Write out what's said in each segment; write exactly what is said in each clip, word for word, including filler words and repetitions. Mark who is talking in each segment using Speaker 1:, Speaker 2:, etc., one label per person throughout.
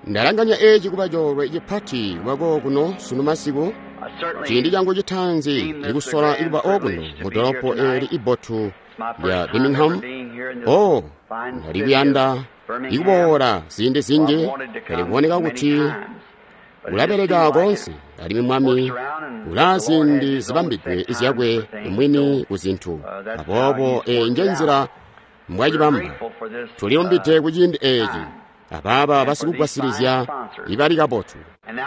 Speaker 1: Ndalanganya eci kuba coolwe cipati kuba kuno sunu masiku. Ciindi changu citaanzi ikusola ikuba okuno mu dolopo eli ibotu lya Birmingham. Oh, ndali kuyanda ikuboola ziindi zinji, pele kuboneka kuti ulabeleka konse, alimwi Mwami ulaa ziindi zibambidwe zyakwe mwini ku zintu. Aboobo eyi nje nzila mbwacibamba. Tulilumbide ku ciindi eci abaaba basikugwasilizya ibali kabotu.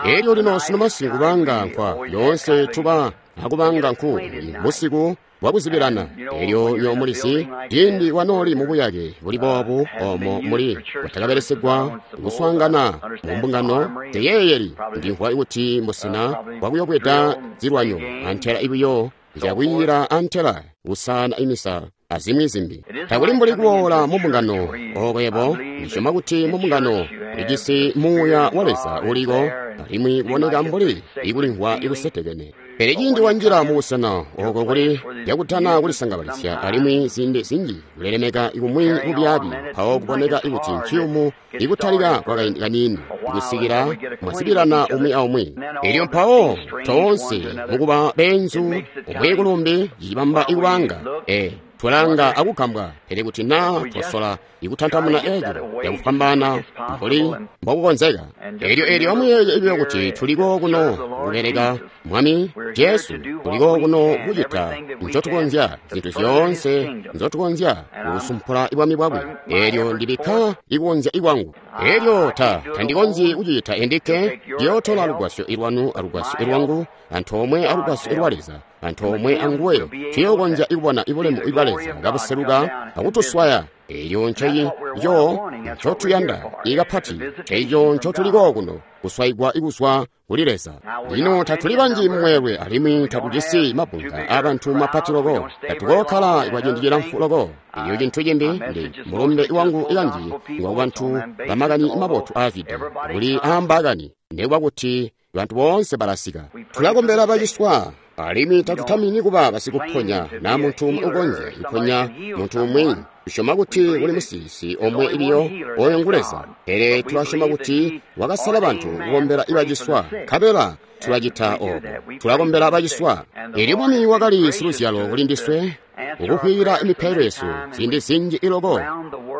Speaker 1: Elyo lino sunu masiku kubanga nkwa yoonse tuba akubanga nku busiku bwakuzibilana. Elyo nyo mulisi ciindi wanooli mubuyake buli boobu omo muli bwatakabelesegwa kuswaangana mu mbungano teyeeyeli. Ndimvwa kuti mbusena bwakuyobweda zilwanyo antela ibuyo zyakwiira antela kusana imisa azimwi zimbi. Takuli mbuli kuboola mu mbungano oko yebo. Ndisyoma kuti mu mbungano ulijisi muuya wa Leza uliko, alimwi kuboneka mbuli ikulimvwa ikusetekene. Pele ciindi wanjila mu busena oko kuli yakutana kulisangabalisya, alimwi ziindi zinji kulelemeka ikumwi kubyaabi, mpawo kuboneka ikuti nciyumu ikutalika kwakaindi kaniini ikusikila mwazibilana umwi aumwi. Elyo mpawo toonse mukuba beenzu umwi kulumbi cicibamba ikubanga e twalanga akugambwa. Pele kuti naa twasola ikutantamuna eco yakufwambaana mbuli mbokukonzeka. Elyo elyo amuyeeye ibiyo kuti tuliko kuno kubeleka Mwami Jesu, tuliko kuno kucita ncotukonzya, zintu zyoonse nzotukonzya kusumpula ibwami bwakwe. Elyo ndibikka ikukonzya ikwangu. Elyo ta tandikonzyi kucita endikke, ndiyootola lugwasyo ilwanu alugwasyo ilwangu antoomwe alugwasyo ilwa Leza antoomwe anguwe, tuyokonzya ikubona ibulemu ibwa Leza kabuseluka akutuswaya. Elyo nceyico ncotuyanda ikapati, nceyico ncotuliko kuno kuswayigwa ikuzwa kuli Leza. Lino tatuli banji mumweelwe, alimwi tatujisi mabunga abantu mapati loko, tatukookhala kwaciindi cilamfu loko. Elyo cintu cimbi ndi mulumbe wangu ikanji ngwa kubantu bamakani mabotu aazwide kuli aambaakani, nekuba kuti bantu boonse balasika. Tulakombela baciswa, alimwi tatutamini kuba basikuponya na muntu umwi ukonzya kuponya muntu umwi. Tusyoma kuti kuli musilisi omwe ibiyo, oyo ngu Leza. Pele tulasyoma kuti wakasala bantu kukombela ibaciswa, nkabela tulacita obo. Tulakombela baciswa. Elyo Mwami wakali siluzyalo kuli ndiswe ukukwiyila imipailo yesu ziindi zinji iloko.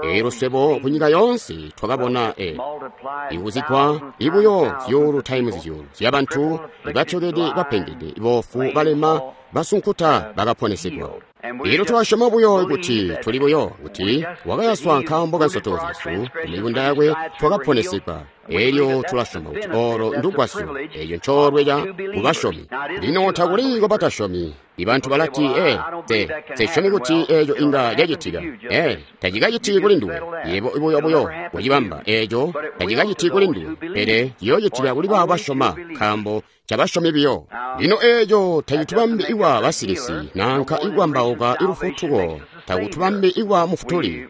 Speaker 1: Elyo swebo kunyika yoonse twakabona e ikuzigwa ibuyo zyuulu times zyuulu zyabantu ibatyokede, bapengede, boofu, balema, basunkuta bakaponesedwa. Elyo twasyoma buyo kuti tuli buyo kuti wakayaswa nkaambo ka nsotoko zyesu, kumikunda yakwe twakaponesedwa. Elyo tulasyoma kuti olo ndugwasyo, eco ncoolwe ca kubasyomi. Lino takuli kwabatasyomi. Ibantu balati, e te sesyomi kuti eco inga cacitika. E tacikaciti kuli nduwe. Yebo buyo buyo wacibamba eco tacikaciti kuli nduwe, pele ciyoocitika kuli baabo basyoma, nkaambo cabasyomi biyo. Lino eco tacitubambi ikwa basilisi nanka ikwambauka ilufutuko, takutubambi ikwa mufutuli.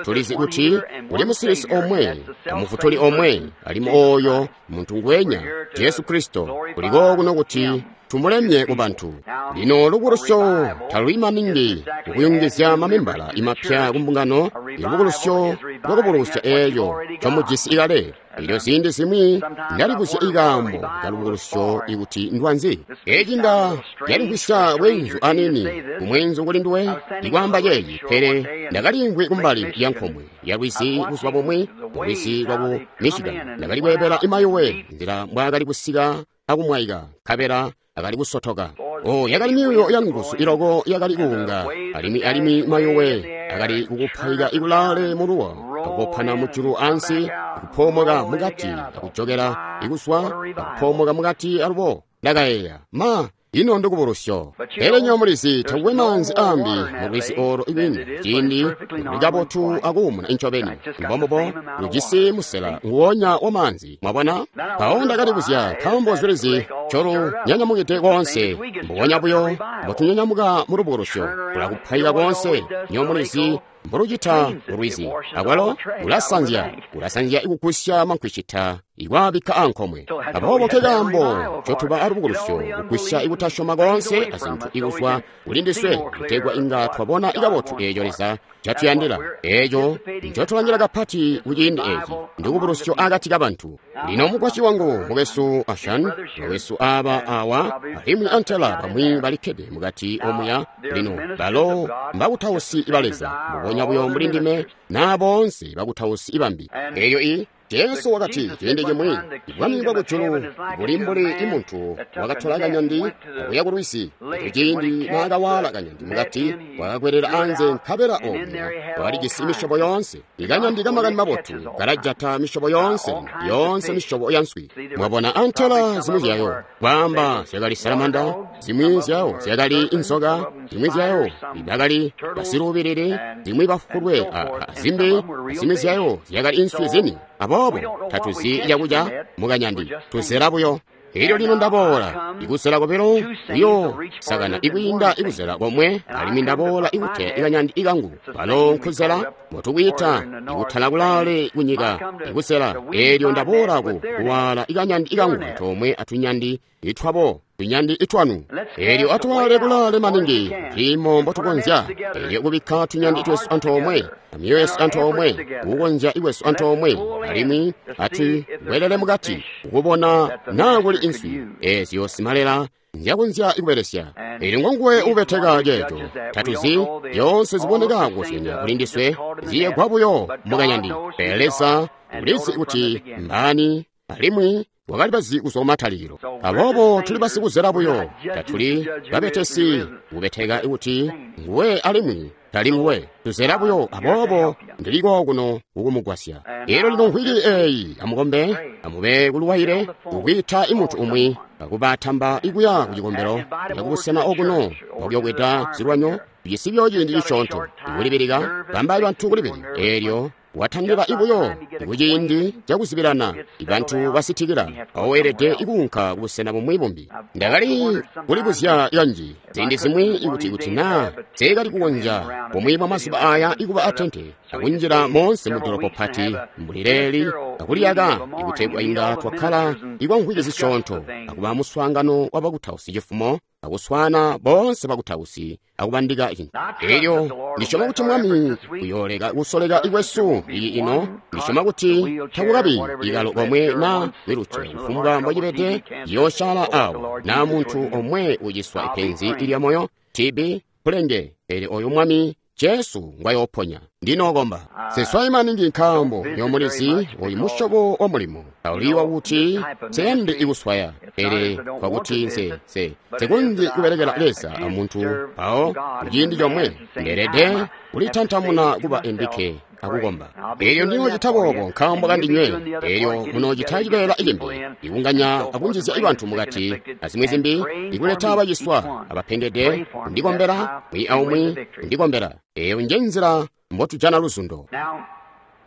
Speaker 1: Tulizi kuti kuli musilisi omwe amufutuli omwe, alimwi oyo muntu ngwenya Jesu Kristo. Kuliko kuno kuti tumulemye ku bantu. Lino lubukulusyo taluli maningi kukuyungizya mamembala imapya ku mbungano. Ilubukulusyo lwakubukulusya eeyo comujisi ikale. Elyo ziindi zimwi ndalibuzya ikaambo kalubukulusyo ikuti ndwanzi. Eci nga yalimvwisya bweenzu anini kumweenzu kuli nduwe ikwaamba ceeci, pele ndakalimvwi kumbali ya nkomwe ya lwizi buzuba bumwi mu lwizi lwaku Michigan. Ndakali kweebela imayuwe nzila mbwaakali kusika akumwaika, nkabela akali kusotoka. Oh, yakali myuuyo ya nguzu iloko yakali kuunga, alimwi alimwi mayuwe akali kukuphayika ikulaale muluwo, akukopana mujulu ansi, akupoomoka mukati, akujokela ikuswa, akupoomoka mukati alubo. Ndakayeeya, ma ino ndikubulusyo. Pele nyo mulizi takukwe maanzi ambi mu lwizi olo ikwini, ciindi luli kabotu akuumuna incobeni. Mbombubo lujisi musela nguwonya wa maanzi, mwabona. Mpawo ndakalibuzya nkaambo lwizi colu nyanyamukide konse, mbubonya buyo mbotunyanyamuka mu lubukulusyo, kulakuphayika konse. Nyo mulizi mbolucita mulwizi, akwalo ulasanzya, ulasanzya ikugusya mankwicita ikwaabikka ankomwe. Aboobo nkekaambo ncotuba alubukulusyo kugwisya ikutasyoma koonse azintu ikuzwa kulindiswe, kutegwa inga twabona ikabotu eeco Leza ncatuyandila. Eeco ncotulangila kapati kuciindi eeci ndikubulusyo akati kabantu. Lino mukwasyi wangu, mukwesu Ashan, bakwesu aaba awa, alimwi antela bamwi balikkede mukati omuya. Lino balo mbakutausi ba Leza, mbubonya buyo mbuli ndime naa boonse bakutausi bambi. Eeyo i Jesu wakati ciindi cimwi, bwami bwa kujulu buli mbuli imuntu wakatola kanyandi akuya kulwizi. Elyo ciindi naakawaala kanyandi mukati, wakakwelela anze, nkabela omuya wakalijisi misyobo yoonse. Ikanyandi kamakani mabotu kalajata misyobo yoonse, yoonse misyobo ya nswi. Mwabona, antela zimwi zyayo kwaamba zyakali salamanda, zimwi zyayo zyakali inzoka, zimwi zyayo bakali basiluubilili, zimwi bafulwe, azimbi zimwi zyayo zyakali inswi zini. Aboobo tatuzi cakuca mukanyandi, tuzela buyo. Elyo lino ndaboola ikuzela kobilo kuyo sakana ikwiinda ikuzela komwe, alimwi ndaboola ikuteya ikanyandi ikangu. Balo nkuzela motukwiita ikutala kulaale kunyika ikuzela. Elyo ndaboola ku kuwaala ikanyandi ikangu antoomwe atunyandi itwabo, tunyandi itwanu. Elyo atuwaale kulaale maningi ciimo mbotukonzya. Elyo kubikka tunyandi twesu antoomwe, amyoyo yesu antoomwe, kukonzya ikwesu antoomwe, alimwi atuwelele mukati kukubona naa kuli inswi eezyo simalela nzyakonzya ikubelesya. Elyo ngonguwe ubeteka ceeco. Tatuzi zyoonse ziboneka kukozyanya kuli ndiswe ziyegwa buyo mukanyandi, pele Leza ulizi kuti mbaani, alimwi wakali bazi kuzwa kumatalikilo. Aboobo tuli basikuzela buyo, tatuli babetesi kubeteka kuti nguwe alimwi tali nguwe. Tuzela buyo. Aboobo ndiliko kuno kukumugwasya. Elyo lino nkwili eeyi, amukombe, amube kuluwaile kukwiita imuntu umwi akubatamba ikuya ku cikombelo yakubusena okuno okuyokweta zilwanyo bisibyo ciindi cisyoonto ikulibilika bamba bantu kulibilika. Elyo watandila ibuyo kuciindi cakuzibilana bantu basitikila aweelede ikuunka kubusena bumwi bumbi. Ndakali kulibuzya kanji ziindi zimwi ikuti kuti naa nseekali kukonzya bumwi bwa mazuba aya ikuba atente akunjila moonse mu dolopo pati mbuli leeli akuliyaka ikutegwa inga twakkala ikwa mvwiki zisyoonto akuba muswaangano wa bakutausi cifumo akuswaana boonse bakutausi akubandika cintu. Elyo ndisyoma kuti Mwami uyooleka kusoleka ikwesu iyi ino. Ndisyoma kuti takukabi ikalo komwe naa wiluce kufumbwa mbocibede yoosyaala awo naa muntu omwe uciswa ipenzi ilya moyo T B pulenge. Pele oyo Mwami Jesu ngwayooponya. Ndinokomba seswayi maningi nkaambo nyomulizi oyu musyobo wa mulimo tauliwa kuti seyandi ikuswaya, pele kwakuti nse nse nsekonzyi kubelekela Leza amuntu mpawo kuciindi comwe ndeelede kulitantamuna kuba endikke akukomba. Elyo ndinoocita boobo nkaambo kandinywe. Elyo munoocita cibeela cimbi ikunganya akunjizya ibantu mukati azimwi zimbi ikuleta abaciswa abapengede kundikombela mwi aumwi kundikombela. Eyo nje nzila mbotujana luzundo.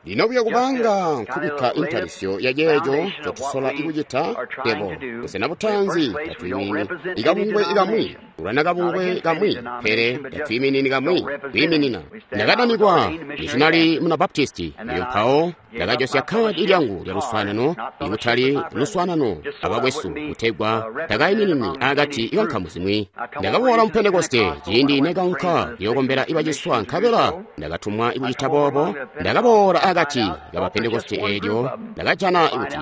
Speaker 1: Lino buyo kubanga nkubikka intalisyo ya ceeco ncotusola ikucita tebo busena butaanzi tatwiiminini ikabungwe ikamwi kulwana kabungwe kamwi, pele tatwiiminini kamwi kwiiminina. Ndakadanikwa mishinali muna Baptisti, elyo mpawo ndakajosya kadi lyangu lya luswaanano ikutali luswaanano abakwesu kutegwa takaimininwi akati kankamu zimwi. Ndakaboola mu Pentekoste ciindi nekaunka kuyokombela ibaciswa, nkabela ndakatumwa ikucita boobo. Ndakaboola akati kaba Pentekoste eelyo ndakajana kuti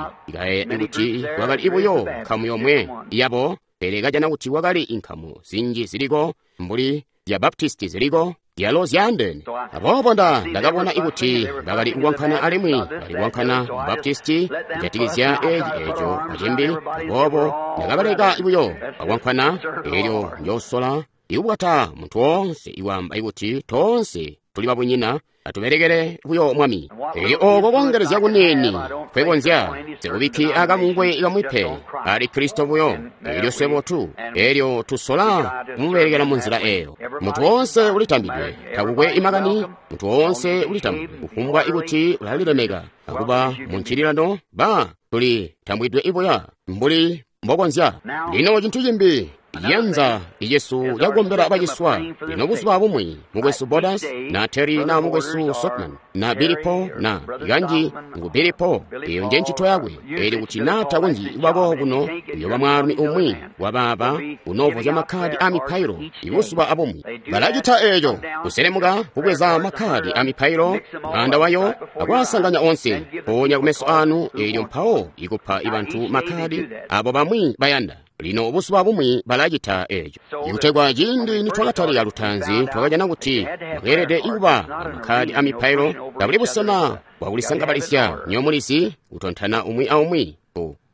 Speaker 1: kuti kwakali buyo nkamu yomwe yabo, pele kajana kuti kwakali inkamu zinji ziliko mbuli zya Baptisti ziliko zyalo zyaandeene. Aboobo nda ndakabona ikuti bakali kuwankana alimwi bali kuwankana mu Baptisti kujatikizya eeci eeco acimbi. Aboobo ndakabaleka buyo bakwankwana. Eelyo njoosola ikubwata muntu woonse iwaamba ikuti toonse tuli babunyina, atubelekele buyo Mwami. Elyo ooko kongelezya kuniini kwekonzya sikubikki akabungwe kamwi pe ali Kristo buyo. Elyo swebo tu elyo tusola kumubelekela mu nzila eyo. Muntu woonse ulitambidwe, takukwe imakani. Muntu woonse ulitambidwe kufumbwa ikuti ulalilemeka akuba mu ncililano ba tuli tambwidwe ibuya mbuli mbokonzya. Lino cintu cimbi Yanza icesu cakukombela baciswa. Lino buzuba bumwi mukwesu Borders na Terry na mukwesu Sothmann na Billy Paul na ikanji ngu Billy Paul, eyo nje ncito yakwe. Eli kuti na takonzyi kubako kuno, uyoba mwaalumi umwi wabaaba unoovozya makhadi a mipailo ibuzuba abumwi. Balacita eeco kuselemuka kubweza makhadi a mipailo mwaanda wayo akwasanganya onse mpoonya kumeso anu, elyo mpawo ikupa ibantu makhadi abo bamwi bayanda. Lino buzuba bumwi balacita eeco. Ikutegwa ciindi nitwakatalika lutaanzi twakajana kuti mwakeelede kuba amakhadi a mipailo kabuli busena bwakulisangabalisya nyomulizi kutontana umwi aumwi.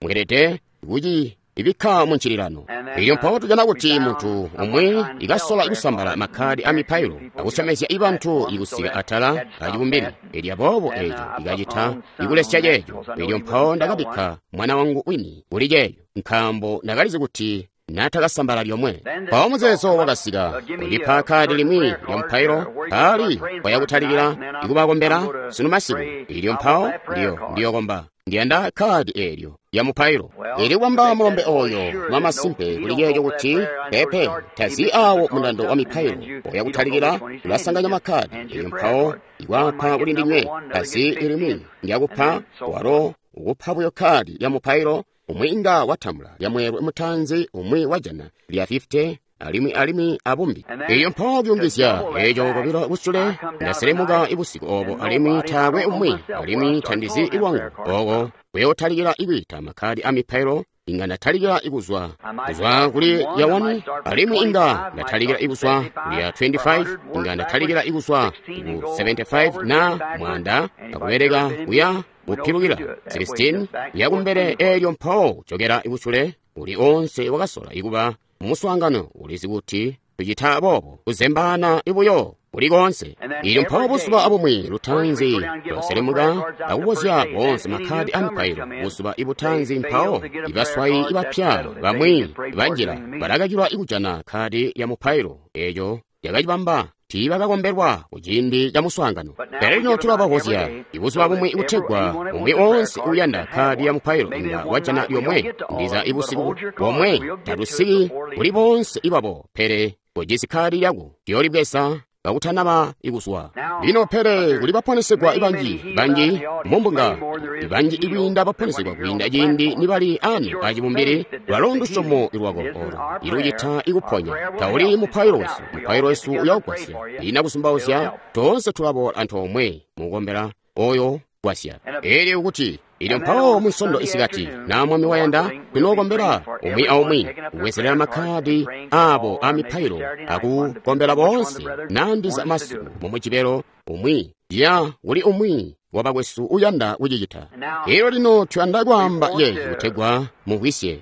Speaker 1: Mweelede kuci ibikka mu ncililano. Elyo mpawo tujana kuti muntu umwi ikasola ikusambala makhadi a mipailo akusyomezya ibantu ikusika atala acibumbili. Elyo aboobo eeco ikacita ikulesya ceeco. Elyo mpawo ndakabikka mwana wangu wini kuli ceeco, nkaambo ndakalizi kuti natakasambala lyomwe. Mpawo muzeezo wakasika kundipa khadi limwi lya mupailo paali kwayakutalikila ikubakombela sunu masiku. Elyo mpawo ndiyo ndiyokomba ndiyanda khadi eelyo lya mupailo. Eli kwamba mulombe oyo mwamasimpe kuli ceeco kuti pepe tazi awo mundando wa mipailo oyakutalikila ulasanganya makhadi. Elyo mpawo ikwapa kuli ndinywe tazi limwi ndyakupa walo ukupa buyo khadi lya mupailo. Umwi inga watambula lya mweelwe mutanzi, umwi wajana lya fifty, alimwi alimwi abumbi. Elyo mpawo kuyungizya eeco kobilo kusule ndaselemuka ibusiku obo, alimwi taakwe umwi, alimwi tandizi ilwangu oko kuyootalikila ikwiita makhadi a mipailo. Inga ndatalikila ikuzwa kuzwa kuli lya one, alimwi inga ndatalikila ikuzwa kuli ya twenty-five, inga ndatalikila ikuzwa ku seventy-five na mwanda akubeleka kuya kupilukila sixteen yakumbele. Elyo mpawo kujokera ikusule uli onse wakasola ikuba mumuswaangano ulizi kuti tucita boobo kuzembaana ibuyo kuli konse. Elyo mpawo buzuba abumwi lutanzi twaselemuka akubozya bonse makhadi a mipailo. Buzuba ibutanzi mpawo ibaswayi ibapya bamwi banjila balakakilwa ikujana khadi lya mupailo. Eeco lyakacibamba tiibakakombelwa kuciindi ca muswaangano. Pele lino tulabavozya ibuzuba bumwi ikutegwa umwi onse uyanda khadi ya mupailo inga wajana lyomwe. Ndiza ibusiku bomwe tatusiki kuli bonse ibabo, pele kojisi khadi lyako tuyolibweza kakutanaba ikuzwa. Lino pele kuli baponesegwa ibanji banji mumbunga ibanji ikwiinda baponesegwa kwiinda ciindi nibali anu acibumbili. Lwalo ndusyomo lwako olo ilucita ikuponya. Tauli mupailo wesu, mupailo wesu uyawugwasya. Ina kusumbauzya toonse tulaboola antoomwe mukukombela oyo gwasya. Elyo kuti ilyo mpawo munsondo isikati na mwami wayanda tunookombela umwi aumwi kubwezerera makhadi abo a mipailo akukombela boonse nandiza masiku mumujibelo umwi ya kuli umwi wabakwesu uyanda kucicita. Elyo lino tuyanda kwaamba yeeci kutegwa mumvwisye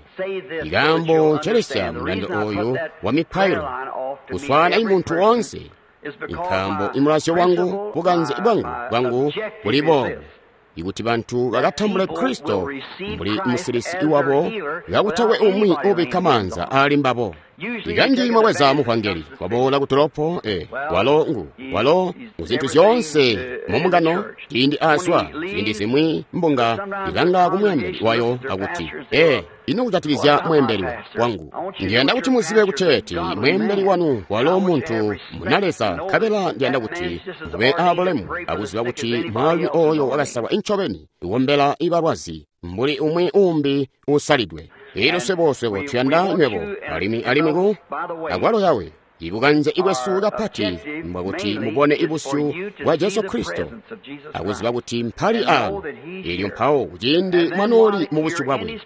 Speaker 1: ikambo ncelesya mundando oyu wa mipailo kuswaana imuntu wonse, nkaambo imulazyo wangu bukanze bwangu bwangu buli boobu ikuti bantu bakatambule Kristo mbuli musilisi iwabo kakutakwe umwi ubikka maanza ali mbabo. Ikanji mwabweza muvangeli waboola ku dolopo e walo ngu walo muzintu zyoonse mumungano ciindi azwa ziindi zimwi mbunga ilanga ku mweembeli wayo akuti e ino kujatikizya mweembeli wangu. Ndiyanda kuti muzibe kuteeti mweembeli wanu walo muntu munaleza, nkabela ndiyanda kuti mube abulemu akuziba kuti mwaalumi oyo wakasalwa incobeni ikombela ibalwazi mbuli umwi umbi usalidwe. Elyo swebo swebo tuyanda nywebo alimwi alimwi ku akwalo yawe ibukanze ibwesu kapati mbwakuti mubone ibusyu bwa Jesu Kristo akuziba kuti mpali ano. Elyo mpawo kuciindi mwanooli mu busyu bwakwe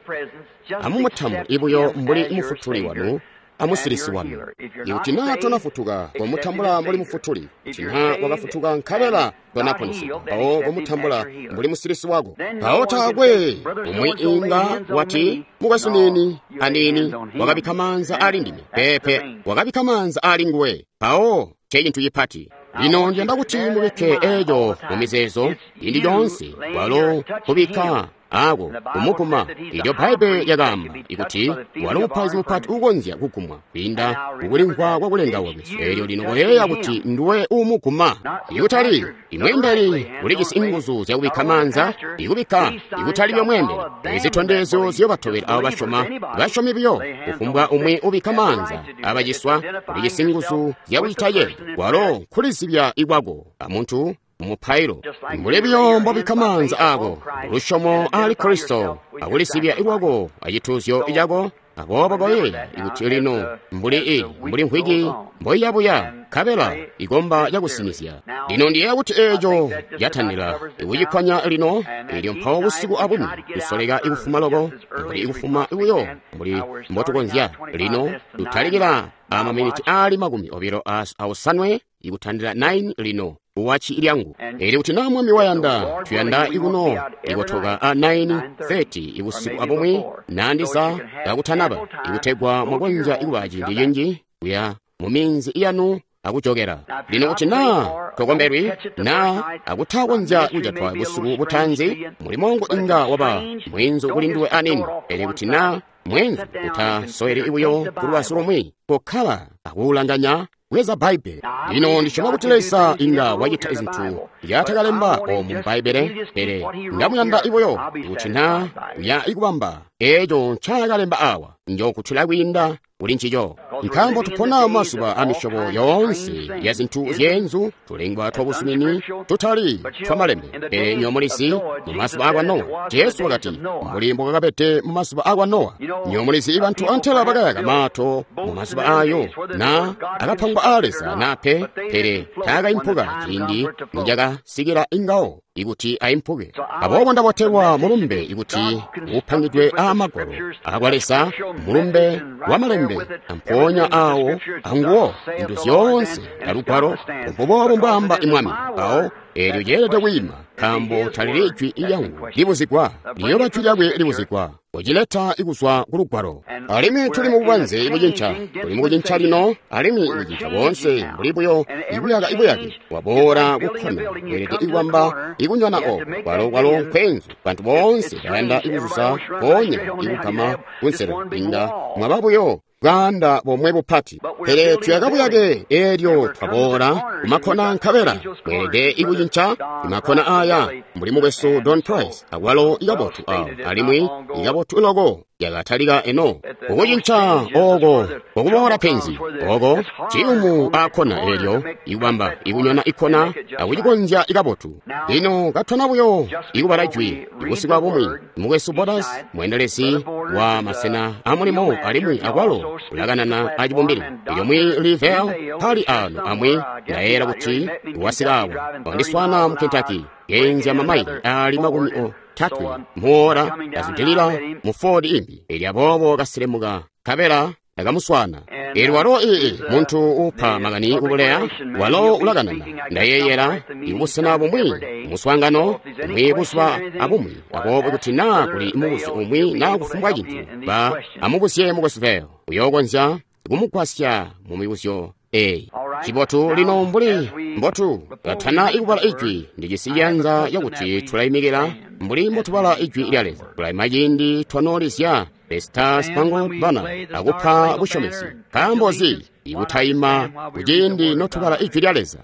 Speaker 1: amumutambule ibuyo mbuli mufutuli wanu amusilisi wanu. Ikuti naa tonafutuka komutambula mbuli mufutuli, kuti naa wakafutuka nkabela tonaponesegwa mpawo komutambula mbuli musilisi wako. Mpawo taakwe umwi inga wati mukwesu nini anini wakabikka maanza ali ndime. Pepe, wakabikka maanza ali nguwe. Mpawo ncecintu cipati. Lino ndiyanda kuti mubikke eeco mu mizeezo ciindi coonse, walo kubikka aako kumuguma. Elyo Bbaibbele lyakaamba ikuti walo mupaizi mupati uukonzya kugumwa kwiinda kukulimvwa kwa kulengawa kwesu. Elyo lino koyeeya kuti nduwe uumuguma. Ikutali imweembeli ulijisi inguzu zyakubikka maanza, ikubikka ikutali byo mweembeli. Izitondezyo ziyobatobela abo basyoma, basyomi biyo. Kufumbwa umwi ubikka maanza abaciswa ulijisi nguzu zyakucita ceeco. Walo nkulizibya ikwako amuntu mumupailo. Mbuli biyo mbobikka maanza ako lusyomo ali Kristo akulisibya ikwako acituuzyo cako. Aboobo koyeeya ikuti lino mbuli i mbuli nkhwiki mboiyabuya nkabela ikomba cakusinizya. Lino ndiyeeya kuti eeco catandila ikucikwanya lino. Elyo mpawo busiku abumwi kusoleka ikufuma loko mbuli ikufuma buyo mbuli mbotukonzya. Lino tutalikila amaminiti aali makumi obilo aosanwe ikutandila nine lino uwachi lyangu. Elyo kuti na Mwami wayanda tuyanda ikuno ikotoka a nine thirty ibusiku abumwi nandiza kakutanaba ikutegwa mwakonzya ikuba ciindi cinji kuya mu minzi yanu akujokera. Lino kuti na tokombelwi na akutakonzya kujatwa busiku butanzi, mulimo wangu inga waba mwinzu kuli nduwe anini. Elyo kuti na mwenzu utasoweli ibuyo kulubazu lumwi, kokkala akuulanganya bweza Bbaibbele. Lino ndisyoma kuti Leza inga wacita izintu yatakalemba omu mu Bbaibbele, pele ndamuyanda ibuyo kuti na uya ikubamba eeco ncaakalemba awa, njokutula kwiinda kuli ncico. Nkaambo tupona mazuba a misyobo yoonse ya zintu zyeenzu, tulengwa twabuzumini tutali twamalembe. Pele nywebo mulizi mu mazuba akwa Nowa, Jesu wakati mbuli mbokakabede mu mazuba akwa Nowa. Nywebo mulizi bantu antela bakayaka maato mu mazuba ayo na akapangwa a Leza nape, pele taakaimpuka ciindi nicakasikila ingawo ikuti aimpuke. Aboobo ndabotelwa mulumbe ikuti upangidwe aamagwalo akwa Leza, mulumbe wa malembe ampoonya awo anguwo zintu zyoonse alugwalo mbuboobo mbwaamba imwami. Mpawo eelyo lyeelede kwiima, nkaambo talili jwi lyangu libuzigwa, liyoba jwi lyakwe libuzigwa kucileta ikuzwa ku lugwalo. Alimwi tuli mu bubanze bucinca, tuli mu kucinca lino, alimwi kucinca boonse mbuli buyo ikuyaka ibuyake waboola kukkona weelede ikubamba ikunyona oko kwalo kwalo nkwenzu. Bantu boonse bayanda ikuzuza mpoonya ikugama kunselo, inga mwaba buyo bwaanda bomwe bupati. Pele tuyaka buyake eelyo twaboola kumakhona nkabela mweelede ikucinca imakhona aya mbuli mukwesu Don Price akwalo ikabotu awo, alimwi ikabotu loko yakatalika eno kukucinca oko kokuboola penzi oko ciyumu aakhona eelyo ikubamba ikunyona ikhona akucikonzya ikabotu. Lino katwana buyo ikubala jwi ibusiku abumwi, mukwesu Bodas mweendelezi wa masena amulimo alimwi akwalo ulakanana acibumbili. Elyo mwi Livel pali ano amwi ndayeera kuti wasika awa wandiswana mu Kentucky yenzya mamaili ali makumi otatwe muora azudilila mu Ford imbi. Elyo aboobo kaselemuka nkabela ndakamuswana. Elyo walo ii muntu upa makani kubuleya, walo ulakanana ndayeeyera ikubusena bumwi muswaangano umwi buzuba abumwi. Aboobo kuti naa kuli mubuzyo umwi naa kufumbwa cintu, ba amubuzye mukwesu Vale, uyookonzya kumugwasya mu mibuzyo eyi. Cibotu lino mbuli mbotu katana ikubala ijwi, ndijisi ciyanza yakuti tulayimikila mbuli mbotubala ijwi lya Leza. Tulayima ciindi twanoolizya The Star Spangled Banner akupa busyomesi. Nkaambo nzi ikutayima kuciindi notubala ijwi lya Leza?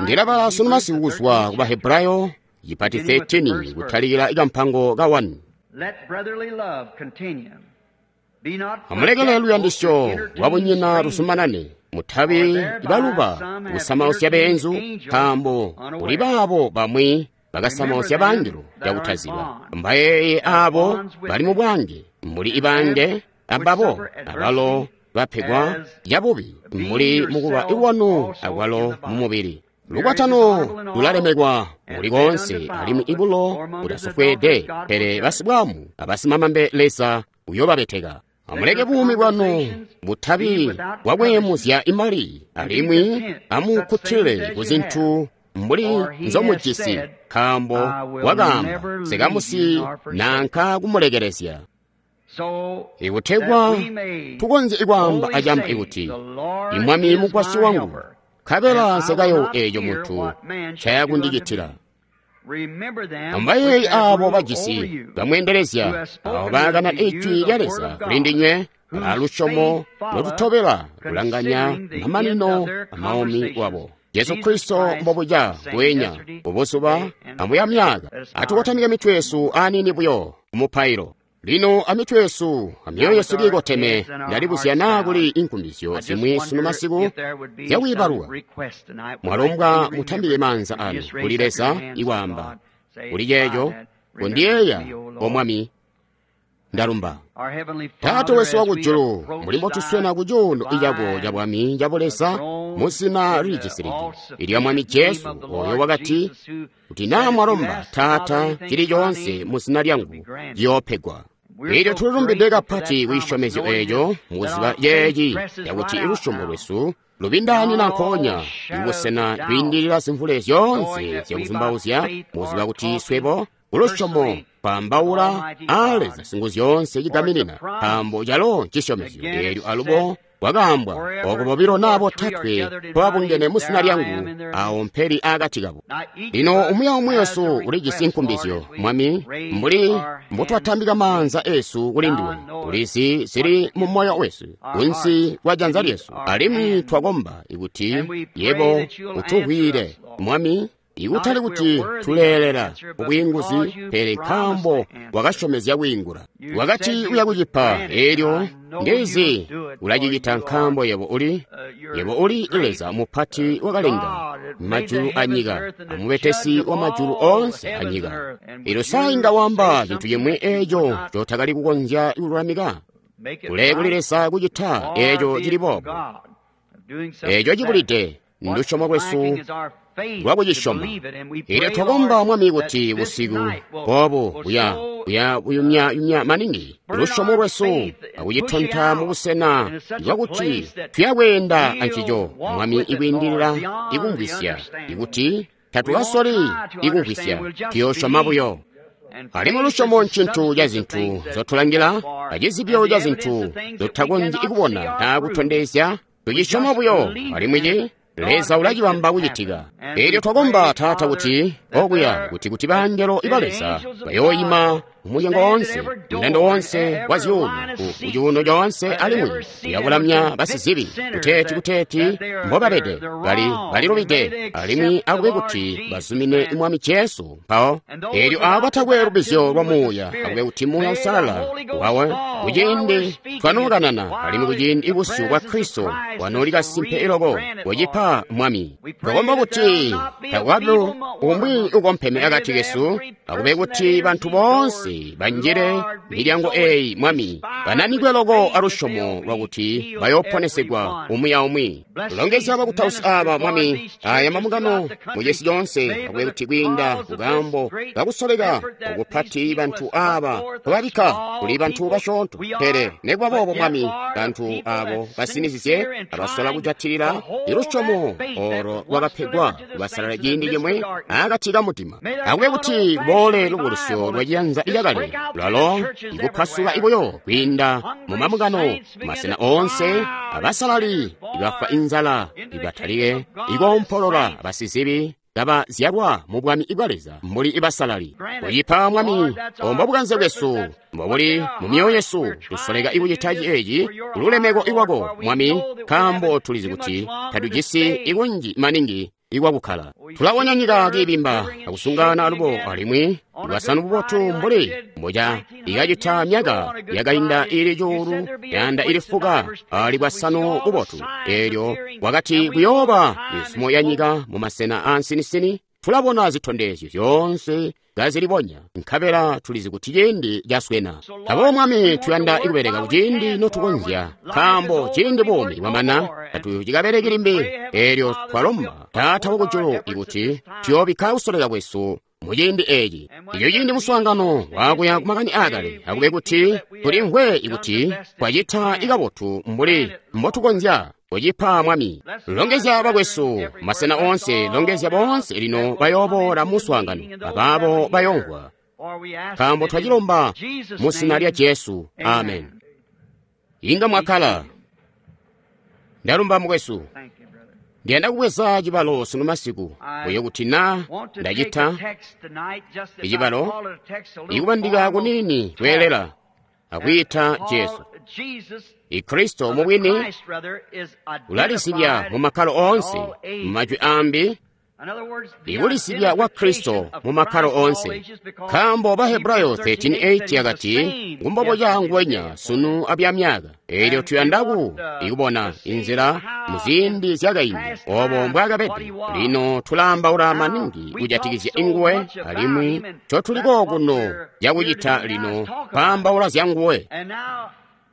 Speaker 1: Ndilabala sunu masiku kuzwa ku Bahebrayo chipati thirteen kutalikila ikampango ka one. Amulekele luyandisyo lwabunyina lusumanane. Mutabi ibaluba kusamausya beenzu, nkaambo kuli baabo bamwi bakasamausya bangelo cakutaziba. Mbayeeye aabo bali mu bwange, mbuli ibange ambabo abalo bapegwa yabubi, mbuli mukuba iwanu akwalo mu mubili. Lukwatano lulalemekwa muli koonse, alimwi ibulo butasofweede, pele basibwamu abasimamambe Leza uyoobabeteka. Amuleke buumi bwanu butabi bwakweemuzya imali, alimwi amukkutile ku zintu mbuli nzomujisi, nkaambo wakaamba sikamusi nanka kumulekelezya. Ikutegwa tukonzye ikwaamba acamba ikuti, Imwami mugwasyi wangu, nkabela nsekayo eeco muntu ncayakundicitila. Amubayeeye aabo bajisi bamweendelezya, aabo baakana ijwi lya Leza kuli ndinywe, balaa lusyomo lotutobela kulanganya mamanino amaumi wabo. Jesu Kristo mbobuca bweenya bubuzuba amuya myaka. Atukotamike mitwe yesu aniini buyo kumupailo. Lino amitwe yesu amyoyo yesu kiikoteme, ndalibuzya naa kuli inkumbizyo zimwi sunu masiku zyakwiibaluka. Mwalombwa mutambike maanza anu kuli Leza ikwaamba kuli ceeco, kondiyeeya, O Mwami. Ndalumba. Taata wesu wakujulu, mbuli mbotuswena ku cuuno cako ca bwami ca buleza mu zina lilijisilidi ilya Mwami Jesu, oyo wakati, kuti naa mwalomba Taata cili coonse mu zina lyangu, ciyoopegwa. Eelyo tulilumbide kapati kucisyomezyo eeco, mukuziba ceeci cakuti lusyomo lwesu lubindaanina nkoonya ibusena kwiindilila zimvule zyoonse zyakuzumbauzya, mukuziba kuti swebo kulusyomo twaambaula aa Leza Singuzyoonse cigaminina, nkaambo calo ncisyomezyo. Eelyo alubo kwakaambwa, ooko bobilo naa botatwe mpobabungene mu zina lyangu, awo mpeli akati kabo. Lino umwi aumwi wesu ulijisi nkumbizyo, Mwami, mbuli mbotwatambika maanza esu kuli nduwe. Ulizi zili mu moyo wesu, kunsi kwa janza lyesu, alimwi twakomba ikuti yebo utuvwiile, Mwami, ikutali kuti tuleelela kubwiinguzi, pele nkaambo wakasyomezya kwiingula. Wakati uya kucipa, eelyo ndizi ulacicita, nkaambo yebo uli yebo uli Leza mupati wakalenga majulu anyika, amubetesi wa majulu oonse anyika. Eelyo sa inga wamba cintu cimwi eeco cotakali kukonzya kululamika? Kule kuli Leza kucita eeco cili boobo. Eeco cibulide ndusyomo lwesu lwakucisyoma. Eelyo twakomba, Mwami, kuti busiku boobu buya buya buyumya-yumya maningi lusyomo lwesu akucitonta mubusena bwakuti tuyakweenda ancico, Mwami, ikwiindilila ikumvwisya, ikuti tatukasoli ikumvwisya, tuyoosyoma buyo. Alimwi lusyomo ncintu ca zintu nzotulangila, acizibyo ca zintu nzotutakonzyi kubona naa kutondezya, tucisyoma buyo, alimwi ci Leza ulacibamba kucitika. Eelyo twakomba, Taata, kuti okuya kuti kuti bangelo iba Leza bayooyima mumulyango woonse, mundando woonse wa zyuuno, ku cuuno coonse, alimwi uyakulamya basizibi kuteeti kuteeti mbobabede bali balilubide, alimwi akube kuti bazumine Mwami Jesu mpawo. Eelyo aabo batakwe lubizyo lwa Muuya, akube kuti Muuya Usalala wawe kuciindi twanookanana, alimwi kuciindi busyu bwa Kristo bwanooli kasimpe iloko kucipa, Mwami. Twakomba kuti takukabi umwi ukompeme akati kesu, akube kuti bantu boonse banjile milyango eeyi, Mwami, bananikwe loko alusyomo lwakuti bayooponesegwa umwi aumwi. Longezya bakutausi aaba, Mwami, aya mambungano mucisi coonse, akube kuti kwiinda kukaambo kakusoleka okupati bantu aaba kubabikka kuli bantu basyoonto, pele nekuba boobo, Mwami, bantu aabo basinizizye abasola kujatilila ilusyomo olo lwakapegwa kubasalala ciindi cimwe akati kamudima. Akube kuti kuboole lubukulusyo lwa ciyanza cakale lwalo ikupasuka ibuyo kwiinda mu mambungano masena oonse, abasalali ibafwa inzala ibatalike ikoompolola, basizibi kabazyalwa mu bwami bwa Leza mbuli ibasalali. Kucipa, Mwami, ombo bukanze bwesu mbobuli mu myoyo yesu, tusoleka ikucita ceeci kululemeko iwako, Mwami, nkaambo tulizi kuti tatujisi ikunji maningi ikwakukkala. Tulabona nyika kiibimba akusungana alubo, alimwi lwasanu bubotu mbuli mboca ikacita myaka yakainda ili cuulu yanda ili fuka ali bwasanu bubotu. Eelyo wakati kuyooba misumo ya nyika mu masena aansinisini. Tulabona zitondezyo zyoonse kazilibonya, nkabela tulizi kuti ciindi caswena. Aboobo, Mwami, tuyanda ikubeleka kuciindi notukonzya, nkaambo ciindi buumi bwamana tatucikabeleki limbi. Eelyo twalomba, Taata wakujulu, ikuti tuyoobikka kusoleka kwesu muciindi eeci. Ilyo ciindi muswaangano wakuya kumakani aakale, akube kuti tulimvwe ikuti twacita ikabotu mbuli mbotukonzya kucipa, Mwami. Longezya bakwesu masena oonse, longezya boonse lino bayooboola muswaangano abaabo bayoomvwa, nkaambo twacilomba mu zina lya Jesu. Amen. Inga mwakkala. Ndalumba, mukwesu. Ndiyanda kubweza cibalo sunu masiku buyo kuti na ndacita icibalo ikubandika kuniini kweelela akwiita Jesu. Ikristo mubwini ulalisibya mu makkalo oonse, mu majwi ambi ikulisibya kwa Kristo mu makkalo oonse. Nkaambo Bahebrayo thirteen eight yakati ngumbobo cangwenya sunu abyamyaka. Eelyo tuyandaku ikubona inzila muziindi zyakaindi obo mbwakabede. Lino tulaambaula maningi kujatikizya inguwe, alimwi ncotuliko kuno cakucita lino kwaambaula zyanguwe.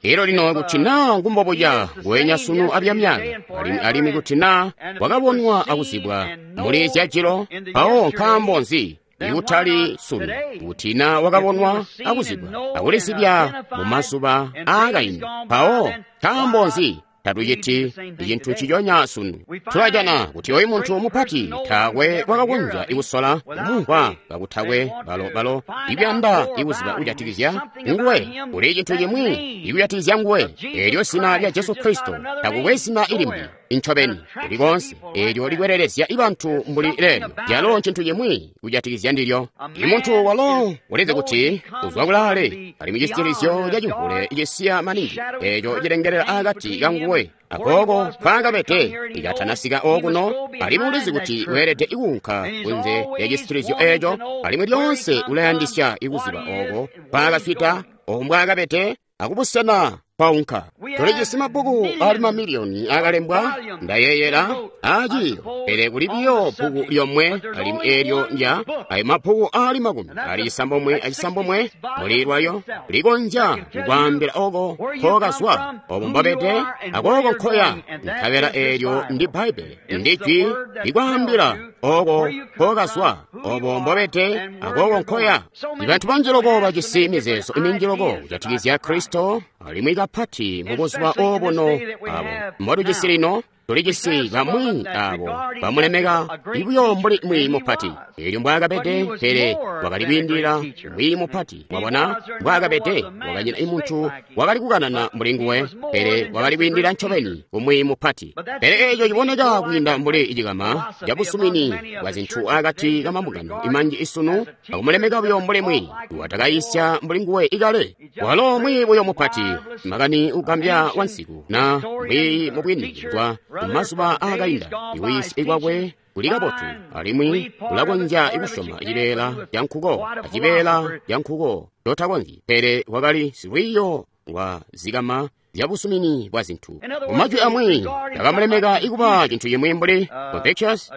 Speaker 1: Elo lino kuti naa ngumbobuca ngwenya sunu abyamyaka, alimwi alimwi kuti naa wakabonwa akuzibwa muli zyajilo, mpawo nkaambo nzi ikutali sunu kuti naa wakabonwa akuzibwa akulisibya mu mazuba aakaindi, mpawo nkaambo nzi tatuciti icintu nciconya sunu? Tulajana kuti oyu muntu mupati taakwe wakakonzya ikusola kumumvwa kakutakwe balo-balo ikuyanda ikuziba kujatikizya nguwe. Kuli cintu cimwi ikujatikizya nguwe, eelyo zina lya Jesu Kristo. Takukwe zina ilimbi incobeni kulikonse eelyo likwelelezya ibantu mbuli leelyo, lyalo ncintu cimwi kujatikizya ndilyo. Imuntu walo ulizi kuti uzwa kulaale, alimwi cisitilizyo cacimvule icisiya maningi eeco cilengelela akati kanguwe akooko nkwaakabede ikatanasika okuno, alimwi ulizi kuti weelede ikuunka kunze lya cisitilizyo eeco, alimwi lyoonse ulayandisya ikuziba ooko nkwaakaswida, ooko mbwaakabede akubusena kwaunka. Tulijisi mabbuku ali mamiliyoni akalembwa, ndayeeyela, aaciiyo, pele kuli biyo bbuku lyomwe, alimwi eelyo ndya ayo mabbuku aali makumi ali cisambomwe acisambomwe muli lwayo likonzya kukwaambila oko nkokazwa, obo mbobede, akooko nkoya. Nkabela eelyo ndi Bbaibbele, ndi jwi likwaambila oko nkokazwa, obo mbobede, akooko nkoya. Ibantu banji loko bajisi mizeezo minji loko kujatikizya Kristo, alimwi kapati mubuzuba obuno abo mbotujisi lino. Tulijisi bamwi abo bamulemeka ibuyo mbuli mwiiyi mupati, eelyo mbwaakabede, pele wakali kwiindilila mwiiyi mupati. Mwabona mbwaakabede, wakanyina imuntu wakali kukanana mbuli nguwe, pele wakali kwiindilila ncobeni kumwiiyi mupati. Pele eeco ciboneka kwiinda mbuli cikama cabusumini bwa zintu akati kamambungano imanji isunu, akumulemeka buyo mbuli mwiiyi watakayisya mbuli nguwe ikale. Walo mwiiyi buyo mupati, makani ugambya wansiku, na mwiiyi mubwini kuzwa mumazuba aakainda. Iwiisya kwakwe kuli kabotu, alimwi ulakonzya ikusyoma cibeela cankuko acibeela cankuko totakonzyi, pele wakali silwiiyo lwa zikama zyabusumini bwa zintu. Mumajwi amwi takamulemeka ikuba cintu cimwi mbuli Confucius,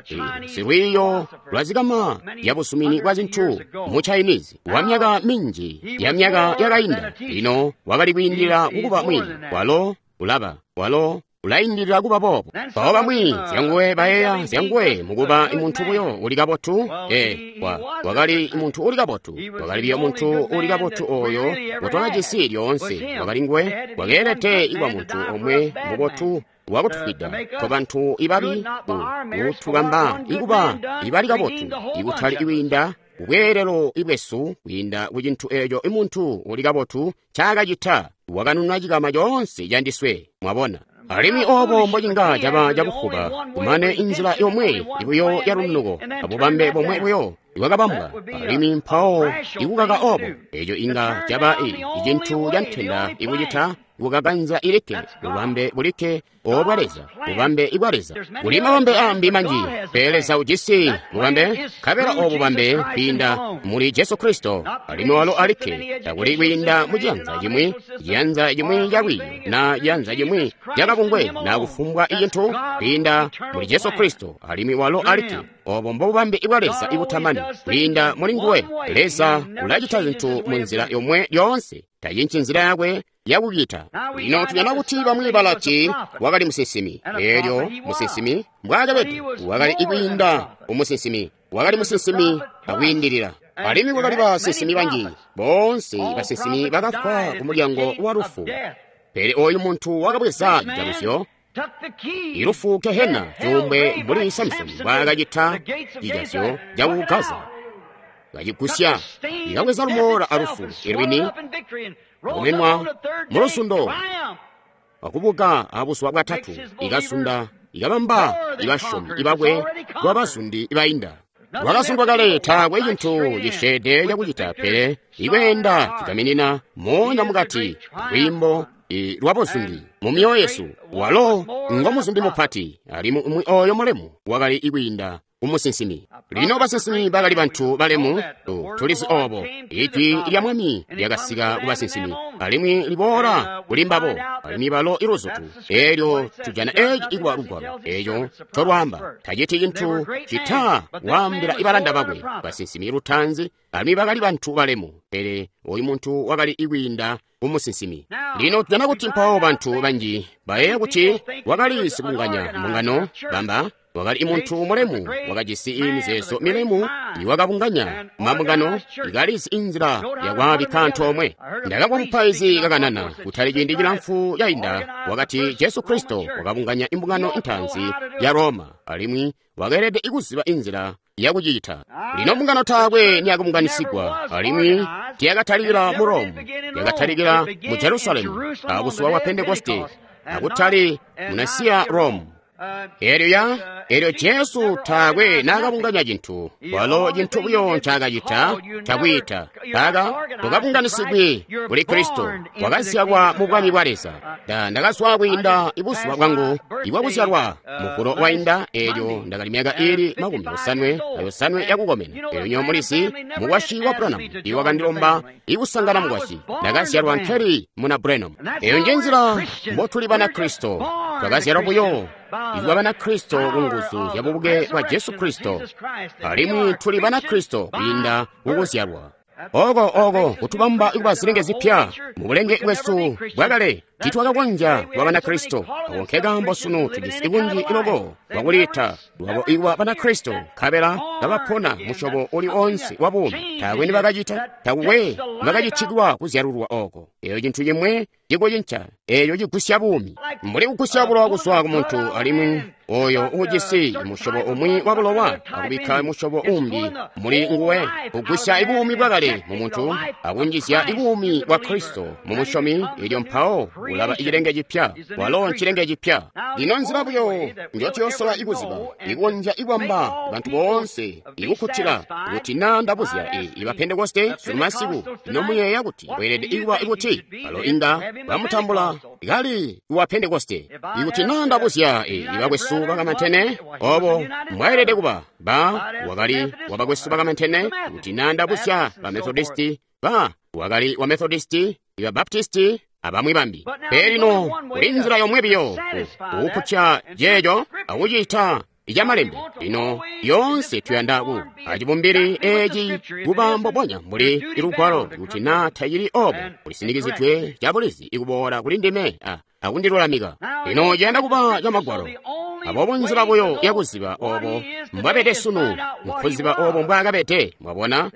Speaker 1: silwiiyo lwa zikama zyabusumini bwa zintu mu Chinese wa myaka minji ya myaka yakainda. Lino wakali kwiindilila kukuba mwiiyi, walo ulaba, walo ulaindilila kuba boobo. Mpawo bamwi zyanguwe bayeeya zyanguwe mukuba muntu buyo uli kabotu. E, wa, wakali muntu uli kabotu, wakali biyo muntu uli kabotu oyo ngotwakajisi lyoonse. Wakali nguwe wakeelede ikuba muntu omwe mubotu wakutufwida twabantu ibabi, kutubamba ikuba ibali kabotu, ikutali ikwiinda kubweelelo ibwesu, kwiinda kucintu eeco imuntu uli kabotu ncaakacita, wakanuna cikama coonse candiswe. Mwabona? Alimwi obo mbocinga caba cabufuba, kumane inzila yomwe ibuyo yalunuko, abubambe bomwe buyo ibwakabambwa, alimwi mpawo ikukaka obo, eeco inga caba icintu cantenda ikucita kukakanza ilikke bubambe bulikke obwa Leza, bubambe ibwa Leza. Kuli mabambe ambi manji, pele Leza ujisi bubambe, nkabela obu bubambe kwiinda muli Jesu Kristo, alimwi walo alikke, takuli kwiinda mu ciyanza cimwi, ciyanza cimwi calwiiyo, na ciyanza cimwi cakabungwe, na kufumbwa icintu, kwiinda muli Jesu Kristo, alimwi walo alikke. Obo mbobubambe ibwa Leza ibutamani, kwiinda muli nguwe. Leza ulacita zintu mu nzila yomwe lyoonse, tacinci nzila yakwe yakucita. Lino tujana kuti bamwi balati wakali musinsimi. Eelyo musinsimi mbwaakabede, wakali ikwiinda umusinsimi, wakali musinsimi akwiindilila. Alimwi kwakali basinsimi banji, boonse basinsimi bakafwa ku mulyango wa lufu. Pele oyu muntu wakabweza cijaluzyo, ilufu Gehena, cuumbwe mbuli Samsoni mbwaakacita cijazyo caku Gaza, kacigusya, ikabweza lumoola alufu ilwini, akumenwa mulusundo, akubuka abuzuba bwatatu, ikasunda Ikabamba ibasyomi ibakwe kuba bazundi bainda. Lwakazundwa kale, taakwe cintu cisyeede cakucita pele ikweenda cigaminina moonya mukati lwiimbo lwabuzundi mu myoyo yesu. Walo ngomuzundi mupati, alimwi umwi oyo mulemu wakali ikwiinda kumusinsimi. Lino basinsimi bakali bantu balemu, tulizi obo. Ijwi lya Mwami lyakasika ku basinsimi, alimwi liboola kuli mbabo, alimwi balo iluzutu. Elyo tujana eci ikuba lugwalo, eco ncolwaamba. Taciti cintu cita waambila ibalanda bakwe basinsimi lutaanzi, alimwi bakali bantu balemu, pele oyu muntu wakali ikwiinda kumusinsimi. Lino tujana kuti mpawo bantu banji bayeeya kuti wakali sikunganya mbungano, bamba wakali muntu mulemu, wakajisi mizeezo milemu, iwakabunganya mabungano, ikalizi inzila yakwaabikka antoomwe. Ndakamvwa mupaizi kakanana kutali ciindi cilamfu cainda, wakati Jesu Kristo wakabunganya imbungano intaanzi ya Roma, alimwi wakeelede ikuziba inzila yakucita. Lino mbungano taakwe niyakabunganisigwa, alimwi tiyakatalikila mu Rome, yakatalikila mu Jerusalemu abuzuba bwa Pentekoste, akutali mu Nasiya Rome. Elyo ya elyo Jesu taakwe naakabunganya cintu, walo cintu buyo ncaakacita cakwiita. Taka tukabunganisigwi kuli Kristo, wakazyalwa mu bwami bwa Leza. Ndakazwa kwiinda ibuzuba bwangu ibwakuzyalwa muvulo wainda, elyo ndakali myaka iili makumi osanwe ayosanwe yakukomena. Elyo nyo mulizi mukwasyi wa Branham iwakandilomba ikusangana mukwasyi. Ndakazyalwa nkeli muna Branham. Eyo nje nzila mbotuli bana Kristo, twakazyalwa buyo ikuba bana Kristo ku nguzu zya bubuke bwa Jesu Kristo, alimwi tuli bana Kristo kwiinda kukuzyalwa. Oko oko kutubamba ikuba zilenge zipya mu bulenge bwesu bwakale, titwakakonzya kuba bana Kristo. Ako nkekaambo sunu tujisi ikunji iloko lwakuliita lwabo ikuba bana Kristo, nkabela kabapona musyobo uli onse wa buumi. Taakwe nibakacita, takukwe nibakacitikwa kuzyalulwa oko. Eyo cintu cimwe cikucinca, eyo cigusya buumi, mbuli kugusya bulowa kuzwa ku muntu, alimwi oyo uujisi musyobo umwi wa bulowa akubikka musyobo umbi muli nguwe, kugusya ibuumi bwakale mu muntu akunjizya ibuumi bwa Kristo mu musyomi, elyo mpawo ulaba icilenge cipya. Walo ncilenge cipya. Lino nzila buyo njotuyosola ikuziba, ikonzya ikwamba bantu boonse ikukkutila kuti naa ndabuzya iba Pentekoste sunu masiku, ino muyeeya kuti weelede ikuba ikuti balo inga bamutambula kali wa Pentekoste. Ikuti naa ndabuzya ibakwesu bakamantene obo mbwaelede kuba, ba wakali wabakwesu bakamantene. Kuti naa ndabuzya ba Methodisti, ba wakali wa Methodisti, iba Baptisti, abamwi bambi. Pele lino kuli nzila yomwe biyo kukukkutya jeejo akucita icyamalembe. Lino yoonse tuyanda ku acibumbili eci kuba mbubonya mbuli ilugwalo, kuti naa tacili obo kulisinikizidwe cabulizi ikuboola kuli ndime akundilulamika. Lino ciyanda kuba camagwalo. Aboobo nzila buyo yakuziba obo mbwabede sunu, nkuziba obo mbwaakabede. Mwabona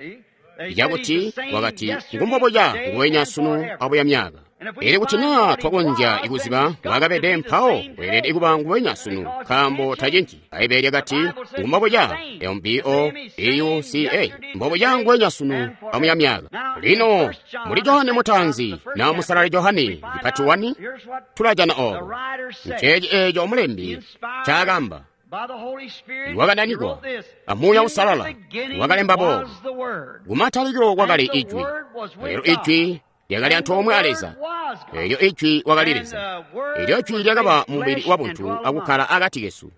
Speaker 1: icakuti wakati ngumbobuca nguwenya sunu abuya myaka. Elyo kuti naa twakonzya ikuziba mbwaakabede, mpawo weelede kuba nguwenya sunu, nkaambo tacinci. Bbaibele lyakati ngumbobuca, M B O B U C A, mbobuca nguwenya sunu amuya myaka. Lino muli Johane mutaanzi na musalali Johane cipati wani, tulajana obo. Nceeci eeco mulembi ncaakamba. Iwakananikwa a Muuya Uusalala wakalemba boobu: kumatalikilo kwakali Ijwi, elyo Ijwi lyakali antoomwe a Leza, elyo Ijwi wakali Leza, elyo Ijwi lyakaba mubili wabuntu akukkala akati kesu.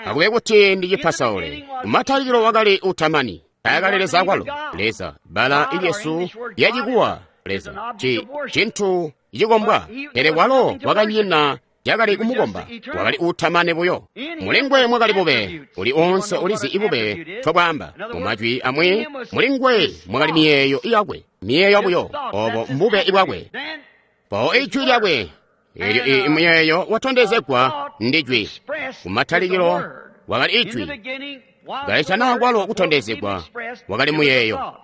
Speaker 1: Akube kuti ndicipasaule. Kumatalikilo wakali utamani, taakali Leza akwalo. Leza, bbala ilyesu lyacikuwa Leza, ci cintu cikombwa, pele walo wakanyina yakali kumukomba, wakali utamani buyo. Mulingwe mwakali bube, uli onse ulizi ibube twabwamba. Mu majwi amwi, mulingwe mwakali miyeeyo yakwe, miyeeyo buyo, obo mbube ibwakwe. Mpawo ijwi lyakwe, elyo imiyeeyo watondezegwa ndi jwi. Kumatalikilo wakali ijwi, kalitana kwalo kutondezegwa wakali muyeeyo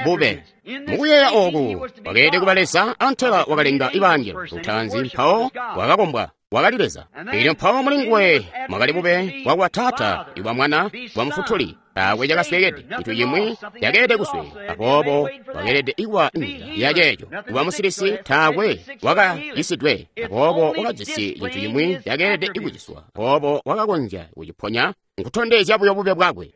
Speaker 1: bube. Mukuyeeya oku wakeelede kuba Leza, antela wakalenga ibangelo lutaanzi, mpawo wakakombwa. Wakali Leza. Elyo mpawo muli nguwe mwakali bube bwakuba Taata, ibwa Mwana, bwa Mufutuli. Taakwe cakasweekede, cintu cimwi cakeelede kusweeka, aboobo wakeelede kuba nzila ya ceeco. Kuba musilisi, taakwe wakacisidwe, aboobo wakajisi cintu cimwi cakeelede kuciswa, aboobo wakakonzya kuciponya, nkutondezya buyo bube bwakwe.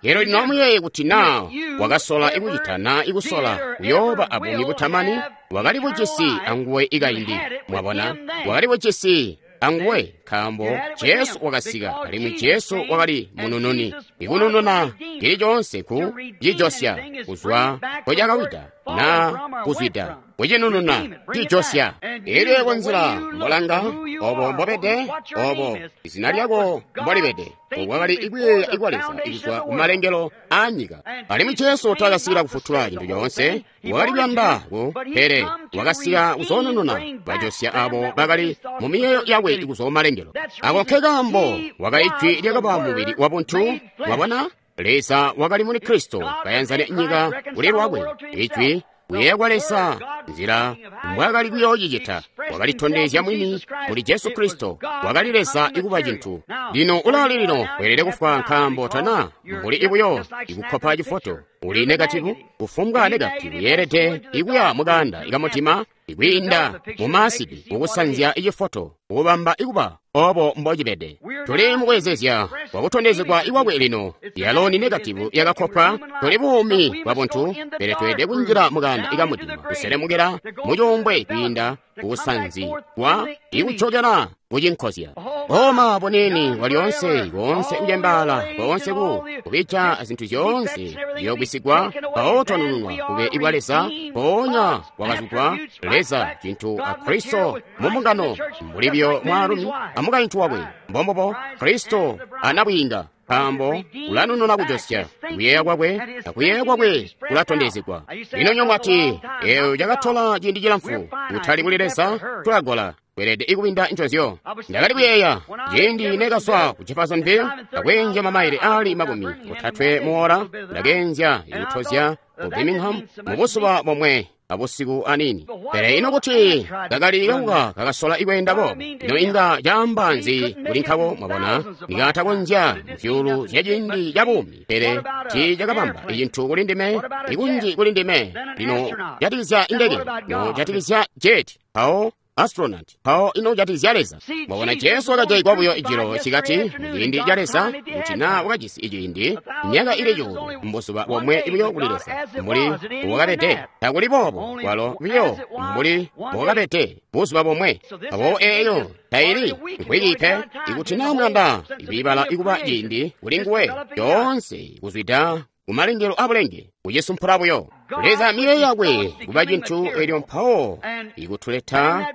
Speaker 1: Elyo lino amuyeeye kuti naa wakasola ikucita naa ikusola kuyooba abuumi butamani, wakali bujisi anguwe ikaindi. Mwabona, wakali bujisi anguwe nkaambo Jesu wakasika, alimwi Jesu wakali munununi. Ikunununa cili coonse ku cijosya kuzwa nkocakawida naa kuzwida, kucinununa cijosya. Elyo yebo nzila mbolanga, obo mbobede, obo izina lyako mbolibede, okwakali ikuyeeya ikwa Leza ikuzwa kumalengelo aa nyika. Alimwi Jesu taakasikila kufutula cintu coonse, wakali kuyanda ku, pele wakasika kuzoonununa bajosya abo bakali mu miyeeyo yakwe ikuzwa kumalengelo. Ako nke kaambo wakali Ijwi lyakaba mubili wabuntu. Mwabona, Leza wakali muli Kristo kayanzana nyika kuli lwakwe. Ijwi kuyeeya kwa Leza, nzila mbwaakali kuyoocicita, wakalitondezya mwini muli Jesu Kristo. Wakali Leza ikuba cintu. Lino ulaali lino weelede kufwa nkaambo tana mbuli ibuyo ikukkopa cifoto. Uli negativu, kufumbwa negativu yeelede ikuya mukanda ikamutima ikwiinda mumaasidi kukusanzya icifoto kukubamba ikuba obo mbocibede. Tuli mukwezezya kwakutondezegwa ikwakwe lino. Yalo ni negativu yakakopwa. Tuli buumi bwa buntu, pele tweelede kunjila mukanda ikamutima kuselemukela mucuumbwe kwiinda kukusanzi kwa ikucokela kucinkozya. Boma bunini bwalyoonse, koonse kucembaala, koonse ku kubija zintu zyoonse ziyogwisigwa, mpawo twanununwa kube ibwa Leza, mpoonya wakazugwa Leza cintu a Kristo mu mbungano, mbuli biyo mwaalumi amukaintu wakwe. Mbombubo Kristo anabwiinga, nkaambo ulanununa kujosya kuyeeya kwakwe, akuyeeya kwakwe kulatondezegwa. Lino nyomwe ati, eeyo cakatola ciindi cilamfu, kutali kuli Leza, tulagola. Kweelede ikubinda nconzyo. Ndakali kuyeeya ciindi nekazwa ku Jeffersonville ndakwenzya mamaile ali makumi otatwe muola, ndakeenzya ikutozya ku Birmingham mu buzuba bomwe abusiku anini. Pele ino kuti kakali kauka kakasola ikweenda boobo, ino inga caamba nzi kuli nkako? Mwabona, nikatakonzya muzyuulu zya ciindi ca buumi, pele tiicakabamba icintu kuli ndime, ikunji kuli ndime. Lino jatikizya indeke, no jatikizya jet, mpawo astronaut, mpawo ino jatikizya Leza. Mwabona, Jesu wakajaigwa buyo ijilo cikati muciindi ca Leza, kuti naa wakajisi iciindi myaka ili cuulu mbuzuba bomwe buyo kuli Leza, mbuli wakabede. Takuli boobo kwalo buyo mbuli wakabede buzuba bomwe. Aboobo eeyo taili nkwiki pe. Ikuti naa muyanda ikwiibala ikuba ciindi kuli nguwe, yoonse kuzwida kumalengelo abulenge kucisumpula buyo Leza miyeeyo yakwe kuba cintu, elyo mpawo ikutuleta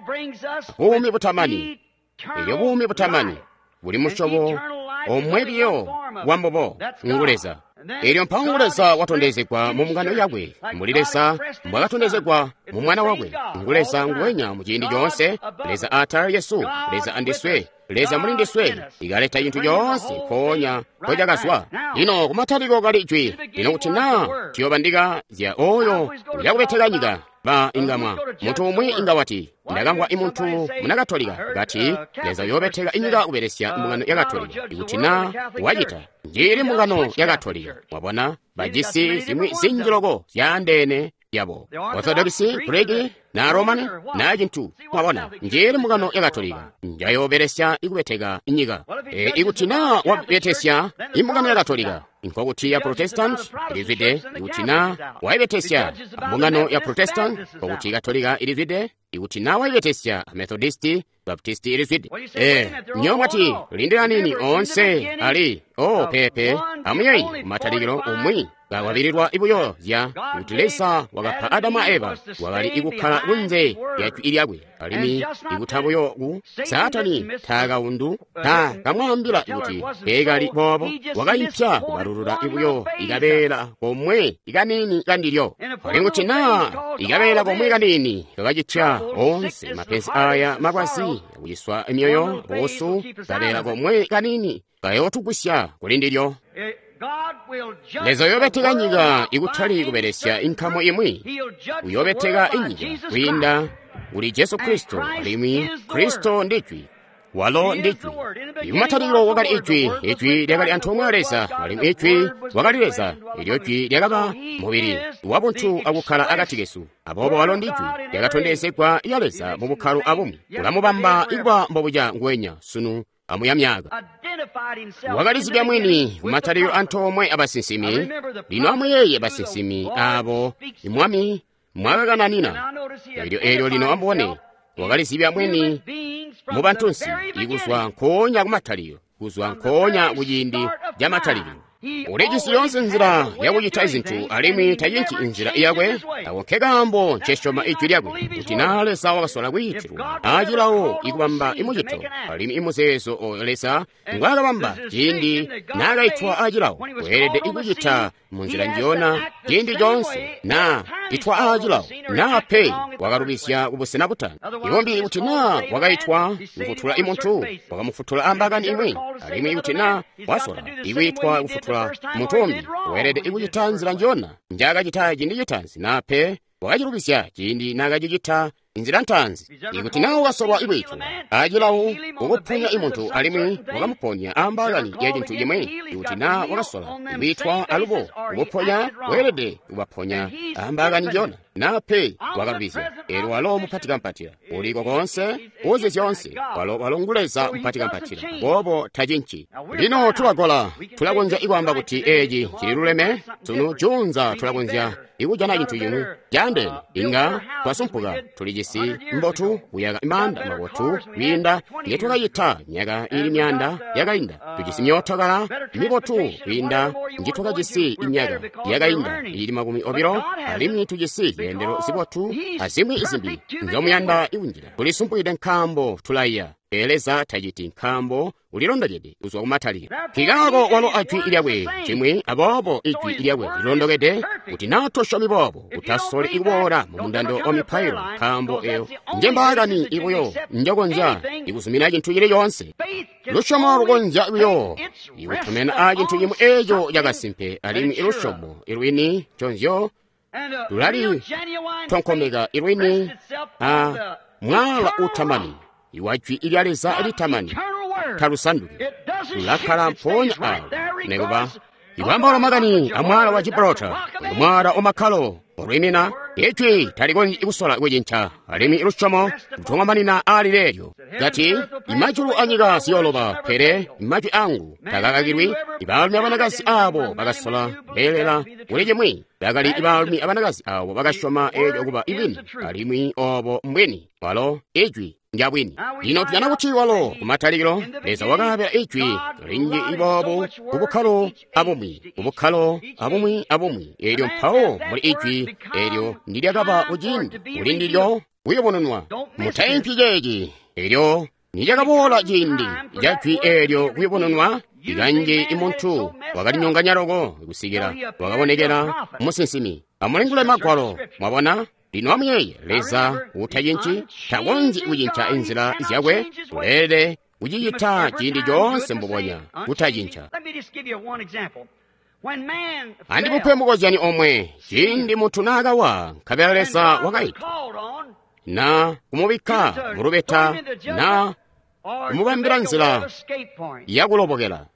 Speaker 1: buumi butamani. Elyo buumi butamani buli musyobo omwe biyo wambobo, ngu Leza. Elyo mpawo ngu Leza watondezegwa mu mbungano yakwe, mbuli Leza mbwakatondezegwa mu Mwana wakwe. Ngu Leza nguwenya mu ciindi coonse, Leza atala lyesu, Leza andiswe, Leza muli ndiswe, ikaleta cintu coonse mpoonya mpocakazwa. Lino kumatalikilo kali Jwi. Lino kuti naa tuyobandika zya oyo uyakubeteka nyika, ba ingamwa muntu umwi inga wati, ndakamvwa imuntu muna Katolika kati Leza uyobeteka inyika kubelesya mbungano ya Katolika. Ikuti naa wacita, njili mbungano ya Katolika. Mwabona, bajisi zimwi zinji loko zyaandeene yabo, Orthodox, Greek na Roman na cintu. Mwabona, njili mbungano ya Katolika njayobelesya ikubeteka inyika. E, ikuti naa wabetesya imbungano ya Katolika, nkokuti ya Protestant ilizwide. Ikuti naa waibetesya mbungano ya Protestant, nkokuti Katolika ilizwide. Ikuti naa waibetesya Methodisti, Baptisti ilizwide. E, nyo mwati lindila nini onse ali o pepe amuyeyi kumatalikilo umwi kawabililwa ibuyo zya kuti Leza wakapa Adamu a Eva wakali ikukkala kunze lya jwi lyakwe, alimwi ikuta buyo ku Saatani taakaundu taakamwaambila kuti teekali boobo, wakaipya kubalulula ibuyo ikabeela komwe ikanini kandilyo. Alimwi kuti naa ikabeela komwe kanini kakacitya onse mapenzi aya makwasi akuciswa emyoyo buusu, kabeela komwe kanini kayootugwisya kuli ndilyo. Leza uyobeteka nyika ikutali kubelesya inkamu imwi, uyobeteka inyika kwiinda Uli Jesu Kristo, alimwi Kristo ndi Jwi. Walo ndi Jwi. Kumatalikilo wakali Ijwi, Ijwi lyakali antoomwe a Leza, alimwi Ijwi wakali Leza. Elyo Jwi lyakaba mubili wabuntu akukkala akati kesu. Aboobo walo ndi Jwi lyakatondezegwa lya Leza mu bukkalo abumwi. Ulamubamba ikuba mbobuca nguwenya sunu amuya myaka. Wakalizibya mwini kumatalikilo antoomwe abasinsimi. Lino amuyeeye basinsimi abo Mwami mwakakananina. Elyo elyo lino amubone, wakalizibya mwini mu bantunsi ikuzwa nkoonya kumatalikilo, kuzwa nkoonya kuciindi ca matalikilo. Ulijisi yoonse nzila yakucita zintu, alimwi tacinci inzila yakwe. Ako nkekaambo ncesyoma ijwi lyakwe, kuti naa Leza wakasola kwiitilwa acilawo ikubamba imucito, alimwi imuzeezo oyo Leza ngwaakabamba ciindi naakaitwa acilawo, weelede ikucita munzila njiyona ciindi coonse naa itwa aacilawo, naa pe wakalubizya kubusena butanu. Ibombi kuti naa wakaitwa kufutula imuntu, wakamufutula ambakani imwi, alimwi ikuti naa wasola ikwiitwa kufutula muntu umbi, weelede ikucita nzila njiyona njaakacita ciindi citaanzi, naa pe wakacilubizya ciindi naakacicita inzila ntaanzi. Ikuti naa wakasolwa ikwiitwa acilawo ukuponya imuntu alimwi wakamuponya ambakani ya cintu cimwi, ikuti naa wakasola ikwiitwa alubo ukuponya, weelede kubaponya ambakani njiyona, naa pe wakalubizya. Elyo walo mupati kampatila, uliko koonse, uzi zyoonse, walo walo ngu Leza mupati kampatila, boobo tacinci. Lino tulagola, tulakonzya ikwaamba kuti eci cililuleme sunu, juunza tulakonzya ikujana cintu cimwi caandeene. Inga twasumpuka, tulijisi mbotu kuyaka maanda mabotu kwiinda ngetwakacita myaka ili myaanda yakainda. Tujisi myootokala mibotu kwiinda njitwakajisi imyaka yakainda ili makumi obilo, alimwi tujisi zyeendelo zibotu azimwi izimbi nzomuyanda ikunjila. Tulisumpukide nkaambo tulaiya. Pele Leza taciti, nkaambo ulilondokede kuzwa kumatalikilo. Nkikaako walo ajwi lyakwe cimwi, aboobo ijwi lyakwe lilondokede. Kuti naa tosyomi boobo, utasoli ikuboola mu mundando wa mipailo, nkaambo eyo nje mbaakani ibuyo njokonzya ikuzumina cintu cili coonse. Lusyomo lukonzya buyo ikutomena a cintu cimwi eeco cakasimpe, alimwi ilusyomo ilwini nconzyo lulali tonkomeka ilwini a mwala utamani iwa jwi lya Leza litamani, talusanduki, lulakkala mpoonya awo. Nekuba ikwambaula makani a mwala wa Gibraltar, mwala wamakkalo olwimina, ijwi talikonzyi kusola kucinca, alimwi lusyomo lutongomanina ali leelyo. Kati, imajulu anyika ziyoloba, pele majwi angu takakakilwi. Ibaalumi abanakazi abo bakasola beelela kuli cimwi, bakali ibaalumi abanakazi abo bakasyoma eelyo kuba ibwini, alimwi obo mbwini. Walo ijwi njabwini. Lino tujana kuti walo kumatalikilo Leza wakaabila ijwi linji iboobu kubukkalo abumwi, kubukkalo abumwi abumwi. Eelyo mpawo muli ijwi eelyo ndilyakaba kuciindi kuli ndilyo kuyubununwa. Mutaimpyi ceeci. Eelyo nilyakaboola ciindi ca jwi eelyo kuyubununwa, ikanji imuntu wakalinyonganya loko kusikila wakabonekela musinsimi. Amulingule Magwalo, mwabona. Lino amuyeeye, Leza utacinci, takonzyi kucinca inzila zyakwe, uleelede kucicita ciindi coonse mbubonya, kutacinca. Andimupe mukozyani omwe. Ciindi muntu naakawa, nkabela Leza wakaitwa, na kumubikka mulubeta, na kumubambila nzila yakulobokela.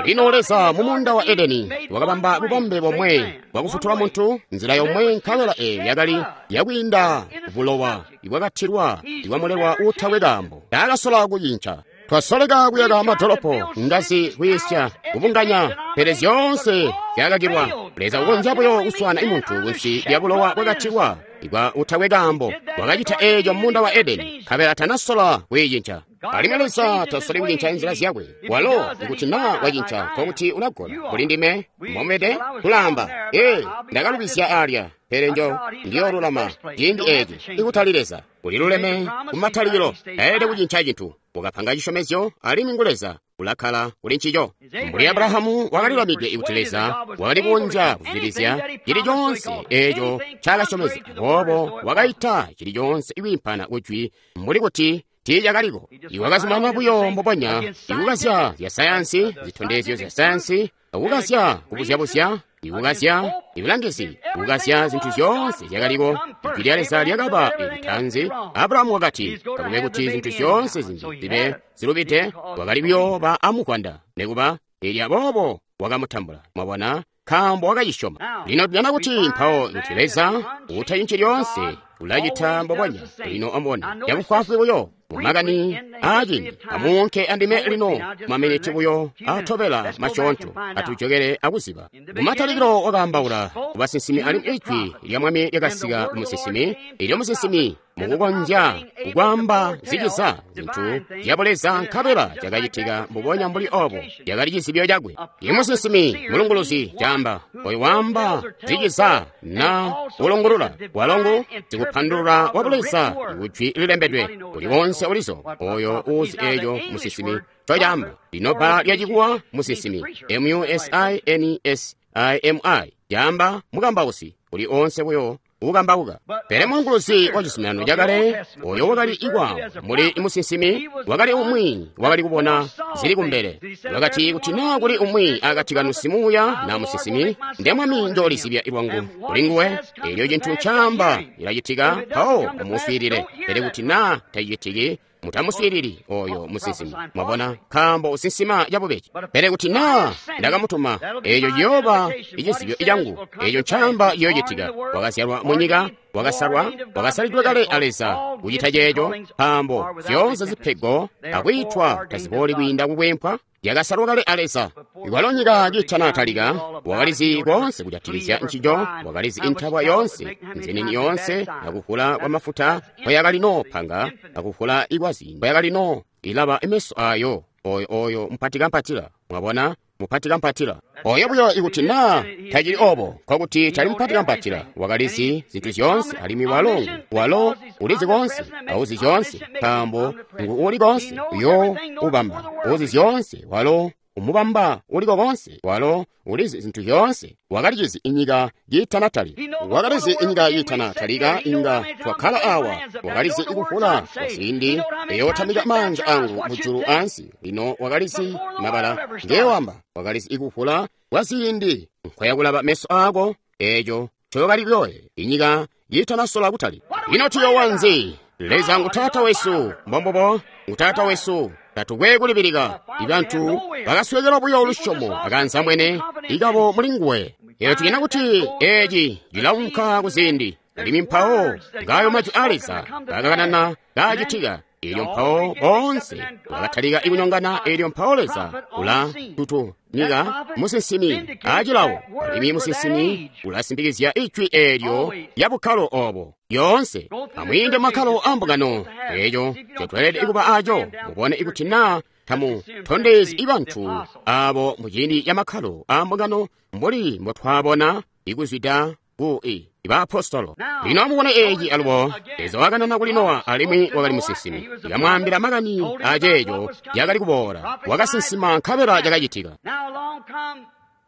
Speaker 1: Lino Leza mu muunda wa Edeni wakabamba bubambe bomwe bwakufutula muntu, nzila yomwe, nkabela eyo yakali yakwiinda bulowa ibwakatilwa ibwamulelwa uutakwe kaambo. Taakasola kucinca. Twasoleka kuyaka madolopo, ngazi, kuyisya, kubunganya, pele zyoonse zyakakilwa. Leza ukonzya buyo kuswana imuntu kunsi lya bulowa bwakatilwa ibwa utakwe kaambo. Wakacita eeco munda wa Edeni, nkabela tanasola kuicinca. Alimwi Leza tasoli kucinca inzila zyakwe. Walo ikuti naa wacinca, nkokuti ulagola kuli ndime momwede kulaamba, ee, ndakalubizya alya, pele njo ndiyoolulama ciindi eeci. Ikutali Leza uliluleme kumatalikilo, taelede kucinca cintu. Wakapanga cisyomezyo, alimwi ngu Leza ulakkala kuli ncico. Mbuli Abrahamu wakalilamide kuti Leza wakali kukonzya kuzwidilizya cili coonse eeco ncaakasyomezya, aboobo wakaita cili coonse ikwiimpana kujwi mbuli kuti tiicakaliko. Iwakazumanana buyo mbubonya ikukazya zya sayansi, zitondezyo zya sayansi, akukazya kubuzyabuzya Ikukazya, ibulangizi, kukazya zintu zyoonse zyakaliko. Ijwi lya Leza lyakaba litaanzi. Abrahamu wakati, kakube kuti zintu zyoonse zimbi zibe zilubide, wakali kuyooba amuvwanda. Nekuba, elyo aboobo wakamutambula. Mwabona? Nkaambo wakacisyoma. Lino tujana kuti mpawo kuti Leza utayinci lyoonse ulacita mbubonya. Lino amubone, cabufwaafwi buyo mumakani aacindi, amuunke andime lino maminiti buyo atobela masyoonto, atujokele akuziba. Kumatalikilo wakaambaula kubasinsimi alimwi ijwi lya Mwami lyakasika kumusinsimi. Elyo musinsimi mukukonzya kukwaamba ziciza zintu zyabuleza nkabela cakacitika mbubonya mbuli obo, cakali cizibyo cakwe. Imusinsimi mulunguluzi caamba oyo waamba ziciza na ulungulula walongo zikupandulula wabuleza kujwi lilembedwe kuli wonse ulizo oyo uzi eyo musinsimi cocaamba. Lino bbala lyacikuwa musinsimi M U S I N S I M I caamba mukambausi, kuli onse buyo ukambauka. Pele mulunguluzi wa cizuminano cakale oyo wakali ikwa muli musinsimi wakali umwi wakali kubona zili kumbele. Wakati kuti naa kuli umwi akati kanu simuuya na musinsimi, nde Mwami njoolizibya lwangu kuli nguwe. Elyo cintu ncaamba ilacitika, mpawo amuswiilile. Pele kuti naa tacicitiki, mutamuswiilili oyo musinsimi. Mwabona, nkaambo usinsima cabubeji. Pele kuti naa ndakamutuma, eeco ciyooba icizibyo cangu, eeco ncaamba ciyoocitika. Wakazyalwa munyika, wakasalwa, wakasalidwe kale a Leza kucita ceeco, nkaambo zyoonse zipego akwiitwa tazibooli kwiinda kukwempwa. Yakasalwa kale a Leza. Ikwalo nyika kiitanatalika, wakalizi koonse kujatikizya ncico, wakalizi intabwa yoonse, nzinini yoonse, akuvula kwa mafuta kwayakali panga, akuvula ikwazi kwayakali ilaba meso ayo, oyo oyo mpatikampatila. Mwabona, mupatikampatila. Oyo buyo ikuti naa tacili obo, nkokuti tali mupatikampatila. Wakalizi zintu zyoonse, alimwi walo walo ulizi koonse, auzi zyoonse, nkaambo ngu uli koonse, uyo ubamba uzi zyoonse, walo umubamba uliko konse, walo ulizi zintu zyoonse. Wakalizizi inyika kiitanatalika, wakalizi inyika kiitanatalika inga twakkala awa. Wakalizi ikuvula kwa ziindi eyotamika manja angu mujulu ansi. Lino wakalizi mabala ngewamba, wakalizi ikuvula kwa ziindi nkwayakulaba meso ako, eeco cokali kuyoye inyika kiitanasola kutali. Lino tuyowa nzi? Leza ngu Taata wesu, mbombubo, ngu Taata wesu. Tatukwe kulibilika. Ibantu bakaswekelwa buyo lusyomo akanzamwene ikabo muli nguwe. Elyo tujana kuti eci cilaunka kuziindi, alimwi mpawo ngayo majwi a Leza kakakanana kaacitika. Elyo mpawo boonse bakatalika ikunyongana. Elyo mpawo Leza ula tutu nyika musinsimi acilawo, alimwi musinsimi ulasimpikizya ijwi eelyo lya bukkalo obo yoonse. Amwiinde makkalo ambungano, eeco ncotweelede kuba aco. Mubone ikuti naa tamu tondezi ibantu abo muciindi ya makkalo ambungano mbuli mbotwabona ikuzwida ku i baapostolo. Lino amubone eeci alubo. Leza wakanana kuli Nowa, alimwi wakali musinsimi. Yakamwaambila makani aceeco yakali kuboola. Wakasinsima nkabela cakacitika.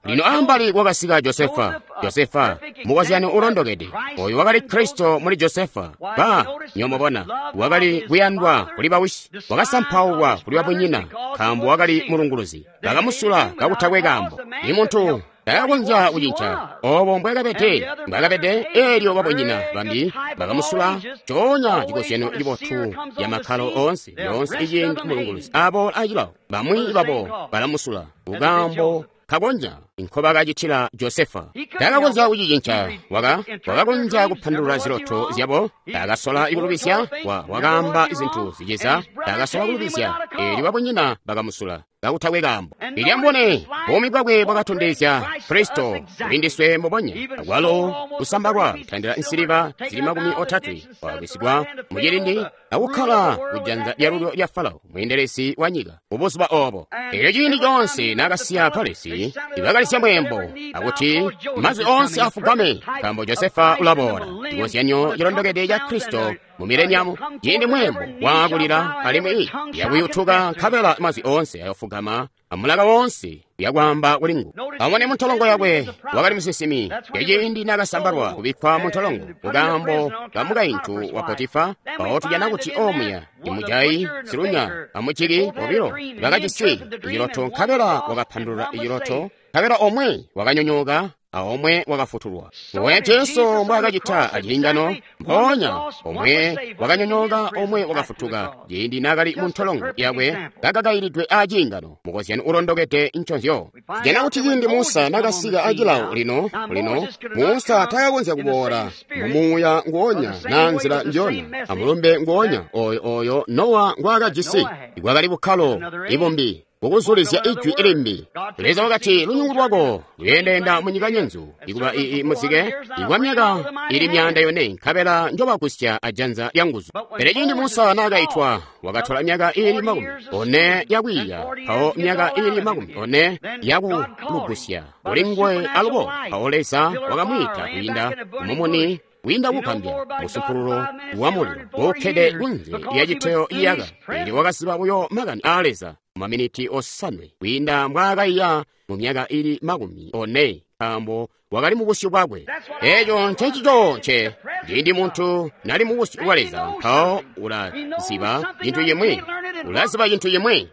Speaker 1: Lino ambali kwakasika Josefa. Josefa mukozyano ulondokede, oyo wakali Kristo muli Josefa. Ba nyomobona, wakali kuyandwa kuli bawisi, wakasampaulwa kuli babunyina, nkaambo wakali mulunguluzi. Bakamusula kakutakwe kaambo. Imuntu takakonzya kucinca obo mbwakabede, mbwakabede. Elyo babunyina bambi bakamusula. Coonya cikozyano cibotu ya makkalo oonse, yoonse iciindi mulunguluzi aboola acilawo, bamwi babo balamusula kukaambo kakonja nkobakacitila Josefa. Takakonzya kucicinca. Waka wakakonzya kupandulula ziloto zyabo. Takasola kulubizya. Wa wakaamba zintu ziciza. Takasola kulubizya. Elyo babunyina bakamusula kakutakwe kaambo. Elyo amubone, buumi bwakwe bwakatondezya Kristo kulindiswe mbubonya. Akwalo kusambalwa kutandila nsiliva zili makumi otatwe kwakwisigwa mucilindi akukkala kujanza lyalulyo lya Farao, mweendelezi wa nyika mubuzuba obo. Elyo ciindi coonse naakasiya palesi, ibakalisya mweembo akuti mazwi onse afugame, nkaambo Josefa ulaboola. Cikozyanyo cilondokede ca Kristo mu mileniamu, ciindi mweembo waakulila alimwi yakuyutuka, nkabela mazwi onse ayofugama amulaka wonse yakwaamba kuli ngu. Amone muntolongo yakwe wakali musinsimi. Yaciindi naakasambalwa kubikkwa muntolongo kukaambo ka mukaintu wa Potifa, mpawo tujana kuti omuya imujayi silunya amuciki bobilo bakajisi iciloto, nkabela wakapandulula iciloto, nkabela omwe wakanyonyooka a omwe wakafutulwa. Mbubonya Jesu mbwaakacita aciingano, mpoonya omwe wakanyonyooka omwe wakafutuka ciindi naakali mu ntolongo yakwe kakakailidwe aciingano, mukozyano ulondokede nconzyo. Tujana kuti ciindi Musa nakasika acilawo lino, lino, Musa takakonzya kuboola mumuuya nguonya na nzila njona, amulumbe nguonya oyo oyo Nowa ngwaakajisi. Ikwakali bukkalo ibumbi kukuzulizya ijwi ilimbi. Leza wakati lunyungu lwako luyeendeenda mu nyika nyenzu, ikuba ii muzike ikwa myaka ili myaanda yone, nkabela njobagusya ajanza lya nguzu. Pele ciindi Musa naakaitwa, wakatola myaka ili makumi one yakwiiya, mpawo myaka ili makumi one yakulugusya kuli nguwe alubo. Mpawo Leza wakamwiita kwiinda mumuni, kwiinda kugambya musumpululo wa mulilo uukkede kunze lya citeyo iyaka. Eelyo wakaziba buyo makani aa Leza maminiti osanwe kwiinda mbwaakaiya mu myaka ili makumi one, nkaambo wakali mu busyu bwakwe. Eeco ncencico nce ciindi muntu nali mu busyu bwa Leza, mpawo ulaziba cintu cimwi, ulaziba cintu cimwi.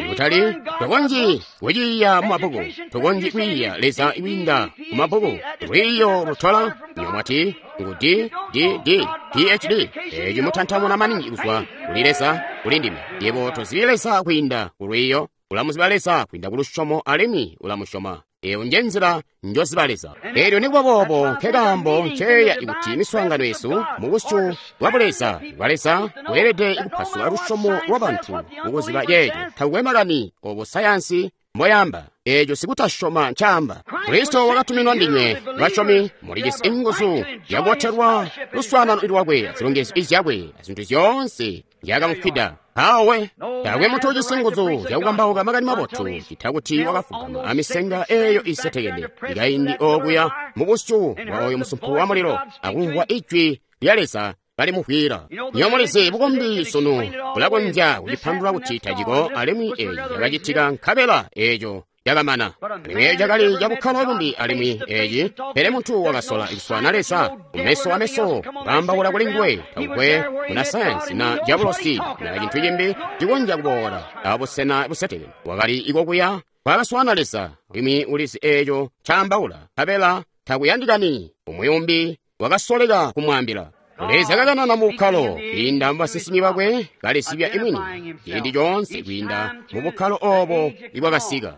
Speaker 1: Kutali tokonzyi kuciiya mu mabbuku, tokonzyi kwiiya Leza kwiinda mu mabbuku. Lwiiyo lutola nyomwati ngu D D D P H D. Eeci mutantamuna maningi kuzwa kuli Leza kuli ndime. Yebo tozibi Leza kwiinda ku lwiiyo, ulamuziba Leza kwiinda ku lusyomo alimwi ulamusyoma. Eyo nje nzila njoziba Leza. Eelyo nikuba boobo nkekaambo nceeya kuti miswaangano yesu mu busyu bwa Buleza bwa Leza bweelede kupasula lusyomo lwa bantu mukuziba ceeco. Takukwe makani obo sayansi mboyamba, eeco sikutasyoma ncaamba. Kristo wakatuminwa ndinywe basyomi, mulijisi inguzu yakubotelwa luswaanano lwakwe, azilongezyo izyakwe, azintu zyoonse nzyakamufwida. Awe taakwe muntu ujisi nguzu zyakukambauka makani mabotu cita kuti wakafugama amisenga eeyo isetekene ikaindi okuya mu busyu bwa oyo musumpu wa mulilo akumvwa ijwi lya Leza kalimuvwila. Nyo mulizi bukombi sunu bulakonzya kulipandulula kuti taciko, alimwi eeci cakacitika nkabela eeco cakamana. Alimwi eeco cakali cabukkalo bumbi, alimwi eeci pele muntu wakasola kuswaana Leza kumeso ameso, kaambaula kuli nguwe. Takukwe muna sayansi na diabolosi na cintu cimbi cikonzya kuboola abusena busetekene. Wakali ikokuya kwakaswaana Leza, alimwi ulizi eeco ncaambaula, nkabela takuyandikani umwi umbi wakasoleka kumwaambila. Leza kakanana mu bukkalo kwiinda mu basinsimi bakwe, kalizibya imwini ciindi coonse kwiinda mu bukkalo obo ibwakasika.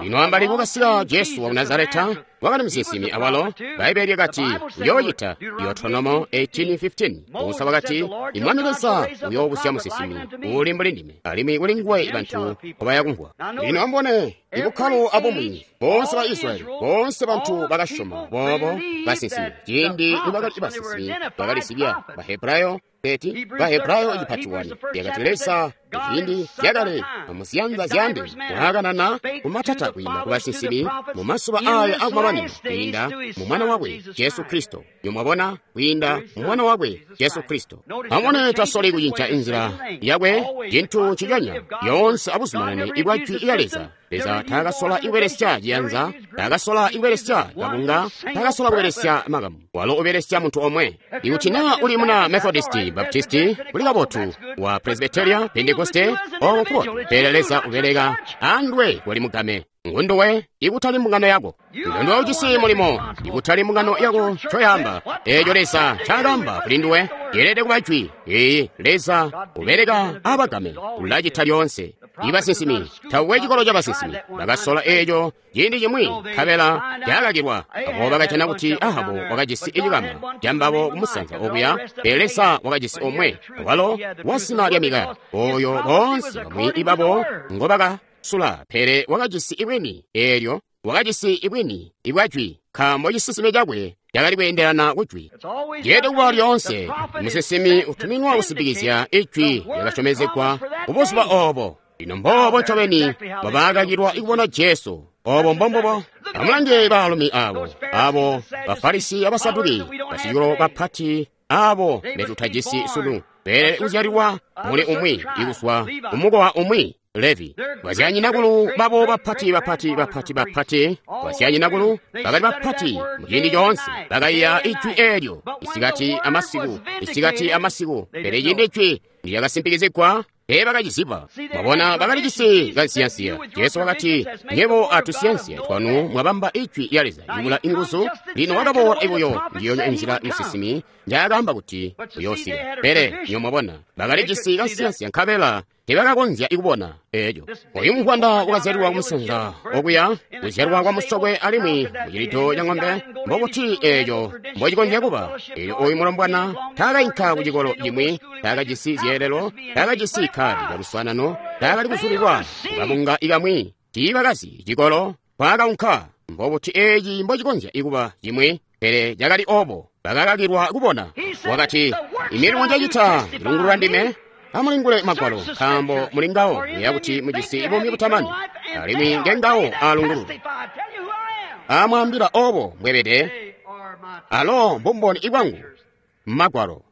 Speaker 1: Lino ambali kwakasika Jesu wa ku Nazareta, wakali musinsimi awalo. Bbaibbele lyakati uyoocita Deuteronomo eighteen fifteen. Musa wakati, Imwami Leza uyoobusya musinsimi uuli mbuli ndime, alimwi kuli nguwe bantu nkobayakumvwa. Lino ambone ibukkalo abumwi, boonse ba Israyeli, boonse bantu bakasyoma boobo basinsimi. Ciindi nibakali basinsimi bakalizibya Bahebrayo thirty, Bahebrayo icipati one yakati Leza ciindi zyakale amuziyanza zyande waakanana kumatata kwiinda ku basinsimi mu mazuba aya akumamanino kwiinda mu mwana wakwe Jesu Kristo. Nyomwabona, kwiinda mu mwana wakwe Jesu Kristo. Amubone, tasoli kucinca inzila yakwe, cintu nciconya yoonse abuzumanane ibwa jwi lya Leza. Leza taakasola ikubelesya ciyanza, taakasola ikubelesya kabunga, taakasola kubelesya makamu. Walo ubelesya muntu omwe. Ikuti naa uli muna Methodisti, Baptisti, kuli kabotu, wa Presbyteria, Pentekoste, obo nkubotu. Pele Leza ubeleka andwe kuli mugame. Ngunduwe ikutali mbungano yako. Ngunduwe ujisi mulimo ikutali mbungano yako ncoyamba. Eeco Leza ncaakamba kuli nduwe yeelede kuba jwi. Ee, Leza ubeleka abagame, ulacita lyoonse. Ibasinsimi, takukwe cikolo cabasinsimi bakasola eeco ciindi cimwi, nkabela cakakilwa. Abo bakajana kuti Ahabu wakajisi icikama cambabo kumusanza okuya, pele Leza wakajisi omwe, walo wazina lya Mikaya, oyo boonse bamwi ibabo ngobakasula, pele wakajisi ibwini eelyo, wakajisi ibwini ibwa jwi, nkaambo cisinsime cakwe cakali kweendelana ku jwi. Yeelede kuba lyoonse musinsimi utuminwa kusimpikizya ijwi lyakasyomezegwa kubuzuba obo. Lino mboobo ncobeni mbobakakilwa kubona Jesu. Obo mbombubo. Amulange baalumi abo, abo Bafarisi abasaduki, basicikolo bapati abo betutajisi sunu, beelede kuzyalilwa muli umwi, ikuzwa kumukowa umwi, Levi. Bazyanyinakulu babo bapati bapati bapati bapati, bazyanyinakulu bakali bapati muciindi coonse, bakaiya ijwi eelyo isikati amasiku, isikati amasiku. Pele ciindi ijwi lyakasimpikizigwa, Teeba kaciziba. Mwabona, bakali jisi kansiyansiya. Jesu wakati, "Nyebo atusiyansiya twanu mwabamba ijwi lya Leza ibula inguzu." Lino wakaboola ibuyo ndiyonya inzila musinsimi njaakaamba kuti uyoosika. Pele nyo mwabona, bakali jisi kansiyansiya nkabela teebakakonzya ikubona eeco. Oyu muvwanda wakazyalilwa kumusanza okuya, kuzyalwa kwa musokwe alimwi mucilito ca ng'ombe, mbokuti eeco mbocikonzya kuba. Eelyo oyu mulombwana taakainka ku cikolo cimwi, taakajisi zyeelelo, taakajisi kkaadi lya luswaanano, taakali kuzulilwa kukabunga ikamwi, tiibakazi cikolo kwaakaunka. Mbobuti eeci mbocikonzya ikuba cimwi? Pele cakali obo, bakakakilwa kubona. Wakati, "Imilimo njecita ilungulula ndime. Amulingule Magwalo, nkaambo muli ngawo muyeeya kuti mujisi buumi butamani, alimwi ngengawo aalungulula. Amwaambila obo mbwebede, alo mbumboni ibwangu Magwalo."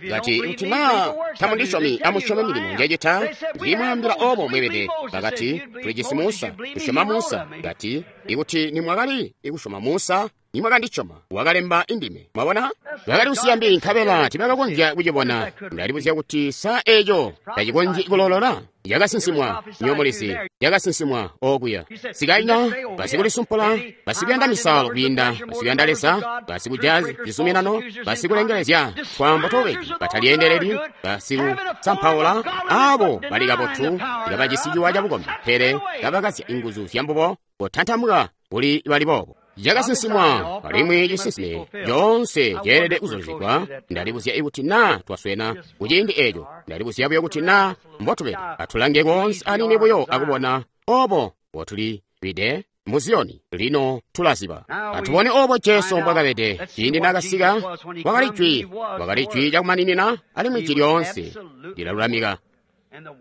Speaker 1: Kati, "Kuti naa tamundisyomi, amusyome milimo njecita. Ndimwaambila obo mbwebede." Bakati, "Tulijisi Musa, tusyoma Musa." Kati, "Ikuti nimwakali ikusyoma Musa, nimwakandisyoma, wakalemba indime." Mwabona, bakali kusiya mbi nkabela tibakakonzya kucibona. Ndalibuzya kuti sa eeco tacikonzyi kulolola? Yakasinsimwa, nyomulizi, yakasinsimwa okuya. Sikaina, basikulisumpula, basikuyanda misalo kwiinda basikuyanda Leza, basikuja cizuminano, basikulengelezya twaambo tobeji, batalyeendeleli, basikusampaula, abo bali kabotu, kabajisi ciwa cabukombi, pele kabakazya inguzu zyambubo, kotantamuka kuli bali boobo. Cakasinsimwa, alimwi cisinsime coonse ceelede kuzulizigwa. Ndalibuzya ikuti naa twaswena kuciindi eeco. Ndalibuzya buyo kuti naa mbotubede. Atulange koonse anini buyo akubona obo mbotulibide mu Ziyoni. Lino tulaziba. Atubone obo Jesu mbwakabede ciindi naakasika. Wakali jwi, wakali jwi cakumaninina, alimwi jwi lyoonse lilalulamika,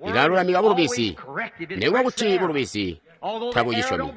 Speaker 1: lilalulamika bulubizi, nikuba kuti bulubizi tabucisyomi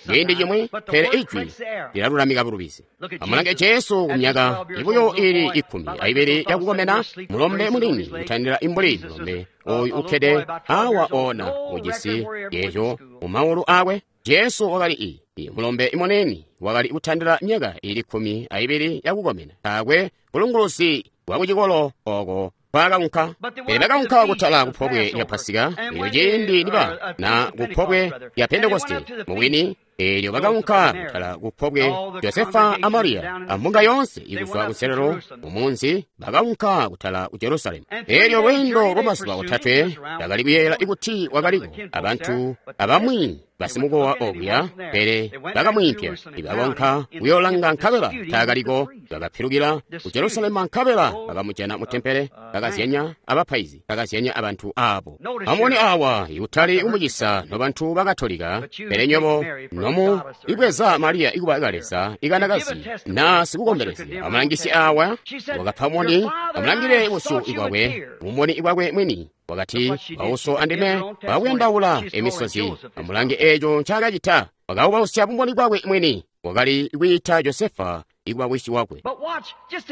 Speaker 1: ciindi cimwi, pele ijwi lilalulamika bulubizi. Amulange Jesu kumyaka ibuyo ili ikkumi aibili yakukomena, mulombe muniini kutandila imbuli mulombe oyu ukkede awa ona ujisi eeco mumaulu akwe. Jesu wakali i i mulombe muniini wakali kutandila myaka ili kkumi aibili yakukomena, taakwe bulunguluzi bwa kucikolo oko kwakaunka. Pele bakaunka kutala kupobwe lya Pasika, eelyo ciindi niba na kupobwe lya Pentekoste mubwini, eelyo bakaunka kutala kupobwe. Josefa a Mariya ambunga yoonse ikuzwa kunselelo mumunzi bakaunka kutala ku Jerusalemu. Eelyo lweendo lwamazuba otatwe bakali kuyeeyela ikuti wakaliko abantu abamwi basimukowa okuya, pele bakamwiimpya. Ibakonka kuyoolanga nkabela taakaliko. Bakapilukila ku Jerusalema nkabela bakamujana mu tempele, bakazyanya abapaizi, bakazyanya abantu abo. Amubone awa, ikutali kumucisa nobantu bakatolika, pele nywebo nomu ibweza Mariya ikuba kaleza ikanakazi na sikukombelezya. Amulangisye awa, wakapa moni, amulangile busyu ibwakwe, mumoni ibwakwe mwini. Wakati, "Bauso andime bakuyandaula emisozi." Amulange eeco ncaakacita. Wakaubausya bumboni bwakwe mwini. Wakali kwiita Josefa ikuba wisi wakwe.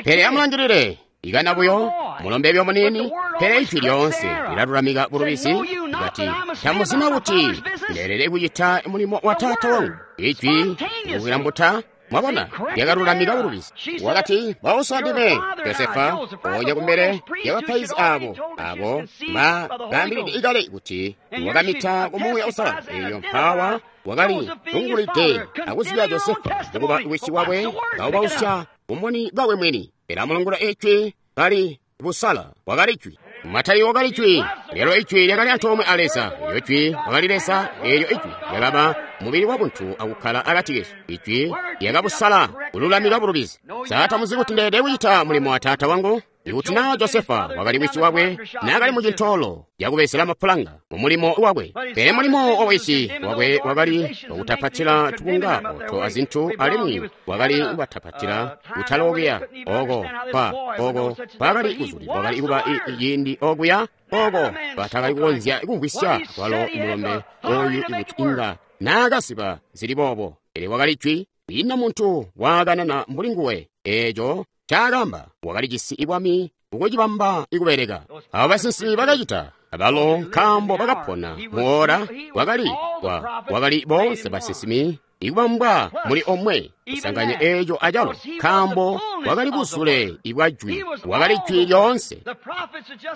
Speaker 1: Pele amulangilile, ikana buyo mulombe byo muniini, pele ijwi lyoonse lilalulamika bulubizi. Kati, "Tamuzina kuti ndeelede kucita mulimo wa taata wangu." Ijwi likulambuta. Mwabona, lyakalulamika bulubizi. Wakati, "Bauso andime." Josefa onya kumbele yabapaizi abo abo bakaambilide ikale kuti wakamita ku Muuya Uusalala. Eyo mpawa wakali lungulide akuzibya Josefa kuba wisi wakwe, kaubausya bumboni bwakwe mwini. Pele amulungula ijwi kali busala, wakali jwi. Matayo wakali jwi, lelo ijwi lyakali antoomwe a Leza. Eelyo jwi wakali Leza, eelyo ijwi lyakaba mubili wa buntu akukkala akati kesu. Ijwi lyakabusala kululamika bulubizi. Sa tamuzi kuti ndeelede kucita mulimo wa taata wangu? Ikuti naa Josefa wakali wisi wakwe, naakali mu cintoolo cakubezela mapulanga mu mulimo wakwe, pele mulimo wa wisi wakwe wakali wakutapatila tubunga oto azintu, alimwi wakali kubatapatila kutala okuya oko kwa oko kwakali kuzulilwa, wakali kuba ciindi okuya oko batakali kukonzya kumvwisya kwalo mulombe oyu ikuti inga naakasiba zili boobo. Pele wakali jwi, kwiina muntu waakanana mbuli nguwe. Eeco caakamba wakali jisi ibwami ukucibamba ikubeleka. Abo basinsimi bakacita abalo, nkaambo bakapona muora wakali wa wakali boonse basinsimi Ikubambwa muli omwe kusanganya eeco acalo, nkaambo wakali buzule ibwa jwi, wakali jwi lyoonse.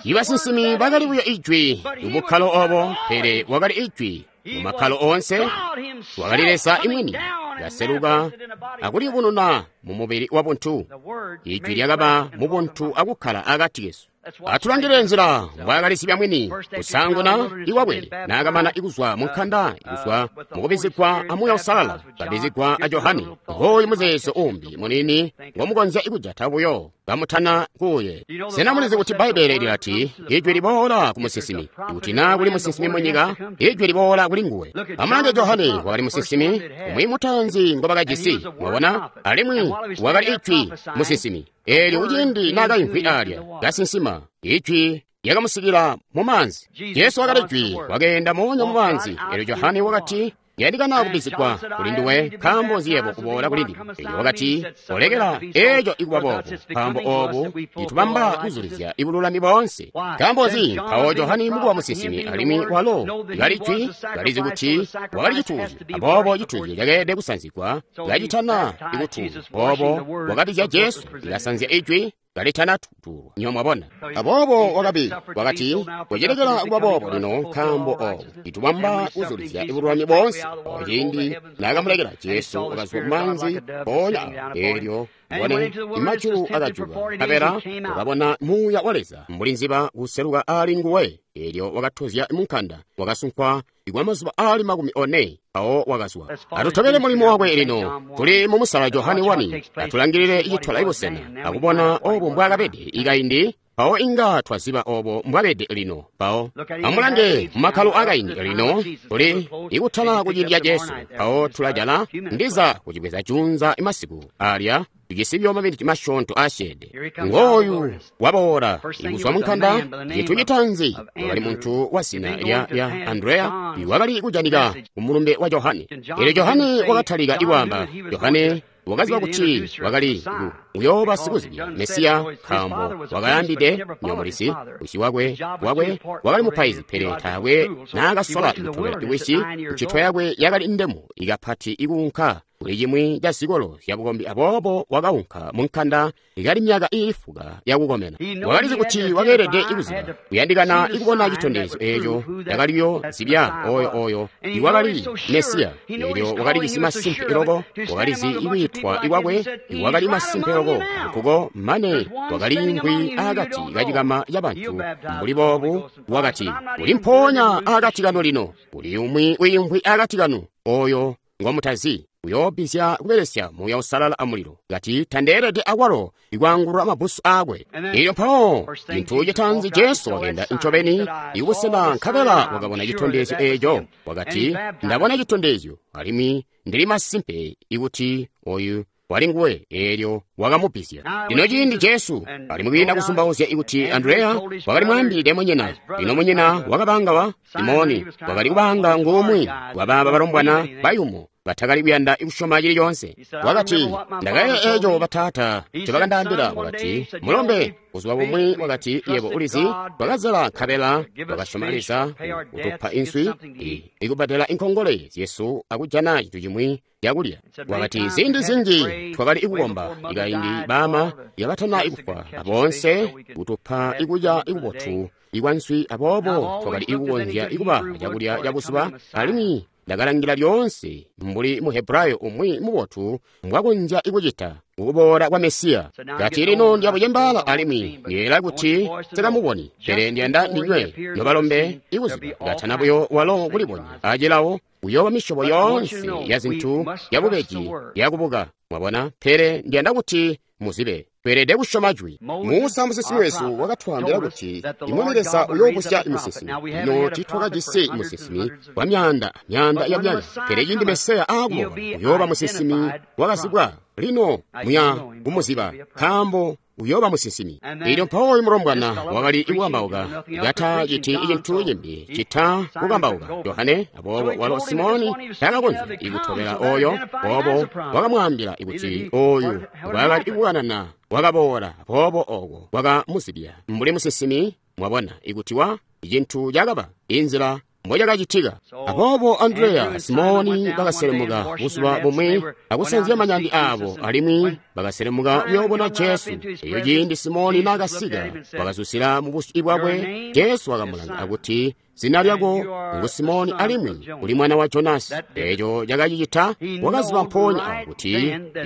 Speaker 1: Ibasinsimi bakali buyo ijwi mubukkalo obo, pele wakali ijwi mu makkalo oonse. Wakali Leza imwini kaseluka akuliyubununa mu mubili wa buntu. Ijwi lyakaba mu buntu akukkala akati kesu. Atulangile nzila mbwaakalisibya mwini kusaanguna iwabwe naakamana ikuzwa mu nkanda, ikuzwa mukubizigwa a Muuya Uusalala, kabizigwa a Johane. Ngooyu muzeezo uumbi muniini ngomukonzya ikujata buyo kamutana kuuye. Sena mulizi kuti Bbaibbele lilati ijwi liboola ku musinsimi? Ikuti naa kuli musinsimi munyika, ijwi liboola kuli nguwe. Amulange Johane, wakali musinsimi umwi mutaanzi ngobakajisi, mwabona, alimwi wakali ijwi musinsimi. Eelyo kuciindi naakaimvwi alya kasinsima, ijwi lyakamusikila mu maanzi. Jesu wakali jwi, wakeenda moonya mu maanzi. Eelyo Johane wakati, yandikana kubizigwa kuli nduwe, nkaambo nzi yebo kuboola kuli ndime? Eelyo wakati, olekela eeco ikuba boobo, nkaambo oobu citubamba kuzulizya ibululami boonse. Nkaambo nzi? Mpawo Johane mukuba musinsimi, alimwi walo kali jwi, kalizi kuti wakali cituuzyo, aboobo cituuzyo cakeelede kusanzigwa kacitana ikutuulwa. Boobo wakabizya Jesu, likasanzya ijwi kalitana tuulwa. Nyo mwabona. Aboobo wakabi wakati, kucilekela kuba boobo lino, nkaambo oobu itubamba kuzulizya ibululami boonse. Awo ciindi naakamulekela Jesu wakazwa kumaanzi mpoonya awo, eelyo mbone imajulu akajuka, nkabela wakabona Muuya wa Leza mbuli nziba kuseluka ali nguwe. Eelyo wakatozya munkanda, wakasunkwa ikwa mazuba aali makumi one, awo wakazwa. Atutobele mulimo wakwe lino. Tuli mu musala Johane wani. Atulangilile icitola ibusena akubona obo mbwaakabede ikaindi, mpawo inga twaziba obo mbwabede lino. Mpawo amulange mumakkalo akaindi lino, tuli ikutala kuciindi ca Jesu. Mpawo tulajala ndiza kucibweza junza imasiku alya tucisibyo maminiti masyoonto asyeede. Ngooyu waboola ikuzwa munkanda. Cintu citaanzi wakali muntu wa zina lya lya Andreya, iwakali kujanika ku mulumbe wa Johane. Eelyo Johane wakatalika ikwaamba. Johane wakaziba kuti wakali uyooba sikuzibya Mesiya, nkaambo wakayambide nyomulizi wisi wakwe wakwe wakali mupaizi, pele taakwe naakasola kutobela iwisi. Ncito yakwe yakali ndemu ikapati ikuunka kuli cimwi ca zikolo zyabukombi, aboobo wakaunka munkanda ikali myaka iifuka yakukomena. Wakalizi kuti wakeelede ikuziba kuyandikana ikubona citondezyo eeco cakaliyo zibya oyo oyo iwakali Mesiya. Eelyo wakalijisi masimpe loko, wakalizi ikwiitwa ikwakwe, iwakali masimpe loko nkuko mane wakaliimvwi akati kacikama cabantu mbuli boobu. Wakati, uli mpoonya akati kanu lino, uli umwi wiimvwi akati kanu oyo ngomutazi, uyoobizya kubelesya Muuya Uusalala amulilo. Kati tandeelede akwalo ikwaangulula mabbusu aakwe. Eelyo mpawo cintu citaanzi Jesu wakeenda ncobeni ikubusena, nkabela wakabona citondezyo eeco. Wakati, ndabona citondezyo, alimwi ndili masimpe ikuti oyu wali nguwe. Eelyo wakamubizya. Lino ciindi Jesu ali mukwiinda kusumbauzya ikuti Andreya wakali mwaambilide munyina. Lino munyina wakabanga wa Simoni wakali kubanga ngumwi wabaaba balombwana bayumu batakali kuyanda kusyoma cili coonse. Wakati, ndakayeeya eeco bataata ncobakandaambila. Wakati, mulombe buzuba bumwi, wakati, yebo ulizi, twakazela nkabela twakasyoma Leza kutupa inswi ikubbadela inkongole zyesu akujana cintu cimwi cakulya. Wakati, ziindi zinji twakali ikukomba ikaindi baama yabatana ikufwa, aboonse kutupa ikulya ikubotu ikwa nswi, aboobo twakali ikukonzya ikuba cakulya cabuzuba. Alimwi ndakalangila lyoonse mbuli Muhebrayo umwi mubotu mbwakonzya ikucita kukuboola kwa Mesiya. Kati lino ndyabucembaala alimwi ndiyeeyela kuti sikamuboni, pele ndiyanda ndinywe nobalombe ikuziba katana buyo walo kulibonya acilawo kuyooba misyobo yoonse ya zintu yabubeji yakubuka. Mwabona? Pele ndiyanda kuti muzibe tweelede kusyoma jwi. Musa musinsimi wesu wakatwaambila kuti imwami Leza uyoobusya musinsimi. Lino tiitwakajisi musinsimi wa myaanda myaanda ya myaka, pele ciindi Mesiya aakuboola uyooba musinsimi wakazibwa. Lino muya kumuziba, nkaambo uyooba musinsimi. Eelyo mpawo oyu mulombwana wakali ikukambauka kataciti cintu cimbi cita kukambauka Johane. Aboobo walo Simoni taakakonzya ikutobela oyo, boobo wakamwaambila kuti oyu ngwaakali ikukanana wakaboola. Aboobo oko wakamuzibya mbuli musinsimi. Mwabona ikuti wa cintu cakaba inzila mbocakacitika. Aboobo Andreya Simoni bakaselemuka buzuba bumwi akusanzya manyandi aabo, alimwi bakaselemuka kuyoobona Jesu. Eyo ciindi Simoni naakasika, wakazusila mu busyu bwakwe. Jesu wakamulanga akuti, zina lyako ngu Simoni alimwi uli mwana wa Jonasi. Eeco cakacicita wakaziba mpoonya awo kuti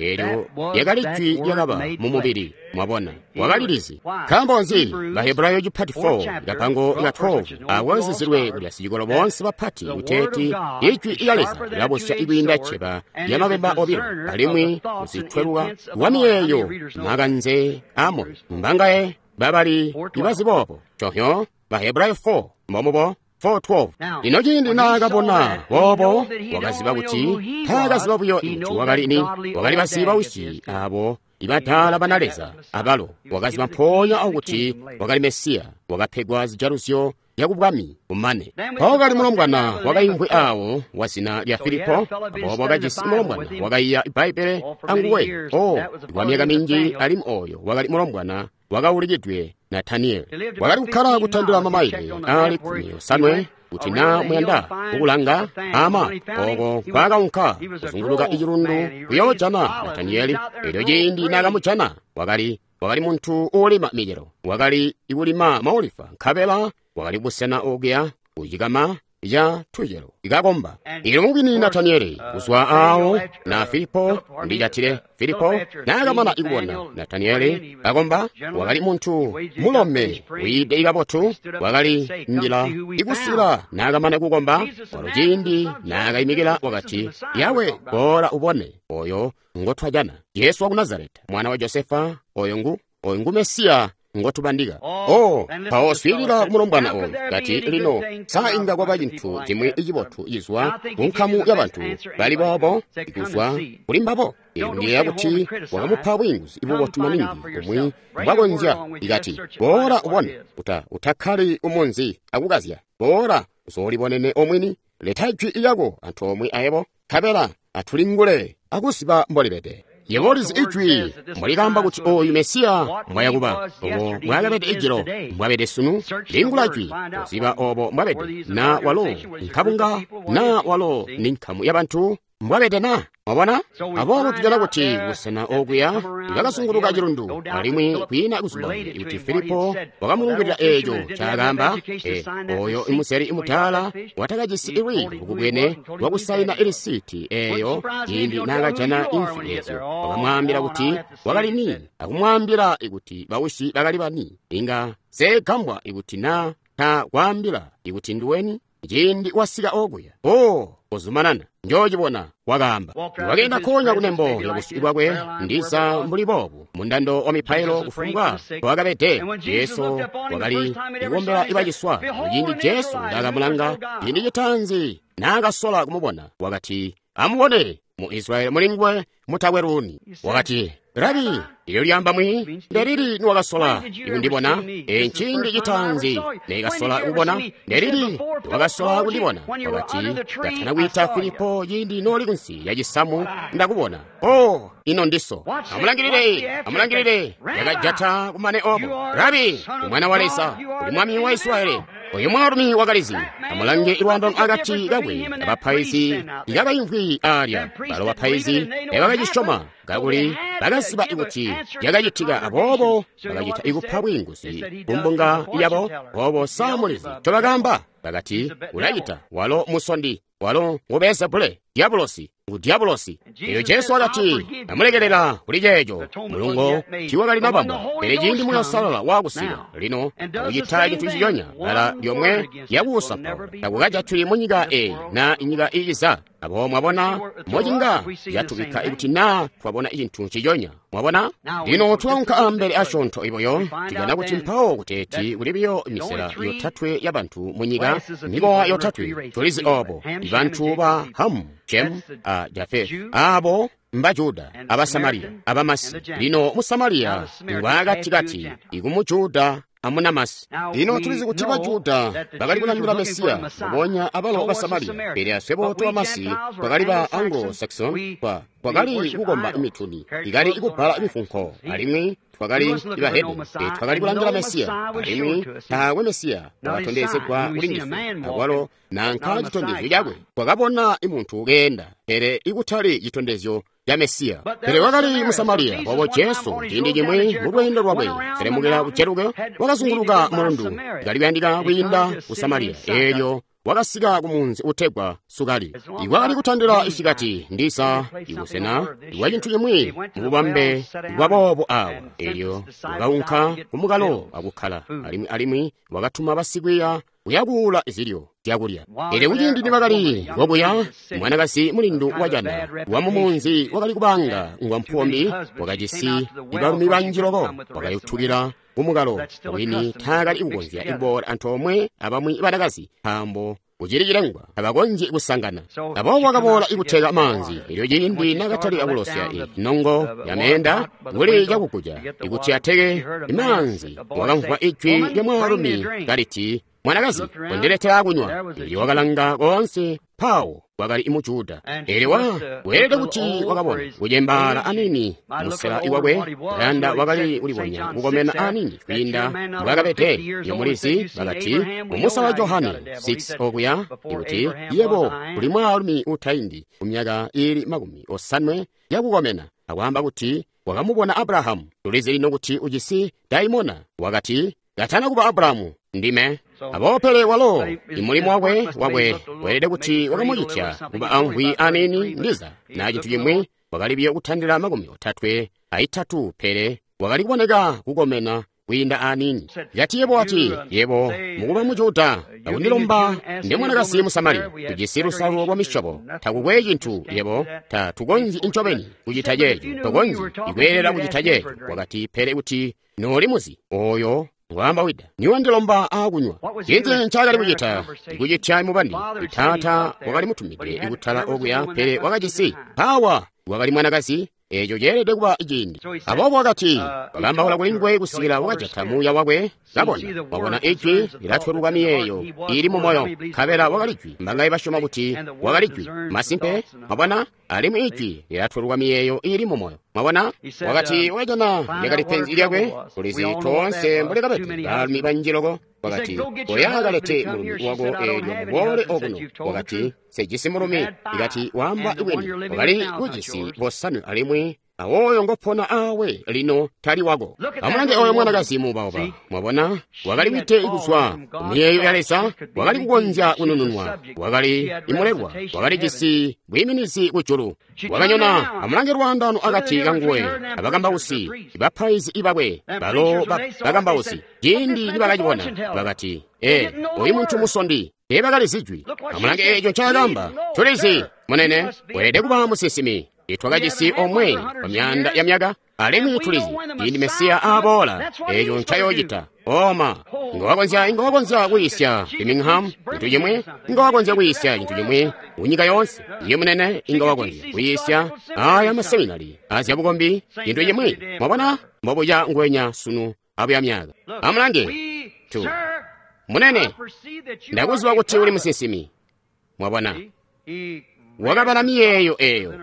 Speaker 1: eelyo lyakali jwi lyakaba mu mubili. Mwabona, wakalilizi. Nkaambo nzi? Bahebrayo chapter four kapango ka twelve akwazizilwe kuli basicikolo boonse bapati kuteeti ijwi lya Leza lilabosya ikwiinda cceba lya mabemba obilo, alimwi kuzitweluka wa miyeeyo makanze amoyo. Mbangaye babali ibazi boobo cohyo Bahebrayo four mbomubo four twelve. Lino ciindi naakabona boobo, wakaziba kuti taakaziba buyo kuti wakali ni, wakali baziba wisi abo ibataala bana Leza abalo. Wakaziba mpoonya awo kuti wakali Mesiya, wakapegwa zijaluzyo yakubwami kumane. Mpawo kali mulombwana wakaimvwi awo wa zina lya Filipo, aboobo wakajisi mulombwana wakaiya Bbaibbele anguwe o kwa myaka minji, alimwi oyo wakali mulombwana wakaulikidwe Nataniyeli. Wakali kukkala kutandila mamaile aali kkumi osanwe kuti naa muyanda kukulanga ama oko nkwaakaunka kuzunguluka icilundu kuyoojana Nataniyeli. Elyo ciindi naakamujana, wakali wakali muntu uulima micelo, wakali ikulima maolifa, nkabela wakali busena okuya kucikama ca tucelo ikakomba. Ilyo mubwini Nataniyeli kuzwa awo na Filipo ndicatile Filipo naakamana ikubona Nataniyeli kakomba, wakali muntu mulome wiide ikabotu, wakali njila ikusila naakamana kukomba. Walo ciindi naakaimikila wakati, Yawe, boola ubone oyo ngotwajana, Jesu waku Nazareta, mwana wa Josefa, oyo ngu oyo ngu Mesiya ngotubandika. Oh, mpawo swiilila kumulombwana oyu kati, lino sa inga kwaba cintu cimwi cibotu cizwa ku nkamu y'abantu bali boobo kuzwa kuli mbabo? Ndiyeeya kuti wakamupa bwiinguzi bubotu maningi bumwi mbwakonzya. Ikati, boola ubone, uta utakkali umunzi akukazya, boola uzoolibonene omwini, leta jwi lyako antoomwe ayebo, nkabela atulingule akuziba mbolibede. Yebo ulizi ijwi mbwalikaamba kuti oyu Mesiya mbwayakuba, obo mbwaakabede ijilo, mbwabede sunu. Lingula jwi kuziba obo mbwabede, na walo nkabunga, na walo ni nkamu y'abantu mbwabede na. Mwabona? Aboobo tujana kuti busena okuya bakazunguluka cilundu, alimwi kwiina kuzuba kuti Filipo wakamulungilila eeco ncaakaamba. E, oyo imuseli imutaala watakajisi ilwiiyo lukubwene lwakusaina ilisiti eeyo ciindi naakajana imfi eezyo, wakamwaambila kuti wakali ni, akumwaambila kuti bawisi bakali bani. Inga seegambwa ikuti na takwaambila ikuti nduweni ciindi wasika okuya. O, kuzumanana njoocibona, wakaamba. Wakeenda konya kunembo lya busyu bwakwe, ndiza mbuli boobu mundando wa mipailo kufumbwa wakabede. Jesu wakali kukombela ibaciswa. Ciindi Jesu ndaakamulanga ciindi citaanzi naakasola kumubona, wakati, amubone mu Israeli mulinguwe mutakwe luuni. Wakati, Rabi, ilyo lyamba mwi, ndelili niwakasola ikundibona? E, nciindi citaanzi neekasola kubona. Ndelili niwakasola kundibona? Wakati, ndatana kwiita Filipo ciindi nooli kunsi ya cisamu ndakubona. O, ino ndiso. Amulangilile, amulangilile, yakajata kumane obo. Rabi, umwana wa Leza, uli mwami wa Israeli. Oyu mwaalumi wakalizi. Amulange ilwando akati kakwe abapaizi ikakaimvwi alya. Balo bapaizi ebakacisyoma kakuli bakaziba kuti yakacitika, aboobo bakacita ikupa bwiinguzi kumbunga yabo. Boobo samulizi ncobakaamba, bakati, ulacita walo musondi, walo ngu Beelzebule, dyabulosi, ngu dyabulosi. Elyo Jesu wakati, amulekelela kuli ceeco. Mulungo tiiwakali nabambwa, pele ciindi Muuya Uusalala waakusika lino akucita cintu ciconya, bala lyomwe lyakuusampaula takukajatwi munyika eyi na inyika iiza. Abo mwabona mocinga yatubikka ikuti naa twabona cintu ciconya. Mwabona? Lino tulaunka ambele asyoonto iboyo, tujana kuti mpawo kuteeti kuli biyo misela yotatwe y'abantu mu nyika, mikowa yotatwe. Tulizi obo bantu ba Hamu, Shem a Jafeti, abo mba Juda, aba Samariya, aba Masi. Lino mu Samariya ngwaakatikati ikumu Juda amunamasi. Lino tulizi kuti ba Juda bakali kulangila Mesiya, mbubonya abalo ba Samariya, pele aswebo tobamasi twakali ba Anglo-Saxon, twa twakali kukomba mituni, ikali kubbala mifunko, alimwi twakali bahedeni, twakali kulangila Mesiya, alimwi taakwe Mesiya wakatondezegwa kuli ndiswe, akwalo nanka citondezyo cakwe. Twakabona muntu keenda, pele ikutali citondezyo ca Mesiya. Pele wakali mu Samariya. Aboobo Jesu ciindi cimwi mu lweendo lwakwe selemukila ku Jeriko, wakazunguluka mulundu, kali kuyandika kwiinda ku Samariya. Eelyo wakasika ku munzi utegwa Sukali. Ikwakali kutandila isikati ndisa ibusena bwa cintu cimwi mububambe bwa boobo awa. Eelyo wakaunka kumukalo akukkala, alimwi alimwi wakatuma basikwiiya kuyakuula zilyo zyakulya. Eelyo kuciindi nibakali kokuya, mwanakazi mulindu wajana wa mumunzi wakali kubanga ngwa mpombi, wakajisi balumi banji loko, wakayutukila kumukalo wini taakali kukonzya kuboola antoomwe abamwi banakazi, nkaambo kucili cilengwa tabakonzyi kusangana. Aboobo wakaboola ikuteka maanzi. Elyo ciindi nakatalika kulosya nongo ya meenda kuli cakukuja ikuti ateke maanzi, wakamvwa ijwi lya mwaalumi kaliti, mwanakazi, kondiletela kunywa. Elyo wakalanga koonse, mpawo wakali mu Juda. Elyo wa weelede kuti wakabona kucembaala anini musela iwakwe, kayanda wakali kulibonya kukomena anini kwiinda mbwakabede. Iyo mulizi bakati mumusa wa Johane six okuya, ikuti yebo uli mwaalumi utaindi ku myaka ili makumi osanwe yakukomena, akwaamba kuti wakamubona Abrahamu. Tulizi lino kuti ujisi daimona. Wakati, katana kuba Abrahamu, ndime. Aboobo pele walo imulimo wakwe wakwe weelede kuti wakamucitya kuba amvwi anini ndiza na cintu cimwi, wakali biyo kutandila makumi otatwe aitatu, pele wakali kuboneka kukomena kwiinda anini. Yati yebo wati, yebo mukuba mu Juda, akundilomba ndi mwanakazi mu Samariya, tujisi lusalulo lwa misyobo, takukwe cintu yebo ta tukonzyi incobeni kucita ceeco, tokonzyi ikweelela kucita ceeco. Wakati, pele kuti nooli muzi oyo ngwaamba wida, niwandilomba aakunywa. Cinzi ncaakali kucita? Ikucitya mubandi. Taata wakali mutumide ikutala okuya, pele wakajisi mpawa wakali mwanakazi. Eeco ceelede kuba ciindi. Aboobo wakati, wakaambaula kuli nguwe kusikila wakajata muuya wakwe. Kabona, wabona ijwi lilatweluka miyeeyo ili mu moyo, nkabela wakali jwi. Mbangaye basyoma kuti wakali jwi? Masimpe, mwabona, alimwi ijwi lilatweluka miyeeyo ili mu moyo. Mwabona, wakati wakajana lyakali penzi lyakwe, tulizi toonse mbulikabede baalumi banji loko. Wakati, oya kalete mulumi wako eelyo muboole okuno. Wakati, sejisi mulumi. Ikati waamba ibwini, wakali kujisi bosanwe alimwi awoyo ngopona awe lino tali wako. Amulange oyo mwanakazi muubauba. Mwabona, wakali wite kuzwa ku miyeeyo ya Leza, wakali kukonzya kunununwa, wakali imulelwa, wakali jisi bwiiminizi kujulu. Wakanyona. Amulange lwaandano akati kanguwe abakambausi, bapaizi ibakwe, balo bakambausi. Ciindi nibakacibona, bakati, ee, oyu muntu musondi. Teebakalizi jwi. Amulange eeco ncaakamba. Tulizi, munene, weelede kuba musinsimi. Twakajisi omwe kwa myaanda ya myaka, alimwi tulizi ciindi Mesiya aboola, eeco ncayoocita. Oma, inga inga wakonzya kuyisya Birmingham cintu cimwi, inga wakonzya kuyisya cintu cimwi kunyika yoonse. Iye munene, inga wakonzya kuyisya aya maseminari azyabukombi cintu cimwi. Mwabona, mbobuca ngwenya sunu abuya myaka. Amulange tu munene, ndakuziba kuti uli musinsimi. Mwabona, wakabala miyeeyo eeyo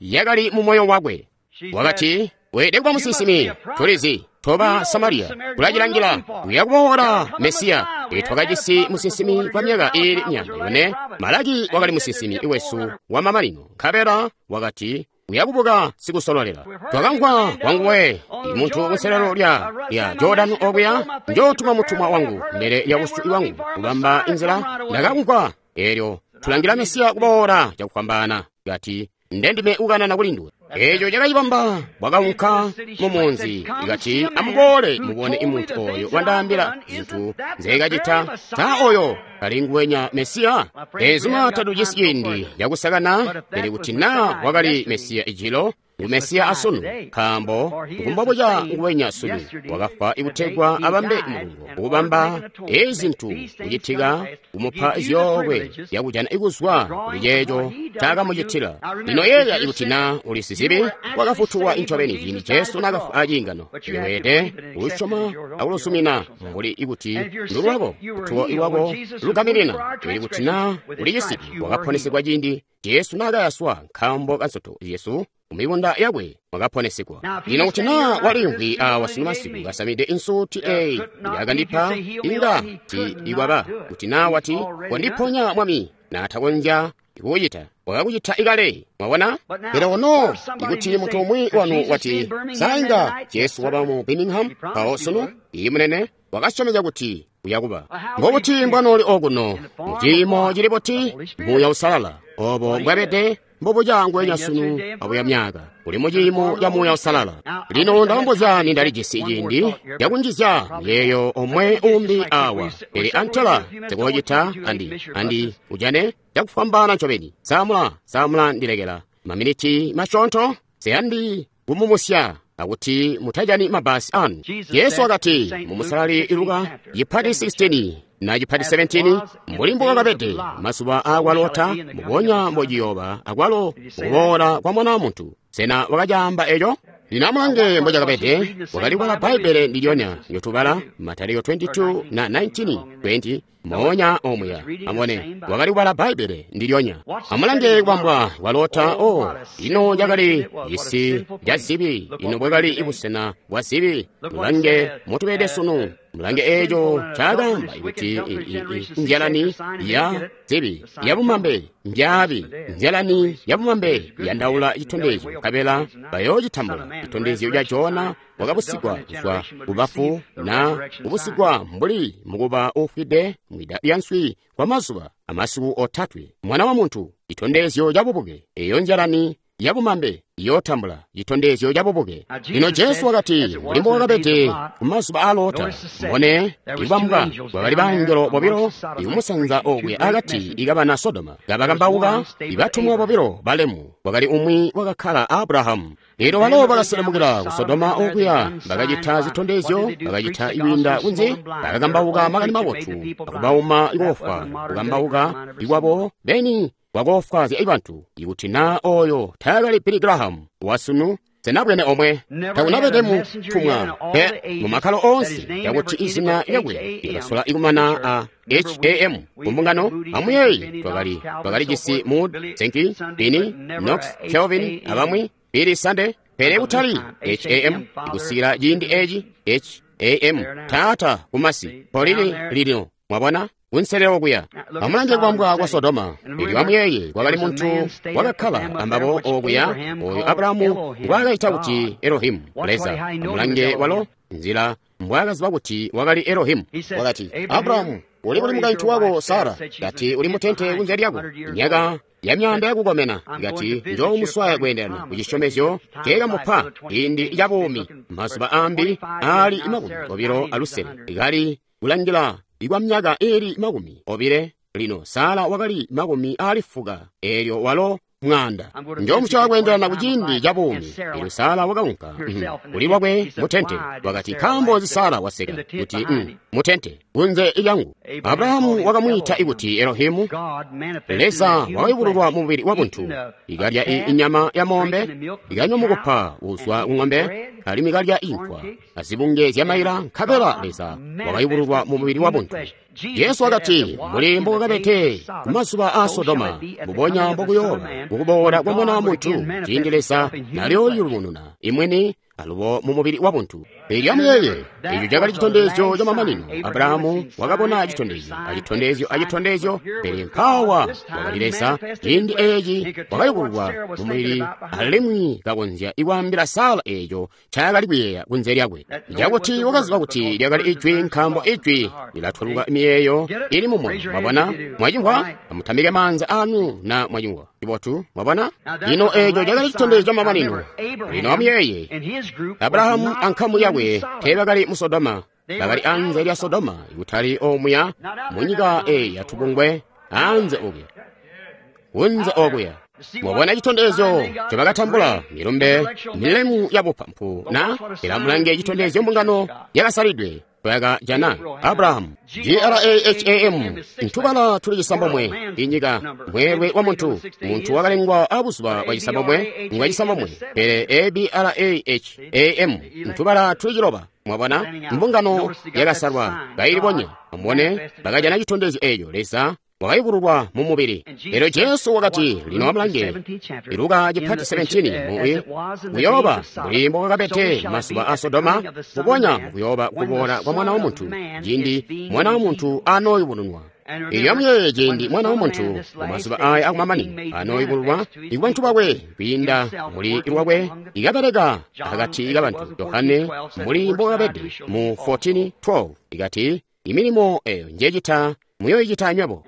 Speaker 1: yakali mu moyo wakwe. Wakati, weelede kuba musinsimi. Tulizi toba Samariya kulacilangila kuya kuboola Mesiya. Twakajisi musinsimi kwa myaka iili myaanda yone. Malaki wakali musinsimi wesu wa mamanino, nkabela wakati uya kubuka sikusololela. Twakamvwa kwanguwe muntu kunselelo lya lya Jordani okuya, njootuma mutumwa wangu mbele ya busyu bwangu kubamba inzila. Ndakamvwa eelyo tulangila Mesiya kuboola cakufwambaana. Kati ndendime ukanana kuli nduwe. Eeco cakacibamba. Wakaunka mu munzi, ikati amuboole mubone imuntu oyo wandaambila zintu nzeekacita. Taa oyo kali nguwenya Mesiya? Ezuma tatujisi ciindi cakusakana, pele kuti naa wakali Mesiya ijilo, Ngu Mesiya asunu, nkaambo ngumbobuca nguwenya sunu wakafwa ikutegwa abambe mulungo, ukubamba ezi zintu kucitika, kumupa zyoolwe zyakujana ikuzwa kuli ceeco ncaakamucitila. Lino yeeya ikuti na uli sizibi, wakafutulwa incobeni ciindi Jesu naakafwa aciingano. Weelede kulusyoma akulusumina mbuli ikuti ndulwako, lutuko lwako lugaminina. Pele kuti na uli cisibi, wakaponesegwa ciindi Jesu naakayaswa nkaambo kansoto Yesu mumibunda yakwe mwakaponesegwa. Lino kuti na waliimvwi awa sunu masiku kasamide insuti eyi yakandipa, inga ti ikwaba kuti na wati kondiponya Mwami, naatakonzya kukucita, wakakucita ikale. Mwabona? Pele ono ikuti muntu umwi wanu wati sa inga Jesu waba mu Birmingham mpawo sunu, iyi munene wakasyomezya kuti uyakuba. Mbobuti mbwanooli okuno muciimo cili buti? Muuya Usalala obo mbwabede mbobuca nguwenya sunu abuya myaka, uli muciimo ca Muuya Usalala. Lino ndalombozya nindalijisi ciindi cakunjizya miyeeyo omwe umbi awa, pele antela sikucita andi andi ujane cakufwambaana ncobeni. Samula samula ndilekela maminiti masyoonto, siyandi kumumusya akuti mutajani mabasi anu. Jesu wakati mu Musalali Luka chipati sixteen na chipati seventeen, mbuli mbukakabede mazuba aakwa Lota, mbubonya mbociyoba akwalo mukuboola kwa Mwana wa Muntu. Sena wakacaamba eco? Lino amulange mbocakabede, wakali kubala Bbaibbele ndilyonya ndyotuubala Matayo twenty-two na nineteen twenty moonya omuya. Amubone, wakali kubala Bbaibbele ndilyonya. Amulange kubambwa kwa Lota. O, ino cakali cisi ca zibi, ino bwakali busena bwa zibi. Mulange motubede sunu. Mulange eco ncaakaamba kuti nzyalani ya zibi yabumambe mbyaabi, nzyalani yabumambe yandaula citondezyo, nkabela bayoocitambula citondezyo ca Jona wakabusigwa kuzwa kubafu, na kubusigwa mbuli mukuba uufwide mwida lya nswi kwa mazuba amasiku otatwe. Mwana wa Muntu, citondezyo ca bubuke. Eyo nzyalani yabumambe iyootambula citondezyo ca bubuke. Lino Jesu wakati mbuli mbokakabede kumazuba a Lota, mbone ikubambwa kwakali bangelo bobilo ikumusanza okuya akati ikabana Sodoma, kabakambauka ibatumwa bobilo balemu, kwakali umwi wakakkala Abrahamu. Lino balo bakaselemukila ku Sodoma okuya, bakacita zitondezyo, bakacita ikwiinda kunze, bakakambauka makani mabotu, akubauma ikofwa, kukambauka ikwabo beni kwakofwazya ibantu. Ikuti na oyo taakali Billy Graham wasunu, senabwene omwe takunabede mutumwa pe mu makkalo onse yakuti izina lyakwe likasola ikumana a H A M kumbungano. Amuyeeyi, twakali twakalijisi Moody, Sankey, Finney, Knox, Calvin abamwi, Billy Sunday, pele kutali H A M ikusikila ciindi eci H A M taata kumasi polili lino. Mwabona? Kunselelo kuya. Amulange kubambwa kwa Sodoma. Elyo amuyeeye, kwakali muntu wakakkala ambabo okuya, oyo Abrahamu ngwaakaita kuti Elohimu, Leza. Amulange walo nzila mbwaakaziba kuti wakali Elohimu. Wakati, Abrahamu, uli kuli mukaintu wako Sara? Kati uli mutente kunze lyako myaka ya myaanda yakukomena. Kati njoomuswaya kweendelana ku cisyomezyo nceekamupa ciindi ca buumi, mazuba ambi aali makumi obilo alusele, kali kulangila ikwa myaka iili makumi obile. Lino Sara wakali makumi aali fuka, eelyo walo mwaanda. Njomuswaya kweendelana ku ciindi ca buumi. Eelyo Sara wakaunka kuli lwakwe mutente. Wakati, nkaambo nzi Sara waseka kuti mutente kunze lyangu? Abrahamu wakamwiita ikuti Elohimu, Leza wakayubululwa mumubili wa buntu, ikalya inyama ya mombe, ikanywa mukupa uzwa ku ng'ombe, alimwi kalya inkwa azibunge zya maila, nkabela Leza wakayubululwa mumubili wa buntu. Jesu wakati, mbuli mbokakabede kumazuba a Sodoma, mbubonya mbokuyooba mukuboola kwa Mwana wa Muntu, ciindi Leza naliyooyubununa imwini alubo mumubili wa buntu. Elyo amuyeeye, eco cakali citondezyo ca mamanino. Abrahamu wakabona citondezyo, acitondezyo, acitondezyo, pele mpaawa wakali Leza ciindi eci wakayubululwa mumubili, alimwi kakonzya ikwaambila Sara eco ncaakali kuyeeya kunze lyakwe, cakuti wakaziba kuti lyakali ijwi, nkaambo ijwi lilatwaluka miyeeyo ili mumoyo. Mwabona? Mwacimvwa? Amutamike maanza anu na mwacimvwa. Cibotu, mwabona? Lino eco cakali citondezyo ca mamanino. Lino amuyeeye, Abrahamu ankamu yakwe teebakali mu Sodoma, bakali anze lya Sodoma, ikutali omuya munyika eyi yatubungwe, anze okuya, kunze okuya. Mwabona citondezyo ncobakatambula, milumbe milemu ya bupampu na ilamulange citondezyo mbungano yakasalidwe yakajana Abrahamu. G R A H A M ntubala tuli cisambomwe inyika mweelwe wa muntu muntu wakalengwa abuzuba bwa cisambomwe ngwa cisambomwe pele A B R A H A M ntubala tuli ciloba. Mwabona mbungano yakasalwa kailibonya amubone bakajana citondezyo eeco Leza wakayubululwa mu mubili. Elyo Jesu wakati, lino amulange Luka chapati seventeen mu kuyooba mbuli mbokakabede masuba a Sodoma, mbubonya kuyooba kuboola kwa Mwana wa Muntu ciindi Mwana wa Muntu anooyubulunwa. Elyo amuyeeye ciindi Mwana wa Muntu mu mazuba aya akumamanino anooyubululwa ikubantu bakwe kwiinda muli lwakwe ikabeleka akati kabantu. Yohane mbuli mbokakabede mu fourteen twelve ikati, imilimo eyo njecita muyoyicita anywebo.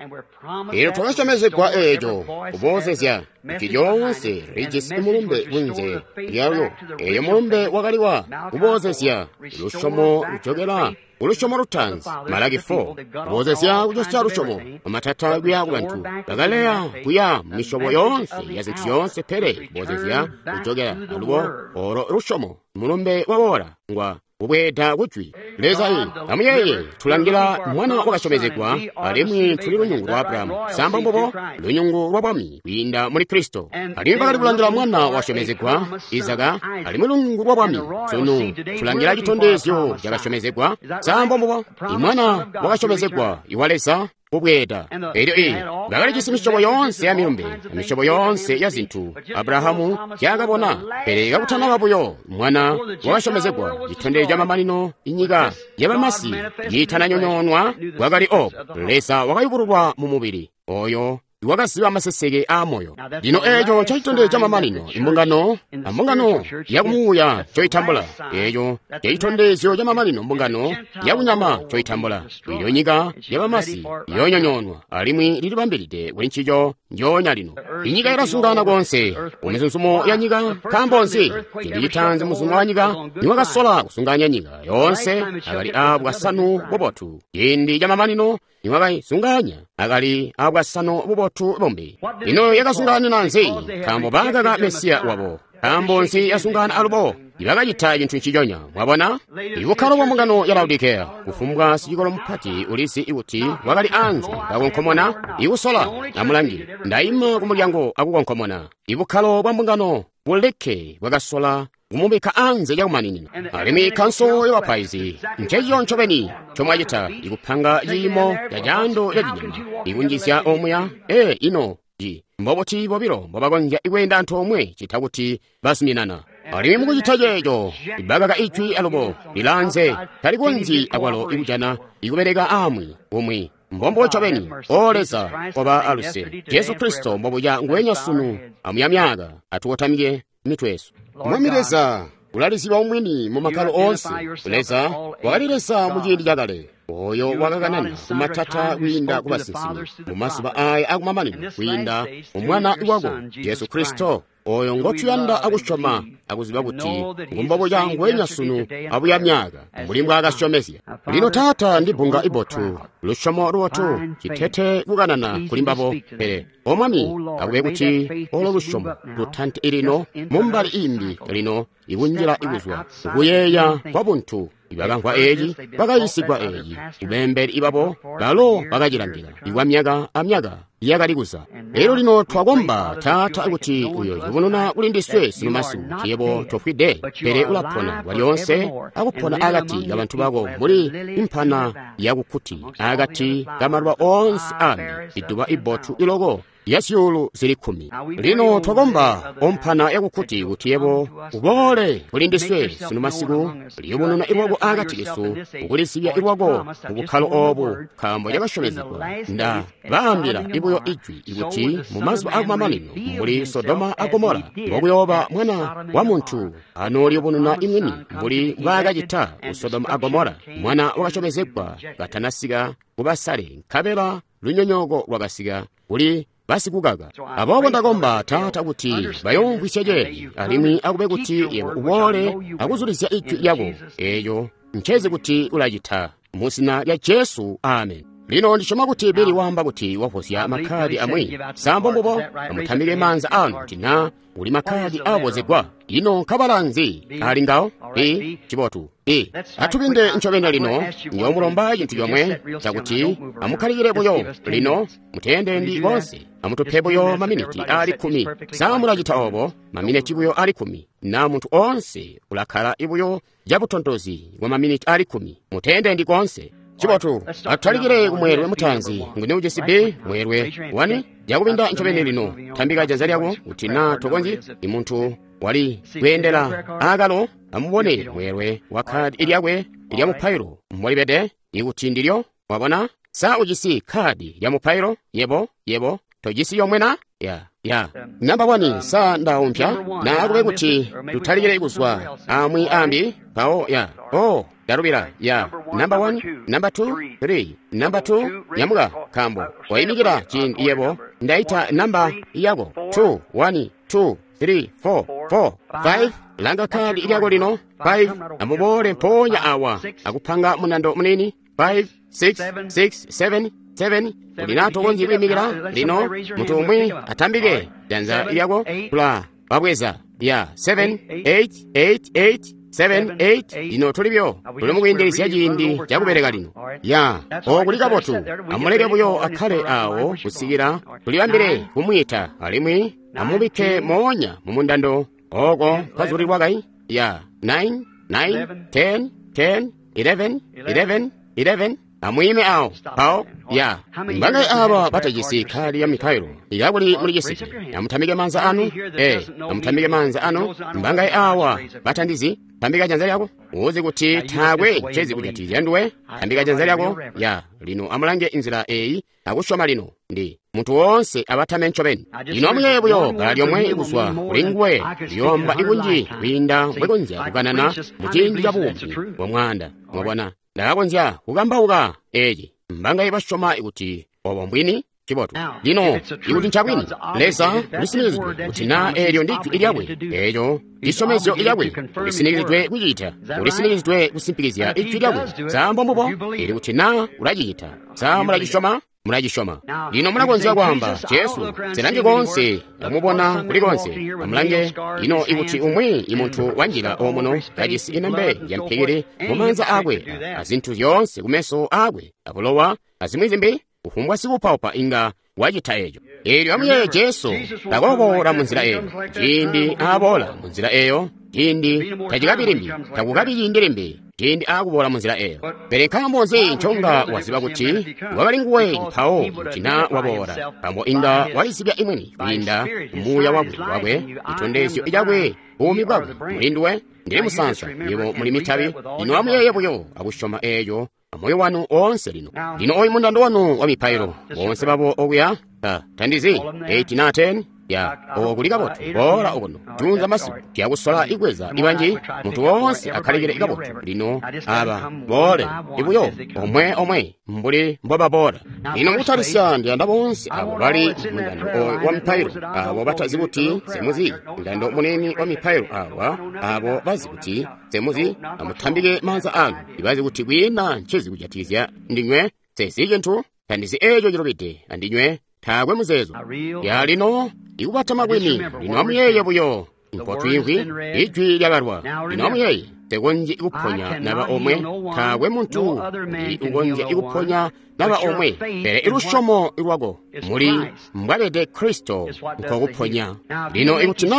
Speaker 1: Elyo twakasyomezegwa eeco kuboozezya kuti lyoonse lijisi mulumbe kunze lyalyo. Eeyo mulumbe wakaliwa kuboozezya lusyomo lujokela kulusyomo lutaanzi, Malaki four, kuboozezya kucosya lusyomo amatata kuya kubantu bakaleya kuya misyobo yoonse ya zintu zyoonse, pele kuboozezya kujokela alubo olo lusyomo mulumbe waboola ngwa kubweeda kujwi Leza. I amuyeeye tulangila mwana wakasyomezegwa alimwi tuli lunyungu lwa Abrahamu, samba mbubo lunyungu lwa bwami kwiinda muli Kristo. Alimwi bakali kulangila mwana wasyomezegwa Izaka, alimwi lunyungu lwa bwami. Sunu tulangila citondezyo cakasyomezegwa, samba mbubo imwana wakasyomezegwa iwa Leza kubweeda. Elyo i bakalijisi misyobo yoonse ya milumbe, misyobo yoonse ya zintu Abrahamu zyakabona, pele kakutanaba buyo mwana wakasyomezegwa citondezyo camamanino inyika yabamasi yitananyonyoonwa bwakali obo Leza wakayubululwa mu mubili oyo wakaziba maseseke aamoyo. Lino eeco ncecitondezyo camamanino imbungano ambungano yakumuuya ncoitambula. Eeco ncecitondezyo camamanino mbungano yakunyama ncoitambula. Ilyo nyika yabamasi yoonyonyoonwa alimwi lilibambilide kuli ncico njoonya lino. Inyika ilasungana konse kumizuzumo ya nyika. Nkaambo nzi? Ciindi citaanzi muzuzumo wa nyika niwakasola kusunganya nyika yoonse akali aabwasanu bubotu. Ciindi camamanino niwakaisunganya akali aabwasanu bubotu bumbi. Ino yakasunganina nzi? Nkaambo baakaka Mesiya wabo. Nkaambo nzi yasungana alubo? Ibakacita cintu nciconya. Mwabona ibukkalo bwa mbungano ya Laodikeya. Kufumbwa sicikolo mupati ulizi kuti wakali anze kakonkomona ikusola. Amulangi, ndaima ku mulyango akukonkomona. Ibukkalo bwa mbungano buleke bwakasola kumubikka anze cakumaninina. Alimwi kanso y'abapaizi ncencico ncobeni ncomwacita, ikupanga ciimo ca caando ca cinyama ikunjizya omuya. Ee, ino ji mbobuti bobilo mbobakonzya ikweenda antoomwe cita kuti bazuminana? Alimwi mukucita ceeco ibakaka ijwi alubo lilaanze talikonzyi akwalo ikujana ikubeleka amwi umwi. Mbombo ncobeni. O Leza, koba aluse. Jesu Kristo mbobuca nguwenya sunu amuya myaka. Atukotamike mitwe yesu. Mwami Leza ulaliziba umwini mu makkalo oonse. Leza wakali Leza mu ciindi cakale, oyo wakakanana kumatata kwiinda ku basinsimi mu mazuba aya akumamanino kwiinda mu Mwana wako Jesu Kristo, oyo ngotuyanda akusyoma akuziba kuti ngumbobuca nguwenya sunu abuya myaka mbuli mbwaakasyomezya. Lino Taata, ndi bbunga ibotu, lusyomo lubotu, citete kukanana kuli mbabo. Pele O Mwami, akube kuti olo lusyomo lutante lino mumbali imbi lino ikunjila ikuzwa kuyeeya kwa buntu. Ibakamvwa eeci, bakayiisigwa eeci, kubeembeli ibabo balo bakacilangila ikwa myaka amyaka yakali kuza. Elyo lino twakomba Taata kuti uyoyubununa kuli ndiswe sunu masiku kuti yebo tofwide, pele ulapona kwalyoonse akupona akati kabantu bako mbuli impana yakukuti akati kamaluba oonse ambi iduba ibotu iloko ya zyuulu zili kkumi. Lino twakomba ompana yakukuti kuti yebo uboole kuli ndiswe sunu masiku, liyubununa ilwako akati kesu, ukulizibya ilwako mu bukkalo obu, nkaambo cakasyomezegwa. Nda baambila ibuyo ijwi ikuti mu mazuba akumamanino mbuli Sodoma a Gomora mbokuyooba Mwana wa Muntu anooliyubununa imwini mbuli mbwaakacita ku Sodoma a Gomora. Mwana wakasyomezegwa katanasika kubasale, nkabela lunyonyooko lwakasika kuli basikukaka. Aboobo ndakomba Taata kuti bayoomvwisya ceeci, alimwi akube kuti yebo uboole akuzulizya ijwi lyako eeco ncezi kuti ulacita. Mu zina lya Jesu, amen. Lino ndisyoma kuti Billy waamba kuti wavozya makhadi amwi. Sambo mbubo, amutambike maanza anu kuti na uli makhadi avozegwa. Ino nkabala nzi ali ngawo? B, cibotu. B, atubinde ncobeni lino, ndiyoomulomba cintu comwe cakuti amukkalikile buyo lino, muteendendi konse, amutupe buyo maminiti ali kkumi. Sa mulacita obo, maminiti buyo ali kkumi, na muntu onse ulakkala buyo cabutontozi bwa maminiti ali kkumi. Muteendendi konse. Cibotu, atutalikile kumweelwe mutaanzi. Nguni ujisi B, mweelwe wani? Jakubinda ncobeni lino, tambika janza lyako kuti na tokonzyi. Imuntu wali kweendela aakalo, amubone mweelwe wa khadi lyakwe lya mupailo mbolibede, ikuti ndilyo. Wabona? Sa ujisi khadi lya mupailo? Yebo, yebo, tojisi yomwe na? Ya, ya. Namba wani, sa ndaumpya? Na akube kuti tutalikile kuzwa amwi ambi, mpawo ya. Oh, ndalubila, ya. Namba one, namba two, three, namba two, nyamuka, kambo. Wayimikira ciindi yebo, ndaita namba yako. two, one, two, three, four, four, five. Langa khadi lyako lino. five, amubole mpoonya awa. Akupanga munando munini. five, six, six, seven, seven. Ulinato konzi kuyimikira lino, munthu umwe atambike janza lyako kula wabweza. Ya, seven, eight, eight, eight, seven, eight. Lino tulibyo tuli mukuyindilisya ciindi cakubereka lino. Ya, okuli kabotu, amuleke buyo akhale awo kusikila tulibambile kumwiita, alimwi amubikke moonya mu mundando oko mpazulilwa kai. Ya, nine, nine, ten, ten, eleven, eleven, eleven. Amuyime awo pawo. Ya, mbangayi aba batajisi khadi ya mipailo yakuli mulijisiti, amutambike manza anu. Eh, amutambike manza anu. Mbangayi awa batandizi, tambika janza lyako uzi kuti taakwe ncezi kujatikizya nduwe. Tambika janza lyako. Ya, lino amulange inzila eyi akusyoma lino ndi munthu wonse abatame ncobeni. Lino amuyeeye buyo bala lyomwe kuzwa kuli nguwe liyomba ikunji kwiinda mbwekonzya kukanana mu ciindi ca buumi bwa mwaanda. Mwabona, ndakakonzya kukambauka eci. Mbangayi basyoma kuti obo mbwini? Cibotu. Lino ikuti ncabwini, Leza ulisinikiziridwe kuti na eelyo ndi jwi lyakwe, eeco cisyomezyo lyakwe, ulisinikiziridwe kucita, ulisinikiziridwe kusimpikizya ijwi lyakwe. Sambo mbubo, ili kuti na ulacicita. Sa mulacisyoma? Mulacisyoma. Lino mulakonzya kwaamba, Jesu, nsilange konse, ndamubona kuli konse. Amulange, lino ikuti umwi imuntu wanjila omuno kajisi inembe ya mpikili mu maanza akwe, azinthu zyoonse kumeso akwe, abulowa, azimwi zimbi, kufumbwa sikupaupa inga wacita eco. Eelyo amuyeeye Jesu takoboola munzila eyo. Ciindi aaboola munzila eyo, ciindi tacikabi limbi, takukabi ciindi limbi, ciindi aakuboola munzila eyo. Pele nkaambo nzi nconga waziba kuti wakali nguwe mpawo kuti na waboola? Nkaambo inga walizibya imwini kwiinda muuya wakwe wakwe, citondezyo cakwe, buumi bwakwe muli nduwe. Ndili musansa, yebo muli mitabi. Lino amuyeeye buyo akusyoma eeco amoyo wanu oonse lino. Lino oyu mundando wanu wa mipailo, boonse babo okuya, ta tandizi, eight na ten, ya, okuli kabotu, boola okuno, junza masiku, tiyakusola ikweza ibanji, munthu wonse akhalikile kabotu. Lino aba, boole, ibuyo, omwe omwe, mbuli mbobaboola. Lino mukutalisya ndiyanda bonse abo bali mundando oyu wa mipailo, abo batazi kuti semuzi, mundando munene wa mipailo awa, abo bazi kuti semuzi, amutambike maanza anu, ibazi kuti kwina ncezi kujatikizya ndinywe, sezi cinthu, tandizi eco cilubide andinywe, taakwe muzeezo. Ya lino, ikubatama kwini, lino amuyeeye buyo, mpotwimvwi, ijwi lyabalwa. Lino amuyeeye, tekonzyi kuponya naba omwe, taakwe muntu ndi ukonzya kuponya naba omwe, pele ilusyomo lwako muli mbwabede Kristo nkokuponya. Lino ikuti na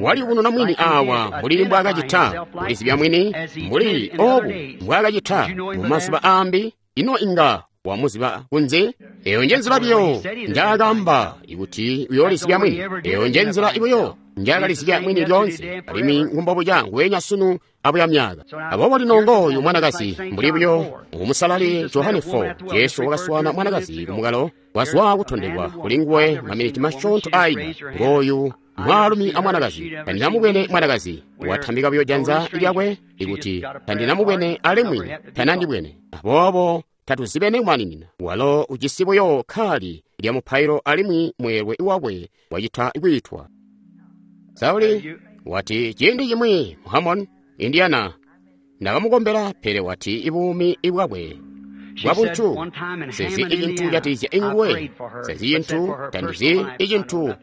Speaker 1: waliyubununa mwini awa mbuli mbwaakacita, kulizibya mwini mbuli obu mbwaakacita mu mazuba ambi, ino inga wamuziba kunze? Eyo nje nzila buyo njaakamba ikuti uyoolizibya mwini. Eyo nje nzila buyo njaakalizibya mwini lyoonse, alimwi ngumbobuca nguwenya sunu abuya myaka. Aboobo lino ngooyu mwanakazi mbuli buyo ngumusalali Johane four. Jesu wakaswana mwanakazi kumukalo, wazwa kutondekwa kuli nguwe maminiti masyoonto aina. Ngooyu mwaalumi a mwanakazi, tandinamubwene mwanakazi, watambika buyo janza lyakwe ikuti tandinamubwene alimwi tanandibwene. Aboobo tatuzibene kumaninina. Walo ujisi buyo khali lya mupailo alimwi mweelwe wakwe wacita kwiitwa. Sauli wati ciindi cimwi mu Hammond, Indiana, ndakamukombela, pele wati ibuumi bwakwe bwabuntu. Sezi icintu jatizya inguwe, sezi cintu tandizi icintu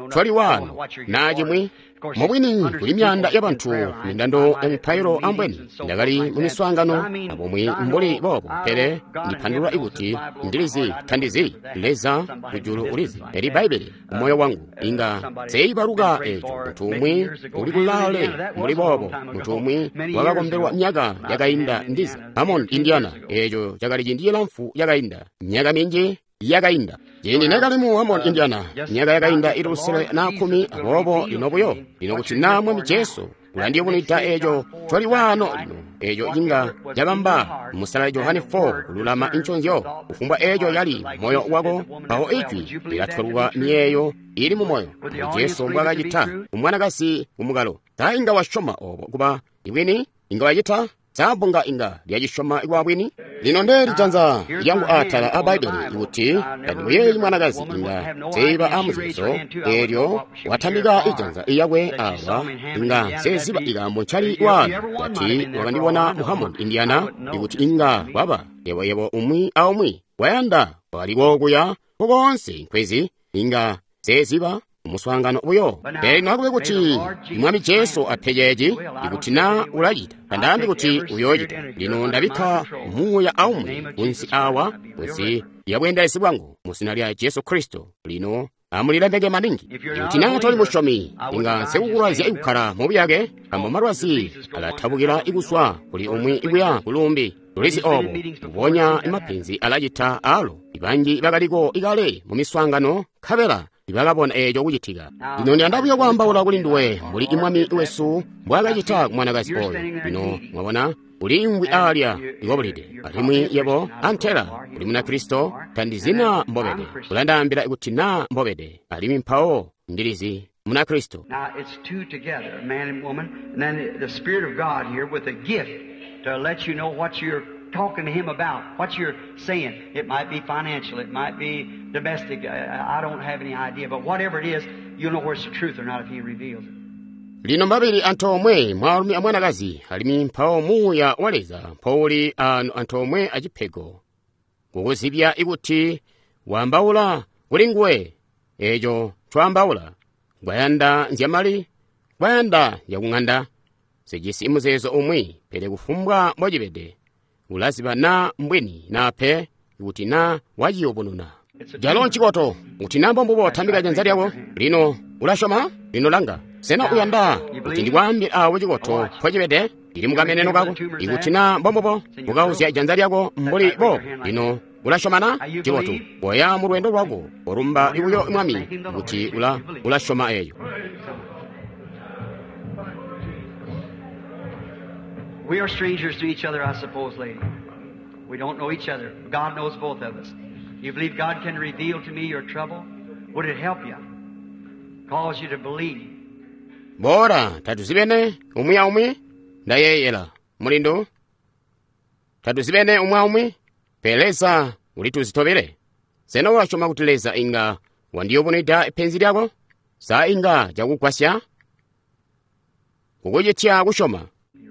Speaker 1: twali wano na cimwi. Mubwini kuli myaanda yabantu mindando ya mipailo ambweni ndakali mu miswaangano abomwe mbuli boobo, pele ndipandulula ikuti ndilizi tandizi Leza kujulu ulizi eli Bbaibbele kumoyo wangu inga seibaluka eco. Muntu umwi uli kulaale mbuli boobo, muntu umwi wakakombelwa myaka yakainda ndiza Hammond, Indiana. Eco cakali ciindi cilamfu yakainda, myaka minji yakainda. Ciindi nekali mu Hammond, Indiana, myaka yakainda ili lusele na khumi, aboobo lino buyo lino kuti na Mwami Jesu ulandiyubunwida eco twali wano lino, eco inga cabamba musalali Johane four kululama inconzyo. Kufumbwa eco yali moyo wako, mpawo ijwi lilatweluka miyeeyo ili mu moyo. Mbuli Jesu mbwakacita kumwanakazi kumukalo. Sa inga wasyoma obo kuba ibwini? Inga wacita? Sa bbunga inga lyacisyoma kuba bwini? Lino ndeeli janza lyangu atala a Bbaibbele ikuti tandimuyeeyi mwanakazi inga seiba amuzeezo eelyo watambika ijanza iyakwe awa, inga seziba ikaambo ncali wano tati wakandibona mu Hammond, Indiana, ikuti inga kwaba yeboyebo umwi aumwi wayanda waliko kuya kokonse nkwezi inga seziba umuswaangano buyo. Pele lino akube kuti Mwami Jesu ape ceeci, ikuti na ulacita, tandaambi kuti uyoocita. Lino ndabikka muuya aumwi kunsi awa, kunsi lya bweendelezi bwangu, mu zina lya Jesu Kristo. Lino amulilemeke maningi. Ikuti na toli musyomi, inga nsikukulwaizya ikukkala mubuyake, nkaambo malwazi alatabukila ikuswa kuli umwi ikuya kulumbi. Tulizi obo, mbubonya mapenzi alacita alo. Ibanji bakaliko ikale mu miswaangano, nkabela ibakabona eco kucitika. Lino ndiyanda buyo kwaambaula kuli nduwe mbuli Mwami wesu mbwaakacita ku mwanakazi oyo. Lino mwabona uliimvwi alya ikobulide, alimwi yebo antela uli Munakristo, tandizina mbobede. Ulandaambila kuti na mbobede, alimwi mpawo ndilizi Munakristo.
Speaker 2: Now it's two together, a man and woman, and then the Spirit of God here with a gift to let you know what you're talking to him about, what you're saying. It might be financial, it might be domestic, I, I don't have any idea, but whatever it is, you'll know where it's the truth or not if he reveals it.
Speaker 1: Lino mbabili antoomwe mwaalumi amwanakazi, alimwi mpawo muuya wa Leza mpouli anu antoomwe acipego kukuzibya ikuti waambaula kuli nguwe. Eco ncwaambaula kwayanda nzyamali, kwayanda nzyakung'anda, zijisi muzeezo umwi, pele kufumbwa mbocibede ulaziba na mbwini na pe kuti na waciyubununa. Jalo ncikoto kuti na mbombubo tambika janza lyako. Lino ulasyoma? Lino langa, sena uyanda kuti ndikwaambile awo cikoto mpocibede? Lili mukameneno kako. Ikuti na mbombubo mukauzya janza lyako mbuli boobo. Lino ulasyomana? Cikoto koya mu lwendo lwako, olumba ibuyo Mwami kuti ula ulasyoma eyo.
Speaker 2: We are strangers to each other, I suppose, lady. We don't know each other. God knows both of us. You believe God can reveal to me your trouble? Would it help you? Cause you to believe?
Speaker 1: Bora tatuzibene umwi aumwi? Ndayeyela mulindo. Tatuzibene umwi aumwi? Pele Leza ulituzitobele. Sena ulasyoma kuti Leza inga wandiyubunwida penzi lyako? Sa inga cakugwasya kukucitya kusyoma?